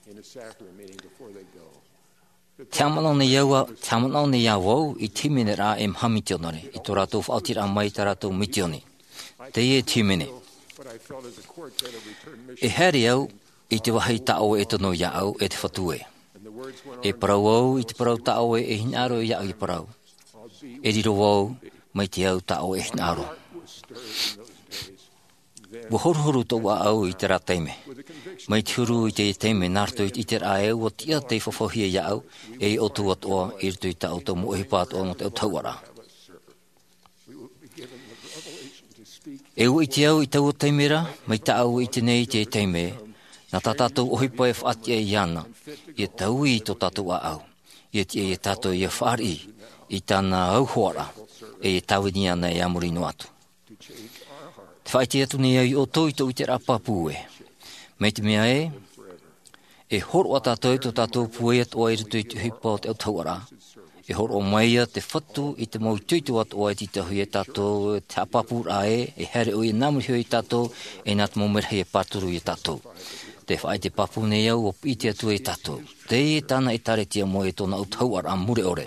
Te haʻamanaʻo nei au, te haʻamanaʻo nei au i te hīmeneraʻa ei maha mitionare, i tō rātou faʻaotiraʻa mai i tā rātou mitioni. Teie te hīmene. E haere au i te vāhi tā ʻoe e tono iāʻu, e te Fatu ē. E parau au i te parau tā ʻoe e hinaʻaro iāʻu ʻia parau. E riro vau mai te au tā ʻoe e hinaʻaro. ʻUa horuhoru tōʻu ʻāʻau i terā taime. Mai te huru i te taime nā roto i te ʻiteraʻa ē ʻua tiʻa tei fafauhia iāʻu, e ʻoutou atoʻa i roto i tā ʻoutou mau ʻohipa atoʻa nō te autahuʻaraʻa. E ʻua ʻite au i taua taime ra, mai tāʻu i ʻite nei i te taime, nā tā tātou ʻohipa e faʻatiʻa iāna, ʻia taui i tō tātou ʻāʻau, ʻia tiʻa iā tātou ʻia fāriʻi i tāna auhoaraʻa, e ʻia tāvini iāna e a muri noa atu. Te faʻaʻite atu nei au iā ʻoutou i tōʻu ʻiteraʻa pāpū ē. Mai te mea ē, e hōroʻa tātou i tō tātou pūai atoʻa i roto i te ʻohipa o te autahuʻaraʻa. E hōroʻa mai ïa te Fatu i te mau itoito atoʻa e tītauhia iā tātou, te haʻapāpūraʻa ē, e haere ʻoia nā muri iho iā tātou, e nā te mau merahi e pāruru iā tātou. Te faʻaʻite pāpū nei au, ʻua piʻi te Atua iā tātou. Teie tāna ʻĒkālesia mau e tōna autahuʻaraʻa mure ʻore.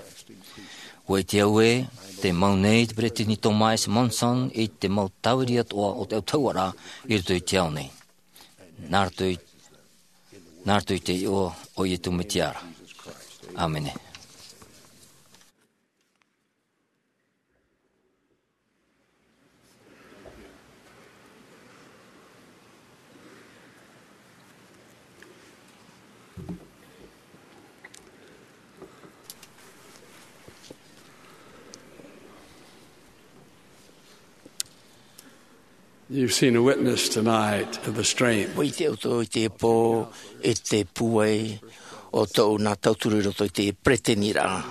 ʻUa ʻite au ē, tē mau nei te Peresideni Thomas S. Monson i te mau tāviri atoʻa o te autahuʻaraʻa i roto i te ao nei. Nā roto i, nā roto i te iʻoa o Iesu Mesia ra. ʻĀmene. You've seen a witness tonight of the strength. ʻUa ʻite ʻoutou i teie pō, i te pūai o tōʻu nā tauturu i roto i te peresideni ra.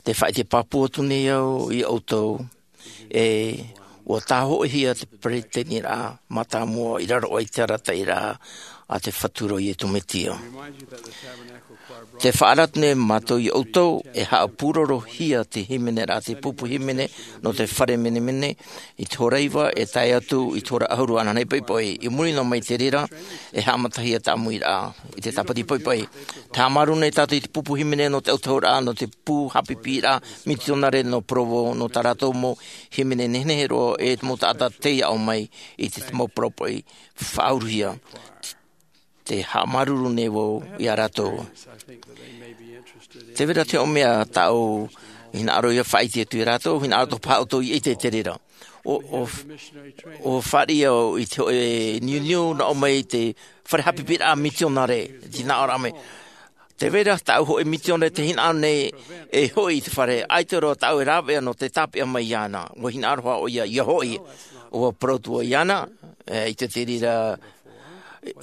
Te faʻaʻite pāpū atu nei au iā ʻoutou, e, ʻua tāhōʻihia te peresideni ra mātāmua i raro aʻe i te arataʻiraʻa a te Fatu ra ʻo Iesu Mesia. Te faʻaara atu nei mātou iā ʻoutou, e haʻapūrorohia te hīmene ra, te pupu hīmene nō te fare menemene, i te hora iva, e tae atu i te hora ʻahuru ānānahi poʻipoʻi. I muri noa mai i te reira, e haʻamatahia te ʻāmuiraʻa i te tāpati poʻipoʻi. Te haʻamāuruuru nei tātou i te pupu hīmene nō te autahuʻaraʻa, nō te pū haʻapiʻiraʻa mitionare nō Provo, nō tā rātou mau hīmene nehenehe roa, e te mau taʻata tei aʻo mai i te mau parau poʻi faʻauruhia. Te haʻamāuruuru nei vau iā rātou. Tē vai ra te hōʻē mea tāʻu hinaʻaro ʻia faʻaʻite atu iā rātou, hinaʻaro atoʻa paha ʻoutou ʻia ʻite i te reira. ʻO, ʻo, ʻua fāriʻi au i te hōʻē niuniu nā ʻō mai i te fare haʻapiʻiraʻa mitionare, te hinaʻaro mai. Tē vai ra tāʻu hōʻē mitionare tē hinaʻaro nei e hoʻi i te fare, ʻaita roa tāʻu e rāveʻa nō te tāpeʻa mai iāna. ʻUa hinaʻaro hoʻi ʻoia ʻia hoʻi. ʻUa parau atu vau iāna, e, i te reira,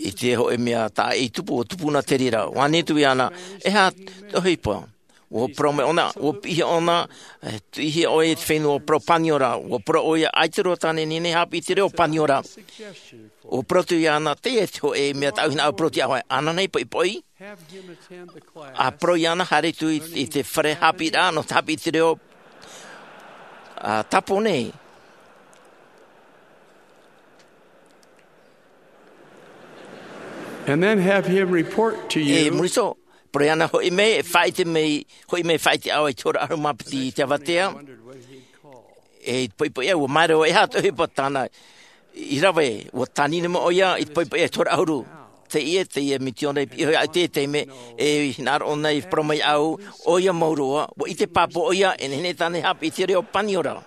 i te hōʻē mea tā ʻoe i tupu, ʻua tupu na te reira. ʻUa ani atu iāna, e aha te ʻohipa? ʻUa parau mai ʻōna, ʻua piʻihia ʻōna, e, tuʻihia ʻoe i te fenua parau Paniora. ʻUa parau ʻoia, ʻaita roa tāna e nehenehe e haʻapiʻi i te reo Paniora. ʻUa parau atu iāna, teie te hōʻē mea tāʻu hinaʻaro e parau atu iā ʻoe. Ananahi, poʻipoʻi. ʻA parau iāna, haere atu i, i te fare haʻapiʻiraʻa nō te haʻapiʻi i te reo, ā, Tāpōnē. And then have him report to you. E muri iho, parau iāna, hoʻi mai, e faʻaʻite mai, hoʻi mai e faʻaʻite iā ʻoe i te hora ʻahuru mā piti i te avatea. E i te poʻipoʻi ʻē, ʻua maere ʻoe, e aha te ʻohipa tāna i rave, ʻua tānina mai ʻoia i te poʻipoʻi ʻē i te hora ʻahuru. Teie, teie misiōnare i piʻi iho iāʻu i te taime, e hinaʻaro ʻōna i parau mai iāʻu, ʻoia mau roa, ʻua ʻite pāpū ʻoia, e nehenehe tāna e haʻapiʻi i te reo Paniora.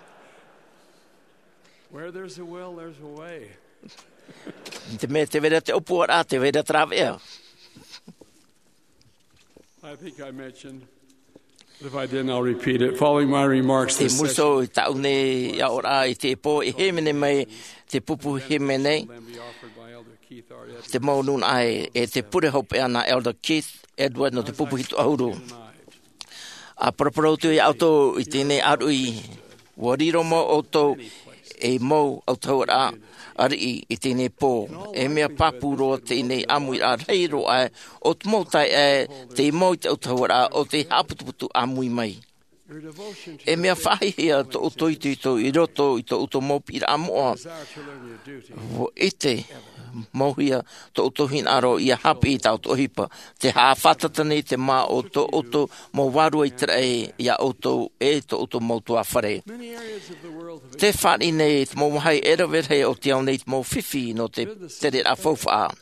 Where there's a will, there's a way. Te mea tē vai ra te ʻōpuaraʻa, tē vai ra te rāveʻa. I think I mentioned, but if I didn't, I'll repeat it. Following my remarks, e this muri iho session, i tāʻu nei aʻoraʻa i teie pō, e hīmene mai te pupu hīmene, will then be offered by Elder Keith R. Edwards. Te mau nūnaʻa ē, e te pure hopeʻa nā Elder Keith Edwards nō te pupu hitu ʻahuru. ʻA paraparau atu iā ʻoutou i teie nei ʻāruʻi, ʻua riro mau ʻoutou ei mau autahuʻaraʻa ariʻi i teie nei pō. E mea pāpū roa teie nei ʻāmuiraʻa rahi roa aʻe o te mau taeaʻe, tei mau i te autahuʻaraʻa o te haʻaputuputu ʻāmui mai. E mea faʻahiahia tō ʻoutou itoito i roto i tō ʻoutou mau piʻiraʻa moʻa. ʻUa ʻite mauhia tō ʻoutou hinaʻaro ʻia haʻapiʻi i tā ʻoutou ʻohipa. Tē haʻafātata nei te mā o tō ʻoutou mau vārua ʻĪteraʻera iā ʻoutou e tō ʻoutou mau tuāfare. Tē fāriʻi nei te mau vāhi e rave rahi o te ao nei te mau fifi nō te tereraʻa faufaʻa.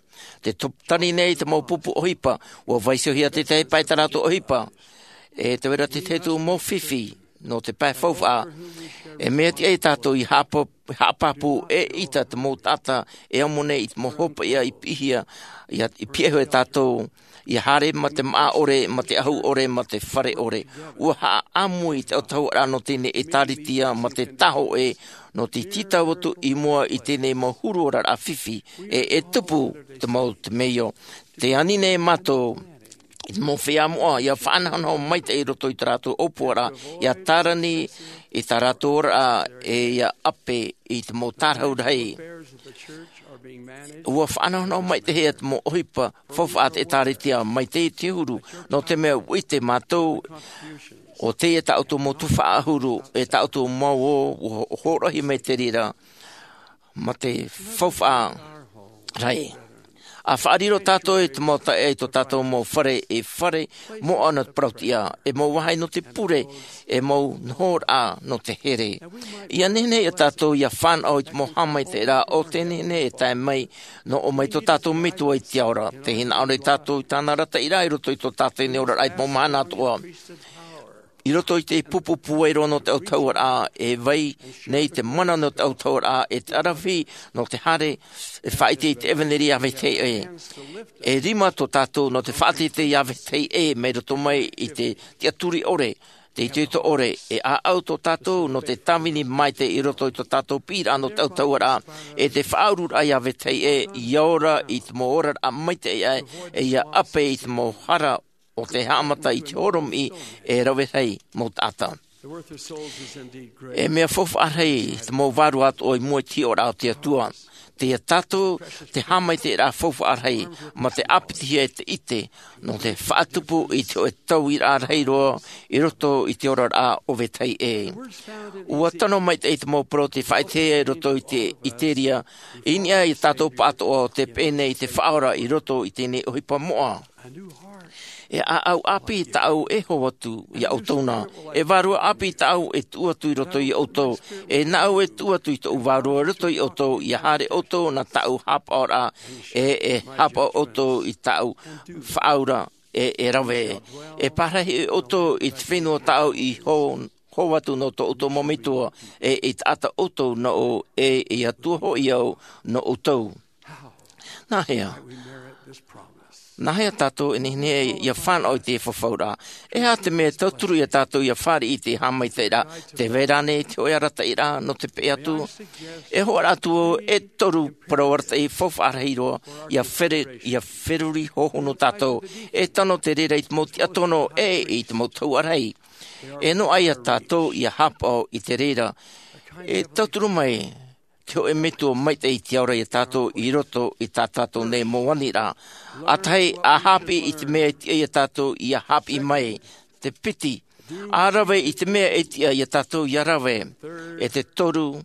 Tē tari nei te mau pupu ʻohipa, ʻua vaiihohia te tahi pae tā rātou ʻohipa. E tē vai ra te tahi atu mau fifi nō te pae faufaʻa. E mea tiʻa ia tātou ʻia haʻapa-, haʻapāpū ʻeʻita te mau taʻata e amo nei i te mau hopeʻa i piʻihia, ʻia, i piʻihia e tātou, ʻia haere mā te māʻa ʻore, mā te ʻahu ʻore, mā te fare ʻore. ʻUa haʻaʻāmui i te autahuʻaraʻa nō teie nei ʻētāretia mā te tahoʻe nō te tītau atu i mua i teie nei mau huru oraraʻa fifi, e, e tupu te mau temeio. Tē ani nei mātou i te mau feiā moʻa, ʻia faʻanahonaho maitaʻi i roto i tā rātou ʻōpuaraʻa, ʻia tārani i tā rātou oraraʻa, e ʻia ʻape i te mau tārahu rahi. ʻUa faʻanahonaho maitaʻi te mau ʻohipa faufaʻa a te ʻĒtārētia mai te, te huru, nō te mea ʻua ʻite mātou, ʻo teie tā ʻoutou mau tuhaʻa ʻahuru, e tā ʻoutou mau ō, ʻua hōroʻahia mai te reira, mā te faufaʻa rahi. ʻA faʻariro tātou e te mau taeaʻe i tō tātou mau fare, e fare moʻa nō te parauʻtiʻa, e mau vāhi nō te pure, e mau nohoraʻa nō te here. ʻIa nehenehe ia tātou ʻia fānaʻo i te mau haʻamaitaʻiraʻa o tē nehenehe e tae mai, nō ʻō mai tō tātou Metua i te ao ra. Tē hinaʻaro nei tātou i tāna arataʻiraʻa i roto i tō tātou nei oraraʻa i te mau mahana atoʻa. I roto i te pupu pūai roa nō te autahuʻaraʻa, e vai nei te mana nō te autahuʻaraʻa, e te aravihi nō te haere, e faʻaʻite i te ʻevanelia iā vetahi ʻē. E rima tō tātou nō te faʻateitei iā vetahi ʻē, mai roto mai i te tiʻaturi ʻore, te itoito ʻore, e ʻāʻau tō tātou nō te tāvini maitaʻi i roto i tō tātou piʻiraʻa nō te autahuʻaraʻa, e te faʻaururaʻa iā vetahi ʻē, ʻia ora i te mau oraraʻa maitaʻi aʻe, e ʻia ʻape i te mau hara o te haʻamata i te horomiʻi e rave rahi mau taʻata. E mea faufaʻa rahi te mau vārua atoʻa i mua i te hiʻoraʻa o te Atua. Teie tātou te haʻamaitaʻiraʻa faufaʻa rahi, mā te ʻāpitihia e te ʻite, nō te faʻatupu i te hōʻē tauiraʻa rahi roa i roto i te oraraʻa o vetahi ʻē. ʻUa tano maitaʻi te mau parau tei faʻaʻitehia i roto i te ʻĪteria, i niʻa ia tātou pāʻatoʻa ʻo tē peʻe nei i te Faʻaora i roto i teie nei ʻohipa moʻa. E ʻāʻau ʻāpī tāʻu e hō atu iā ʻoutou na. E vārua ʻāpī tāʻu e tuʻu atu i roto iā ʻoutou. E nāʻu e tuʻu atu i tōʻu vārua i roto iā ʻoutou, ʻia haere ʻoutou nā tāʻu haʻapaʻoraʻa, e, e haʻapaʻo ʻoutou i tāʻu faʻaura, e, e rave. E pārahi ʻoutou i te fenua tāʻu i hō, hō atu nō tō ʻoutou mau metua, e, e taʻata ʻoutou nōʻu, e, e Atua hoʻi au nō ʻoutou. Nāhea? Nāhea tātou e nehenehe ia fānaʻo i te fafauraʻa? E aha te mea e tauturu ia tātou ia fāriʻi i te haʻamaitaʻiraʻa? Te vai ra ānei te hoʻe arataʻiraʻa nō te peʻe atu? E hoʻo atu au e toru parau arataʻi faufaʻa rahi roa ia fere ia feruri hohonu tātou. E tano te reira i te mau tiʻa tono e i te mau tahuʻa rahi. E noaʻa ia tātou ia haʻapaʻo i te reira. E tauturu mai te hoʻe metua maitaʻi i te ora ia tātou i roto i tā tātou nei mau aniraʻa. ʻA tahi, a haʻapiʻi i te mea e tiʻa ia tātou ia haʻapiʻi mai. Te piti, a rave i te mea e tiʻa ia tātou ia rave. E te toru,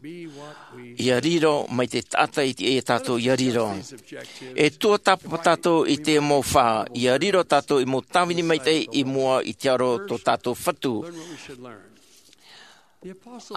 ia riro mai te taʻata e tiʻa ia tātou ia riro. E tuatāpapa tātou i te mau fā, ia riro tātou i mau tāvini maitaʻi i mua i te aro tō tātou Fatu.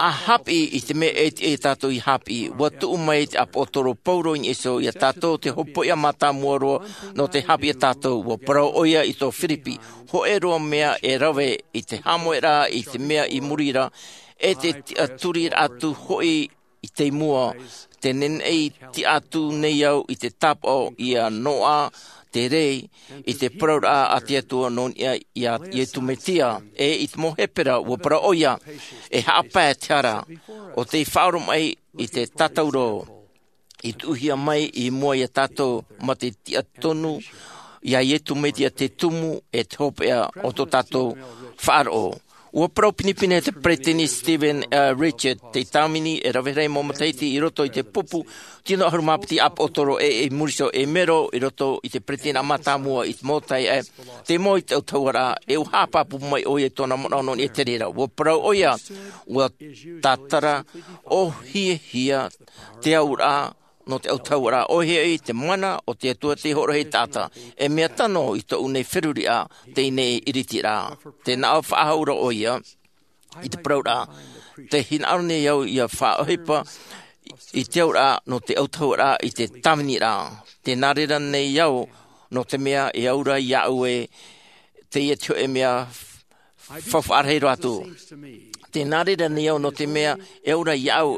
A haʻapiʻi i te mea e tiʻa ia tātou ia haʻapiʻi. Ua tuʻu mai te ʻāpōsetolo Paulo i niʻa iho ia tātou te hopoiʻa mātāmua roa nō te haʻapiʻi ia tātou. Ua parau ʻoia i tō Firipi, hoʻe roa mea e rave i te haʻamoʻeraʻa i te mea i muri ra, e te tiʻaturiraʻa atu hoʻi i te mua. Te nehenehe tiʻa atu nei au i te tāpaʻo ia noaʻa te rē i te parauraʻa a te Atua nō niʻa ia Iesu Mesia. E i te mau Hepera, ua parau ʻoia, e haʻapae te hara, ʻo tei faʻaoromaʻi i te tātauro i tuʻuhia mai i mua ia tātou ma te tiʻa tonu ia Iesu Mesia te tumu e te hopeʻa o tō tātou faʻaroʻo. Ua parau pinepine te peresideni Stephen Richard, te tāvini e rave rahi mau matahiti i roto i te pupu tino ʻahuru mā piti ʻāpōsetolo e i muri iho e mero i roto i te peresideni mātāmua i te mau taiʻa, te mau i te autahuʻaraʻa, e ua haʻapāpū mai ʻoia i tōna manaʻo nō niʻa i te reira. Ua parau ʻoia, ua tātara ʻōhiehia te auraʻa nō te autahuʻaraʻa, ʻoia hoʻi te mana o te Atua tei hōroʻa i te taʻata. E mea tano i tōʻu nei feruriraʻa teie nei iritiraʻa. Tē nā ʻō faʻahou ra ʻoia i te parauraʻa, tē hinaʻaro nei au ia faʻaʻohipa i te auraʻa nō te autahuʻaraʻa i te tāviniraʻa. Tē nā reira nei au nō te mea e au ra iāʻu ē, teie te hoʻe mea faufaʻa rahi roa atu. Tē nā reira nei au nō te mea e au ra iāʻu,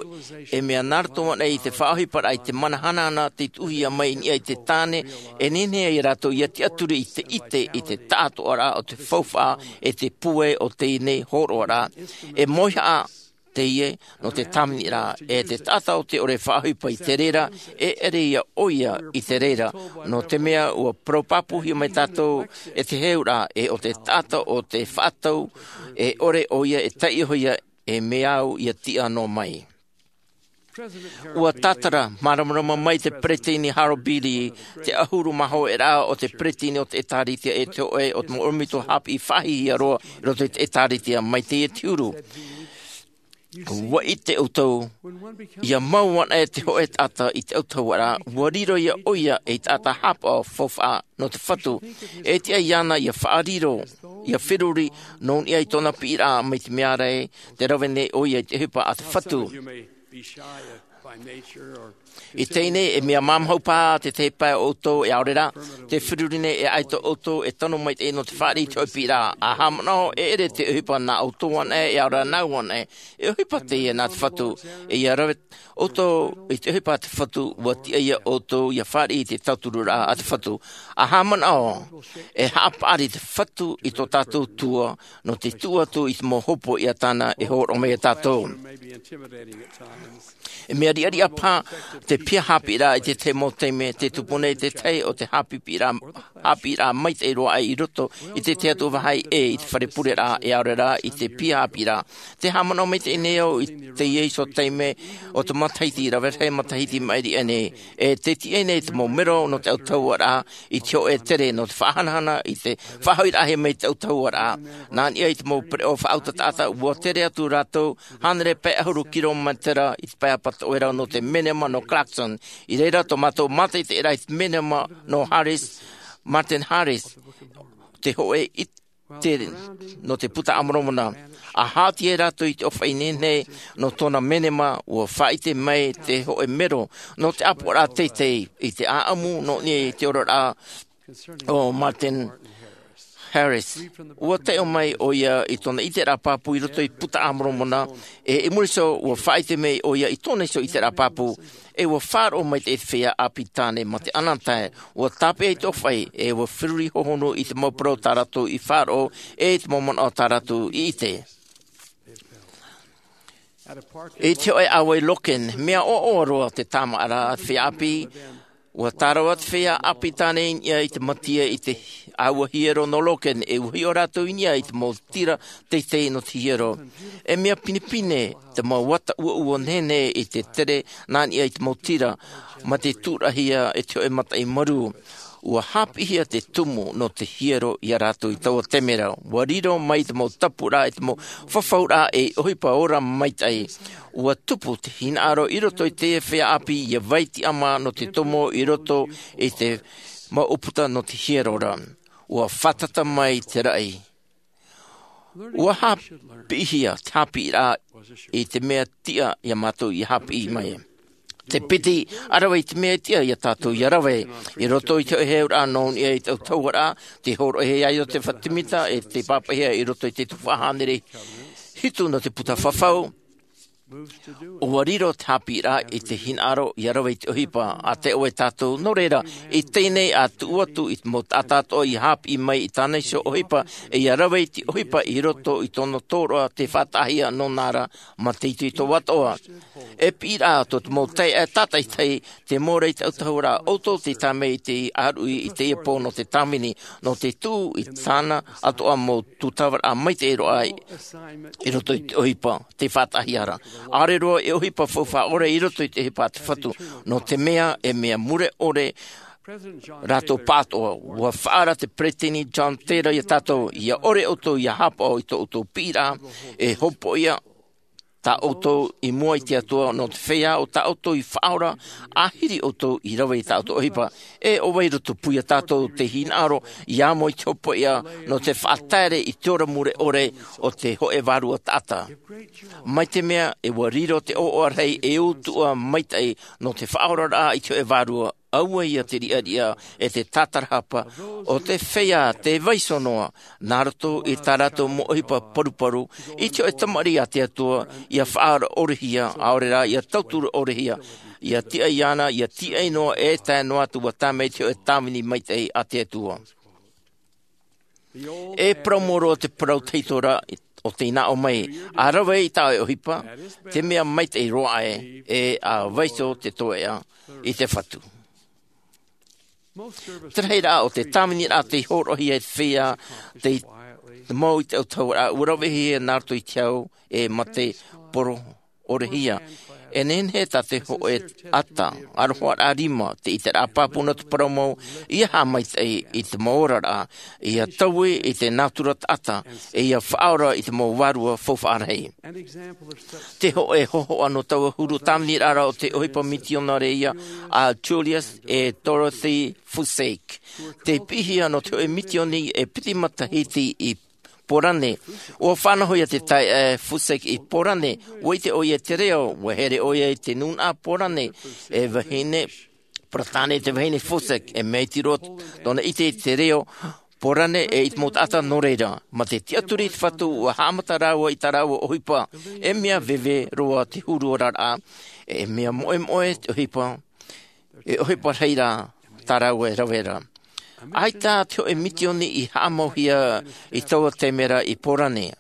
e mea nā roto anaʻe i te faʻaʻohiparaʻa i te mana hanahana tei tuʻuhia mai i niʻa i te tāne, e nehenehe ai rātou ia tiʻaturi i te ʻite i te taʻatoʻaraʻa o te faufaʻa e te pūai o teie nei hōroʻaraʻa. E mauihaʻa teie nō te tāviniraʻa, e te taʻata o te ʻore faʻaʻohipa i te reira, e ʻere ia ʻoia i te reira, nō te mea ua parau pāpūhia mai tātou e te heheuraʻa, e ʻo te taʻata o te faʻatau, e ʻore ʻoia e taiʻo hia, e mea au ia tiʻa noa mai. Ua tātara māramarama mai te peresideni Harold B. Lee, te ʻahuru mā hōʻē raʻa o te peresideni o te ʻĒtārētia, e te hōʻē o te mau ʻorometua haʻapiʻi faʻahihia roa i roto i te ʻĒtārētia mai teie te huru. Ua ʻite ʻoutou, ia mau anaʻe te hōʻē taʻata i te autahuʻaraʻa, ua riro ia ʻoia ei taʻata haʻapaʻo faufaʻa nō te Fatu. E tiʻa iāna ia faʻariro, ia feruri nō niʻa i tōna piʻiraʻa mai te mea ra ē, tē rave nei ʻoia i te ʻohipa a te Fatu. I teie nei, e mea māmāhau paha te tahi pae o ʻoutou, e ʻaore rā, tē feruri nei e ʻaita ʻoutou e tano maitaʻi nō te fāriʻi i te hōʻē piʻiraʻa. ʻA haʻamanaʻo, e ʻere te ʻohipa nā ʻoutou anaʻe, e ʻaore rā nāʻu anaʻe. E ʻohipa teie nā te Fatu, e ʻia rave ʻoutou i te ʻohipa a te Fatu, ua tiʻa ia ʻoutou ia fāriʻi i te tautururaʻa a te Fatu. ʻA haʻamanaʻo, e haʻapaʻari te Fatu i tō tātou Atua, nō te tuʻu atu i te mau hopoiʻa tāna e hōroʻa mai ia tātou. E mea riʻariʻa paha te piha haʻapiʻiraʻa i te tahi mau taime, tē tupu nei te tahi o te haʻapiʻiraʻa, haʻapiʻiraʻa maitaʻi roa aʻe i roto i te tahi atu vāhi ʻē i te fare pureraʻa, e ʻaore rā i te piha haʻapiʻiraʻa. Tē haʻamanaʻo maitaʻi nei au i teie iho taime o te matahiti, rave rahi matahiti i maʻiri aʻe nei, e tē tiʻa nei te mau mero nō te autahuʻaraʻa i te hōʻē tere nō te faʻahanahana i te faʻahoʻiraʻahia mai i te autahuʻaraʻa. Nā niʻa i te mau pereʻoʻo faʻautaʻutaʻata, ua tere atu rātou hānere pae ʻahuru kirometera i te pae ʻapatoʻerau nō te menema nō Clarkston. I reira tō mātou mātaʻitaʻiraʻa i te menema nō Harris, Martin Harris, te hōʻē ʻite nō te Buka a Moromona. ʻA haʻati ai rātou i te ʻōfaʻi nehenehe nō tōna menema, ua faʻaʻite mai te hōʻē mero nō te ʻāpoʻoraʻa teitei i te ʻāʻamu nō niʻa i te oraraʻa o Martin Harris. Ua taiʻo mai ʻoia i tōna ʻiteraʻa pāpū i roto i te Buka a Moromona, e i muri iho ua faʻaʻite mai ʻoia i tōna iho ʻiteraʻa pāpū, e ua faʻaroʻo mai te feiā ʻāpī tāne mā te ʻanatae, ua tāpeʻa i te ʻōfaʻi, e ua feruri hohonu i te mau parau tā rātou i faʻaroʻo, e i te mau manaʻo tā rātou i ʻite. I te hōʻē ʻāua i Logan, mea ʻoaʻoa roa te tāmāʻaraʻa a te feiā ʻāpī. Ua tārava te feiā ʻāpī tāne i niʻa i te mātia i te ʻāua hiero nō Logan, e ua hiʻo rātou i niʻa i te mau tira teitei nō te hiero. E mea pinepine te mau ata ʻuaʻua nehenehe i te tere nā niʻa i te mau tira, mā te tūraʻihia e te hōʻē mataʻi marū. Ua haʻapiʻihia te tumu nō te hiero ia rātou i taua taime ra. Ua riro mai te mau tāpūraʻa e te mau fafauraʻa e ʻohipa ora maitaʻi. Ua tupu te hinaʻaro i roto i te feiā ʻāpī ia vai tiʻamā nō te tomo i roto i te mau ʻūputa nō te hiero ra. Ua fātata mai te raʻi. Ua haʻapiʻihia te haʻapiʻiraʻa i te mea tiʻa ia mātou ia haʻapiʻi mai. Te piti, ʻa rave i te mea tiʻa ia tātou ia rave. I roto i te hōʻē heheuraʻa nō niʻa i te ʻautahuʻaraʻa, tē hōroʻahia ai ʻo te fatimita, e tē pāpaʻihia i roto i te tuhaʻa hānere hitu nō te puta fafau. Ua riro te haʻapiʻiraʻa i te hinaʻaro ia rave i te ʻohipa, ʻa taeʻa tātou, nō reira, i teie nei ʻa tuʻu atu i te mau taʻata atoʻa ia haʻapiʻi mai i tāna iho ʻohipa, e ia rave i te ʻohipa i roto i tōna tōroʻa tē faʻataʻahia nōna ra mā te itoito atoʻa. E piʻiraʻa tō te mau taeaʻe tātaʻitahi, tē mau ra i te ʻautahuʻaraʻa, ʻoutou tē tae mai i te ʻāruʻi i teie pō nō te tāvini, nō te tuʻu i tāna atoʻa mau tūtavaraʻa maitaʻi roa i roto i te ʻohipa tē faʻataʻahia ra. ʻAore roa e ʻohipa faufaʻa ʻore i roto i te ʻohipa a te Fatu, nō te mea e mea mure ʻore rātou pāʻatoʻa. Ua faʻaara te Peresideni John Taylor ia tātou, ia ʻore ʻoutou ia haʻapaʻo i tō ʻoutou piʻiraʻa, e hopoiʻa tā ʻoutou i mua i te Atua nō te feiā o tā ʻoutou i faʻaora, ʻahiri ʻoutou i rave i tā ʻoutou ʻohipa. E ʻo vai roto pū ia tātou te hinaʻaro ia amo i te hopoiʻa nō te faʻataere i te ora mure ʻore o te hōʻē vārua taʻata. Mai te mea e ua riro te ʻoaʻoa rahi e utuʻa maitaʻi nō te faʻaoraraʻa i te hōʻē vārua, ʻaua ia te riʻariʻa e te tātarahapa o te feiā tē vaiiho noa, nā roto i tā rātou mau ʻohipa paruparu, i te hōʻē tamariʻi a te Atua, ia faʻaora ʻorehia, ʻaore rā, ia tauturu ʻorehia, ia tiʻa iāna, ia tiʻa noa e tae noa atu ua tae mai te hōʻē tāvini maitaʻi a te Atua. E parau mau roa te parau tahito ra o tei nā ʻō mai, ʻa rave i tā ʻoe ʻohipa, te mea maitaʻi roa ē, e ʻa vaiiho te toeʻa i te Fatu. Te rahiraʻa o te tāviniraʻa tei hōroʻahia e te feiā, tei te mau i te ʻautahuʻaraʻa, ua ravehia nā roto i te hau, e mā te poro ʻorehia. E nehenehe tā te hōʻē ata, aroha rā rima, te ʻiteraʻa pāpū nō te parau mau, ia haʻamaitaʻi i te mau oraraʻa, ia taui i te nātura taʻata, e ia faʻaora i te mau vārua faufaʻa rahi. Te hōʻē hōhoʻa nō taua huru tāviniraʻa ra o te ʻohipa mitionare ïa a Julius e Dorothy Fusek. Tei piʻihia nō te hōʻē mitioni e piti matahiti i Porane. ʻUa faʻanahohia te taeaʻe Fusek i Porane, ʻua ʻite ʻoia i te reo, ʻua here ʻoia i te nūnaʻa Porane, e vahine, Peretāne te vahine Fusek, e mea iti roa tōna ʻite i te reo Porane e i te mau taʻata nō reira. Mā te tiʻaturi i te Fatu ʻua haʻamata rāua i tā rāua ʻohipa, e mea veve roa te huru oraraʻa, e mea moʻemoʻe te ʻohipa, e ʻohipa rahi rā tā rāua e rave ra. ʻAita te hōʻē mitioni i haʻamauhia i taua taime ra i Porane.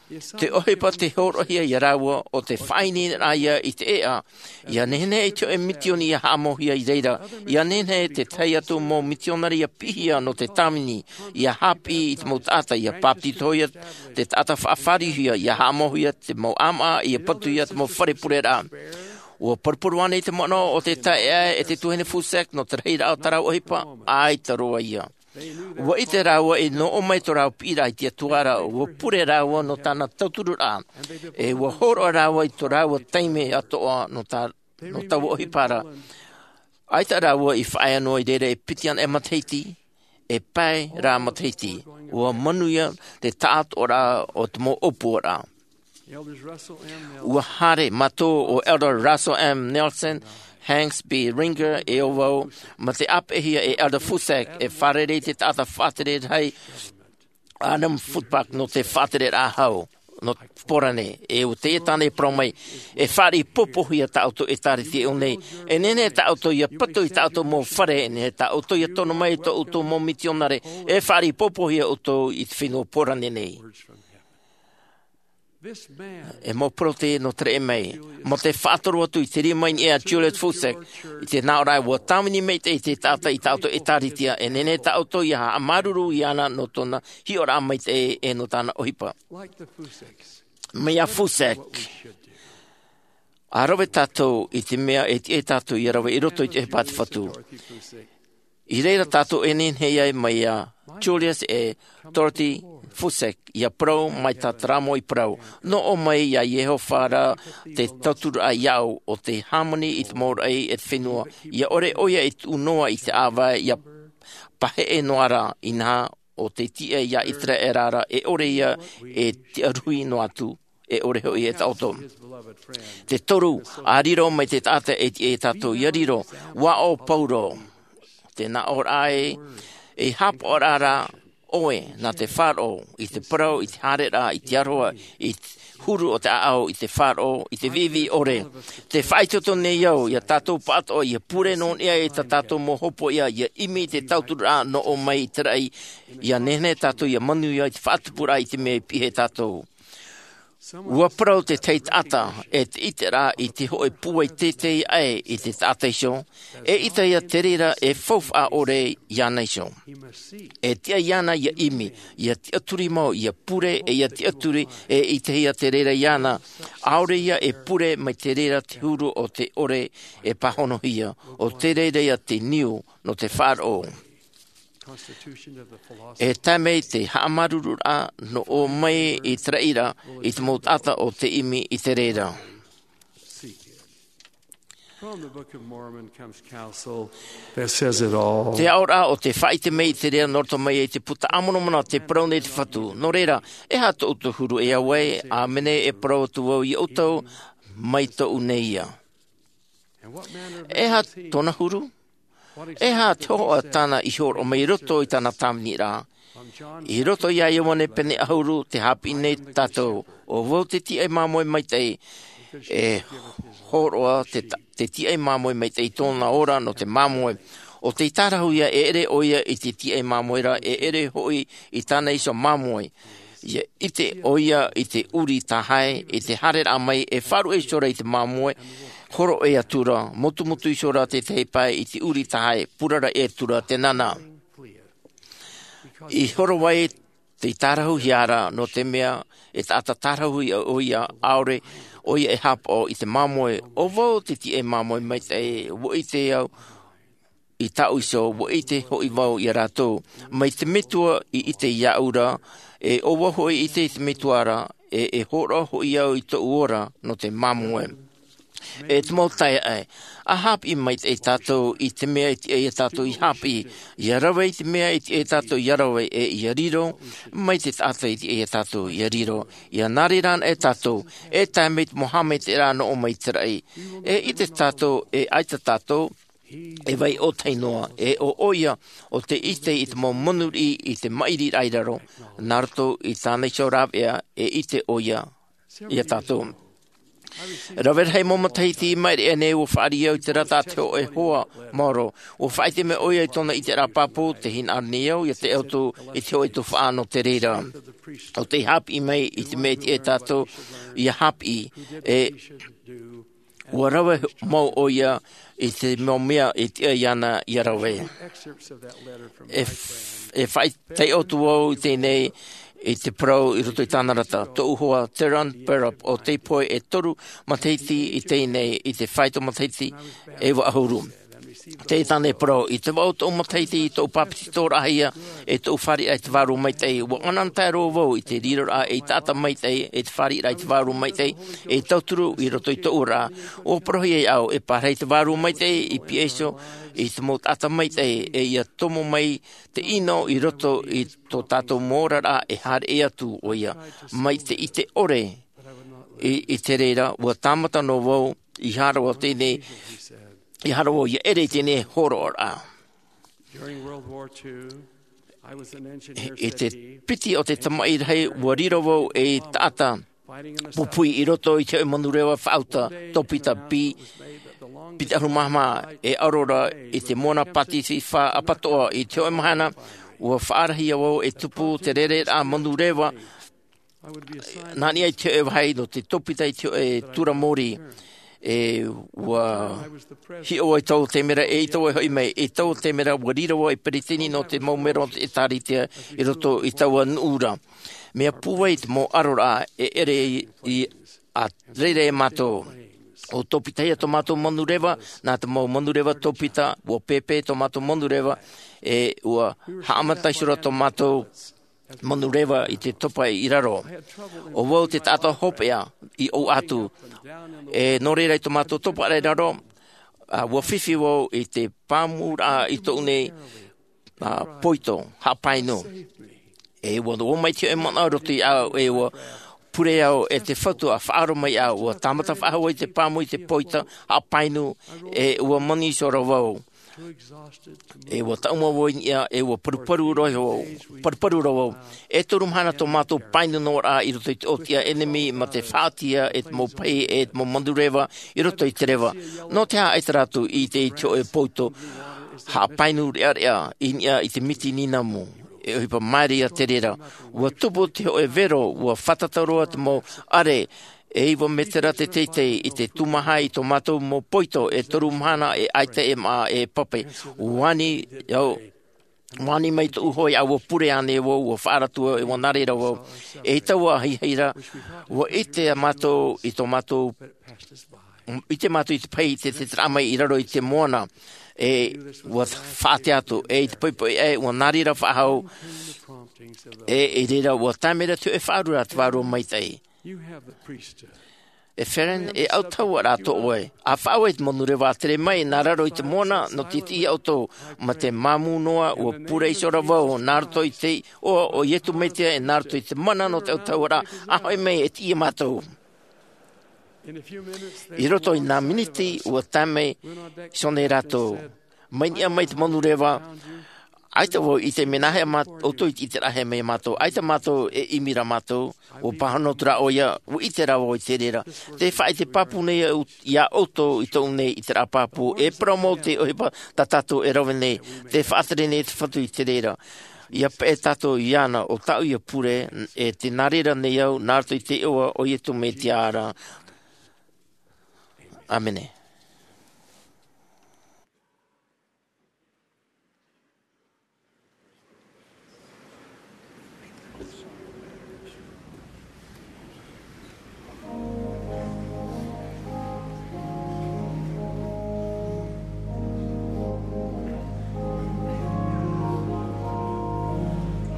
Te ʻohipa tei hōroʻahia ia rāua ʻo te faʻaineineraʻa ïa i te ʻēʻa, ʻia nehenehe i te hōʻē mitioni ia haʻamauhia i reira, ʻia nehenehe te tahi atu mau mitionare ia piʻihia nō te tāvini, ia haʻapiʻi i te mau taʻata, ia bāpetizohia te taʻata faʻafārihia, ia haʻamauhia te mau ʻāmaʻa, ia patuhia te mau fare pureraʻa. ʻUa paruparu ānei te manaʻo o te taeaʻe e te tuahine Fusek nō te rahiraʻa o tā rāua ʻohipa? ʻAita roa ïa. ʻUa ʻite rāua i noʻo mai tō rāua piʻiraʻa i te Atua ra, ʻua pure rāua nō tāna tautururaʻa, e ʻua hōroʻa rāua i tō rāua taime atoʻa nō tā, nō taua ʻohipa ra. ʻAita rāua i faʻaea noa i reira e piti anaʻe matahiti, e pae rā matahiti, ʻua manuia te taʻatoʻaraʻa o te mau ʻōpuaraʻa. ʻUa haere mātou ʻo Elder Russell M. Nelson, Hanks B. Ringer, e ʻo vau, mā te ʻāpeʻehia e Elder Fusek, e fārerei te taʻata faʻatere rahi, Adam Footpack nō te faʻatereraʻa hau nō Porane. E ʻua tāna e parau mai, e fāriʻi pōpōhia tā ʻoutou ʻētāretia i ʻō nei. E nehenehe tā ʻoutou ia patu i tā ʻoutou mau fare, e nehenehe tā ʻoutou ia tono mai tō ʻoutou mau mitionare, e fāriʻi pōpōhia ʻoutou i te fenua Porane nei. E mau parau nō te reira mai, mō te faʻatoro atu i te rima i niʻa iā Julius Fussek, i te nāʻōraʻa ʻua tāvini maitaʻi te taʻata i tā ʻoutou ʻētāretia, e nehenehe tā ʻoutou ia haʻamāuruuru iāna nō tōna hiʻoraʻa maitaʻi e nō tāna ʻohipa. Mai iā Fussek, ʻa rave tātou i te mea e tiʻa iā tātou ia rave i roto i te ʻohipa a te Fatu. I reira tātou e nehenehe ai mai iā Julius e Dorothy Fussek, ia parau mai tā Taramo i parau. Nō ʻō mai iā Iehova rā te tauturu iāʻu, ʻo te hāmani i te mau raʻi e te fenua. Ia ʻore ʻoia e tuʻu noa i te ʻāvae, ia paheʻe noa rā, inaha ʻo te tiʻa iā Iteraera rā, e ʻore ia e tiʻaruhi noa atu, e ʻore hoʻi e taʻoto. Te toru, ʻa riro mai te taʻata e tiʻa iā tātou ia riro, ʻua ʻo Pauro. Te nāʻōraʻa e, e haʻapaʻoraʻa rā ʻoe nā te faʻaroʻo, i te parau, i te haereraʻa, i te aroha, i te huru o te ʻāʻau, i te faʻaroʻo, i te viʻiviʻi ʻore. Te faʻaitoito nei au, ia tātou pāʻatoʻa, ia pure nō niʻa i tā tātou mau hopoiʻa, ia ʻimi i te tautururaʻa nō ʻō mai i te raʻi, ia nehenehe tātou ia manuia i te faʻatupuraʻa i te mea i piʻi iā tātou. ʻUa parau te tahi taʻata, e te ʻiteraʻa i te hōʻē pūai teitei aʻe i te taʻata iho, eʻita ia te reira e faufaʻa ʻore iāna iho. E tiʻa iāna ia ʻimi, ia tiʻaturi mau, ia pure, e ia tiʻaturi, eʻita ia te reira iāna, ʻaore ia e pure mai te reira te huru o te ʻore e pāhonohia, ʻo te reira ia te niu nō te faʻaroʻo. E tae mai te haʻamāuruururaʻa nō ʻō mai i te raʻi ra, i te mau taʻata ʻo tē ʻimi i te reira. From the Book of Mormon comes counsel that says it all. Te aʻoraʻa ʻo tē faʻaʻite mai i te reira nō roto mai i te Puta a Moromona, tē parau nei te Fatu. Nō reira, e aha tō ʻoutou huru e au ai, ʻāmene, e parau atu vau iā ʻoutou, mai tōʻu nei ia. E aha tōna huru? E aha te hōhoʻa tāna i hōroʻa mai i roto i tāna tāviniraʻa? I roto iā Ioane pene ʻahuru tē haʻapiʻi nei tātou, ʻo vau te tīaʻi māmoe maitaʻi, e hōroʻa te ta-, te tīaʻi māmoe maitaʻi i tōna ora nō te māmoe. ʻO tei tārahu ia, e ʻere ʻoia i te tīaʻi māmoe ra, e ʻere hoʻi i tāna iho māmoe. Ia ʻite ʻoia i te ʻuri tahae, i te haereraʻa mai, e faʻaruʻe iho ra i te māmoe, hōroʻa atu ra, mutumutu iho ra te tahi pae i te ʻuri tahae, purara atu ra te nana. I horo ai tei tārahuhia ra, nō te mea, e taʻata tārahu ia ʻoia, ʻaore ʻoia e haʻapaʻo i te māmoe, ʻo vau te tīaʻi māmoe maitaʻi, ʻua ʻite au, i tāʻu iho, ʻua ʻite hoʻi vau iā rātou. Mai te Metua i ʻite iāʻu ra, e ʻo vau hoʻi i ʻite i te Metua ra, e, e hōroʻa hoʻi au i tōʻu ora nō te māmoe. E te mau taeaʻe, ʻa haʻapiʻi maitaʻi tātou i te mea e tiʻa iā tātou ia haʻapiʻi, ia rave i te mea e tiʻa iā tātou ia rave, e ia riro mai te taʻata e tiʻa iā tātou ia riro, ia nā reira anaʻe tātou, e tae mai te mau haʻamaitaʻiraʻa nō ʻō mai i te raʻi. E ʻite tātou, e ʻaita tātou, e vai ʻōtahi noa, e ʻo ʻoia, ʻo tē ʻite i te mau monū riʻi i te maʻiriraʻa i raro, nā roto i tāna iho rāveʻa, e ʻite ʻoia iā tātou. Rave rahi mau matahiti i maʻiri aʻe nei, ʻua fāriʻi au i te rata a te hōʻē hoa maoro. ʻUa faʻaʻite mai ʻoia i tōna ʻiteraʻa pāpū, tē hinaʻaro nei au, ia tae atu i te hōʻē tuhaʻa nō te reira. ʻO tei haʻapiʻi mai i te mea e tiʻa iā tātou ia haʻapiʻi, e ʻua rave mau ʻoia i te mau mea e tiʻa iāna ia rave. E f-, e faʻaʻite atu vau i teie nei i te parau i roto i tāna rata. Tōʻu hoa, Theron Perup, ʻo tei pohe e toru matahiti i teie nei, i te faito matahiti e vaʻu ʻahuru. Tē tāna e parau, i te vaʻu o tōʻu matahiti, i tōʻu pāpetitoraʻahia, e tōʻu fāriʻiraʻa i te Vārua Maitaʻi, ʻua ʻanaʻanatae roa vau i te riroraʻa ei taʻata maitaʻi, e te fāriʻiraʻa i te Vārua Maitaʻi, e tauturu i roto i tōʻu oraraʻa. ʻUa parauhia iāʻu, e pārahi te Vārua Maitaʻi i pihaʻi iho i te mau taʻata maitaʻi, e ia tomo mai te ʻino i roto i tō tātou mau oraraʻa e haere atu ʻoia. Mai te ʻite ʻore i, i te reira, ʻua tāmata noa vau i hāroa teie nei, i hāroa ia ʻere i teie nei hōroʻaraʻa. During World War Two, I te piti o te tamaʻi rahi, ua riro vau ei taʻata pūpū i roto i te hōʻē manureva faʻauta, tōpita pī, piti ʻahuru mā maha, e ʻaro ra i te moana Pasifika ʻapatoʻa. I te hōʻē mahana, ua faʻarahia vau e tupu te rereraʻa manureva, nā niʻa i te hōʻē vāhi nō te tōpita i te hōʻē tura mōrī. E ua hiʻo ai taua taime ra, e i taua e hoʻi mai, i taua taime ra, ua riro vau ei peretiteni nō te mau melo o te ʻĒtārētia i roto i taua nuʻu ra. Mea pūai te mau ʻaroraʻa, e ʻere i, i, a reira e mātou. ʻO tōpitahia tō mātou manureva, nā te mau manureva tōpita, ua pēpē tō mātou manureva, e ua haʻamata iho ra tō mātou manureva i te topa i raro. ʻO vau te taʻata hopeʻa i ʻō atu. E nō reira i tō mātou topa i raro, a, ua fifi vau i te pāmuraʻa i tōʻu nei, a, poito, haʻapainu. E ua, ua mai te hōʻē manaʻo i roto iāʻu, e ua pure au e te Fatu ʻa faʻaaro mai iāʻu, ua tāmata faʻahou i te pāmu i te poito, haʻapainu, e ua mani iho ra vau. E ua taʻuma vau i niʻa, e ua paruparu roa vau, paruparu roa vau. E toru mahana tō mātou painu noa ra i roto i te ʻōtiʻa ʻenemi, mā te faʻaʻite e te mau pahi, e te mau manureva i roto i te reva. Nō te aha ʻaita rātou i ʻite i te hōʻē poito haʻapainu reʻareʻa i niʻa i te miti nīnamu? E ʻohipa māere ia te reira. Ua tupu te hōʻē vero, ua fātata roa te mau ʻare, e iva mētera te teitei i te tūmaha i tō mātou mau poito, e toru mahana e ʻaita e maʻa e pape. Ua ani au, ua ani mai tōʻu hoa iāʻu, ua pure ānei vau, ua faʻaara atu au, e ua nā reira vau. E i taua ahiahi ra, ua ʻite mātou i tō mātou, ʻite mātou i te pahi i te, te taʻa mai i raro i te moana, e ua faʻaʻite atu, e i te poʻipoʻi ʻē, ua nā reira faʻahou, e, i reira ua tae mai ra te hōʻē faʻaaruraʻa a te Vārua Maitaʻi. E Feren, e autahuʻaraʻa tō ʻoe. ʻA faʻaue i te manureva tere mai nā raro i te moana, nō te tiʻi ia ʻoutou, mā te māmū noa, ua pure iho ra vau, nā roto i te iʻoa o Iesu Mesia, e nā roto i te mana nō te autahuʻaraʻa, ʻa hoʻi mai e tiʻi ia mātou. I roto i nā miniti, ua tae mai iho nei rātou. Mai niʻa mai te manureva, ʻaita vau i ʻite mea nāhea mā-, ʻoutou i te ʻiteraʻa mai ia mātou. ʻAita mātou e ʻimi ra mātou, ua pāhono atu ra ʻoia, ua ʻite ra vau i te reira. Tē faʻaʻite pāpū nei au ia ʻoutou i tōʻu nei ʻiteraʻa pāpū, e parau mau te ʻohipa tā tātou e rave nei, tē faʻatere nei te Fatu i te reira. ʻIa peʻe tātou iāna, ʻo tāʻu ia pure, e tē nā reira nei au, nā roto i te iʻoa o Iesu Mesia ra. ʻĀmene.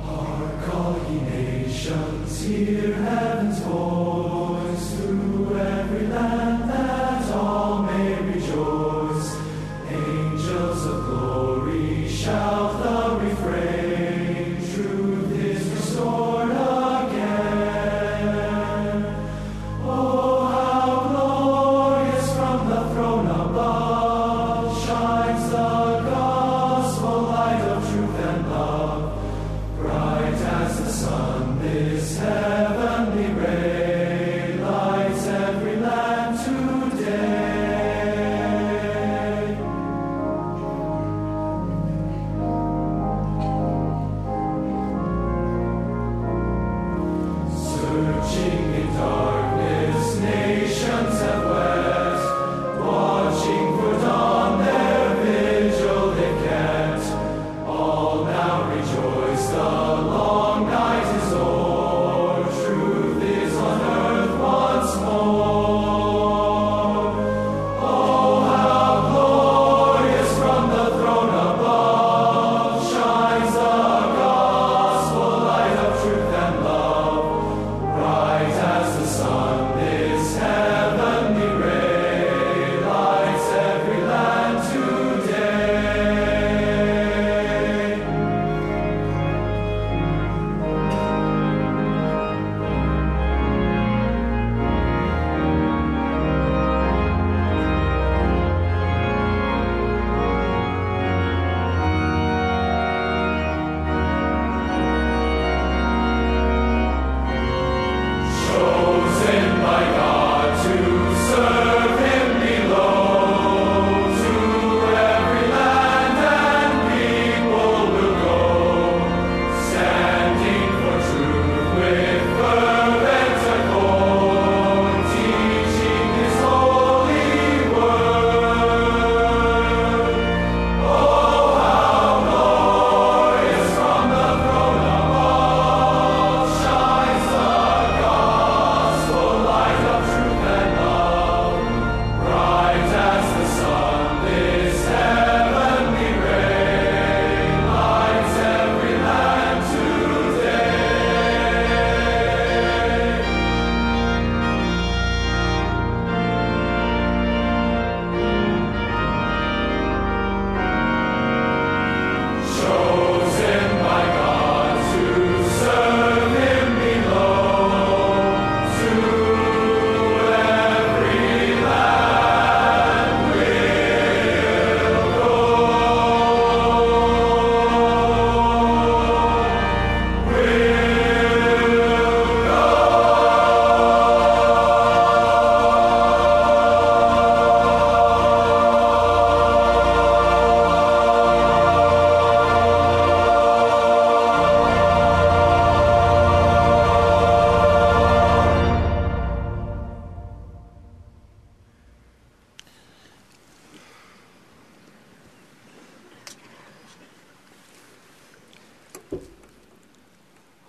Hark, all ye nations, hear heaven's voice, through every land, that all may rejoice. Angels of glory shout the refrain, truth is restored again. Oh, how glorious from the throne above shines the gospel light of truth and love. Bright as the sun, this heaven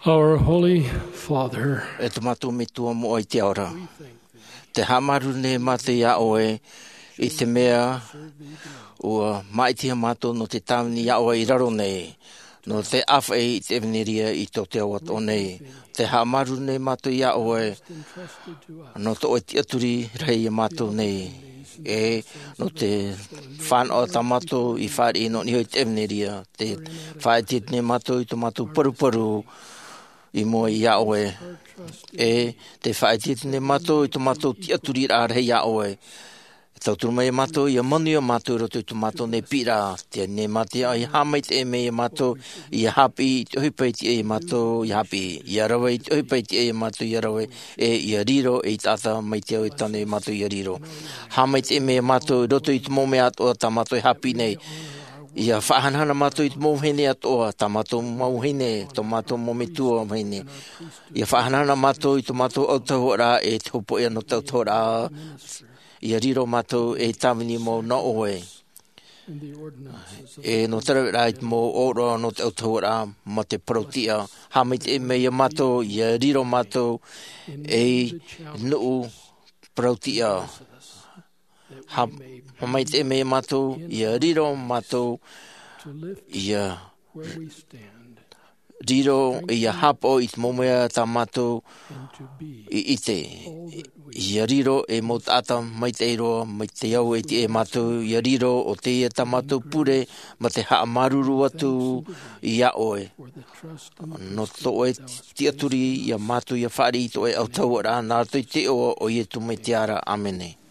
Our Holy Father, E tō mātou Metua moʻa i te ao ra. Te haʻamāuruuru nei mātou iā ʻoe i te mea ua māʻitihia mātou nō te tāvini iā ʻoe i raro nei, nō te ʻāfaʻi i te ʻevanelia i tō te ao atoʻa nei. Te haʻamāuruuru nei mātou iā ʻoe nō tō ʻoe tiʻaturi rahi iā mātou nei. E nō te fānaʻo tā mātou i fāriʻi nō niʻa i te ʻevanelia, te faʻaʻite nei mātou i tō mātou paruparu i mua iā ʻoe. E te faʻaʻite nei mātou i tō mātou tiʻaturiraʻa rahi iā ʻoe. E tauturu mai mātou, ʻia manuia mātou i roto i tō mātou nei piʻiraʻa. Te nei mātou, ʻia haʻamaitaʻi mai iā mātou, ʻia haʻapiʻi i te ʻohipa i tiʻa iā mātou ʻia haʻapiʻi, ʻia rave i te ʻohipa i tiʻa iā mātou ʻia rave, e ʻia riro ei taʻata mai te ao e tano iā mātou ʻia riro. Haʻamaitaʻi mai iā mātou i roto i te mau mea atoʻa tā mātou e haʻapiʻi nei. ʻIa faʻahanahana mātou i te mau vahine atoʻa, tā mātou mau vahine, tō mātou mau metua vahine. ʻIa faʻahanahana mātou i tō mātou autahuʻaraʻa e te hopoiʻa nō te autahuʻaraʻa. ʻIa riro mātou ei tāvini mau nō ʻoe. E nō te raveraʻa i te mau ʻōroʻa nō te autahuʻaraʻa mā te parau-tiʻa. Haʻamaitaʻi mai iā mātou, ʻia riro mātou ei nuʻu parau-tiʻa. Ha-, haʻamaitaʻi mai iā mātou, ʻia riro mātou, ʻia riro, ʻia haʻapaʻo i te mau mea tā mātou i ʻite. ʻIa riro ei mau taʻata maitaʻi roa, mai te ao e tiʻa iā mātou ʻia riro, ʻo teie tā mātou pure, mā te haʻamāuruuru atu iā ʻoe. Nō tō ʻoe tiʻaturi iā mātou ʻia fāriʻi i tō ʻoe autahuʻaraʻa, nā roto i te iʻoa o Iesu Mesia ra. ʻĀmene.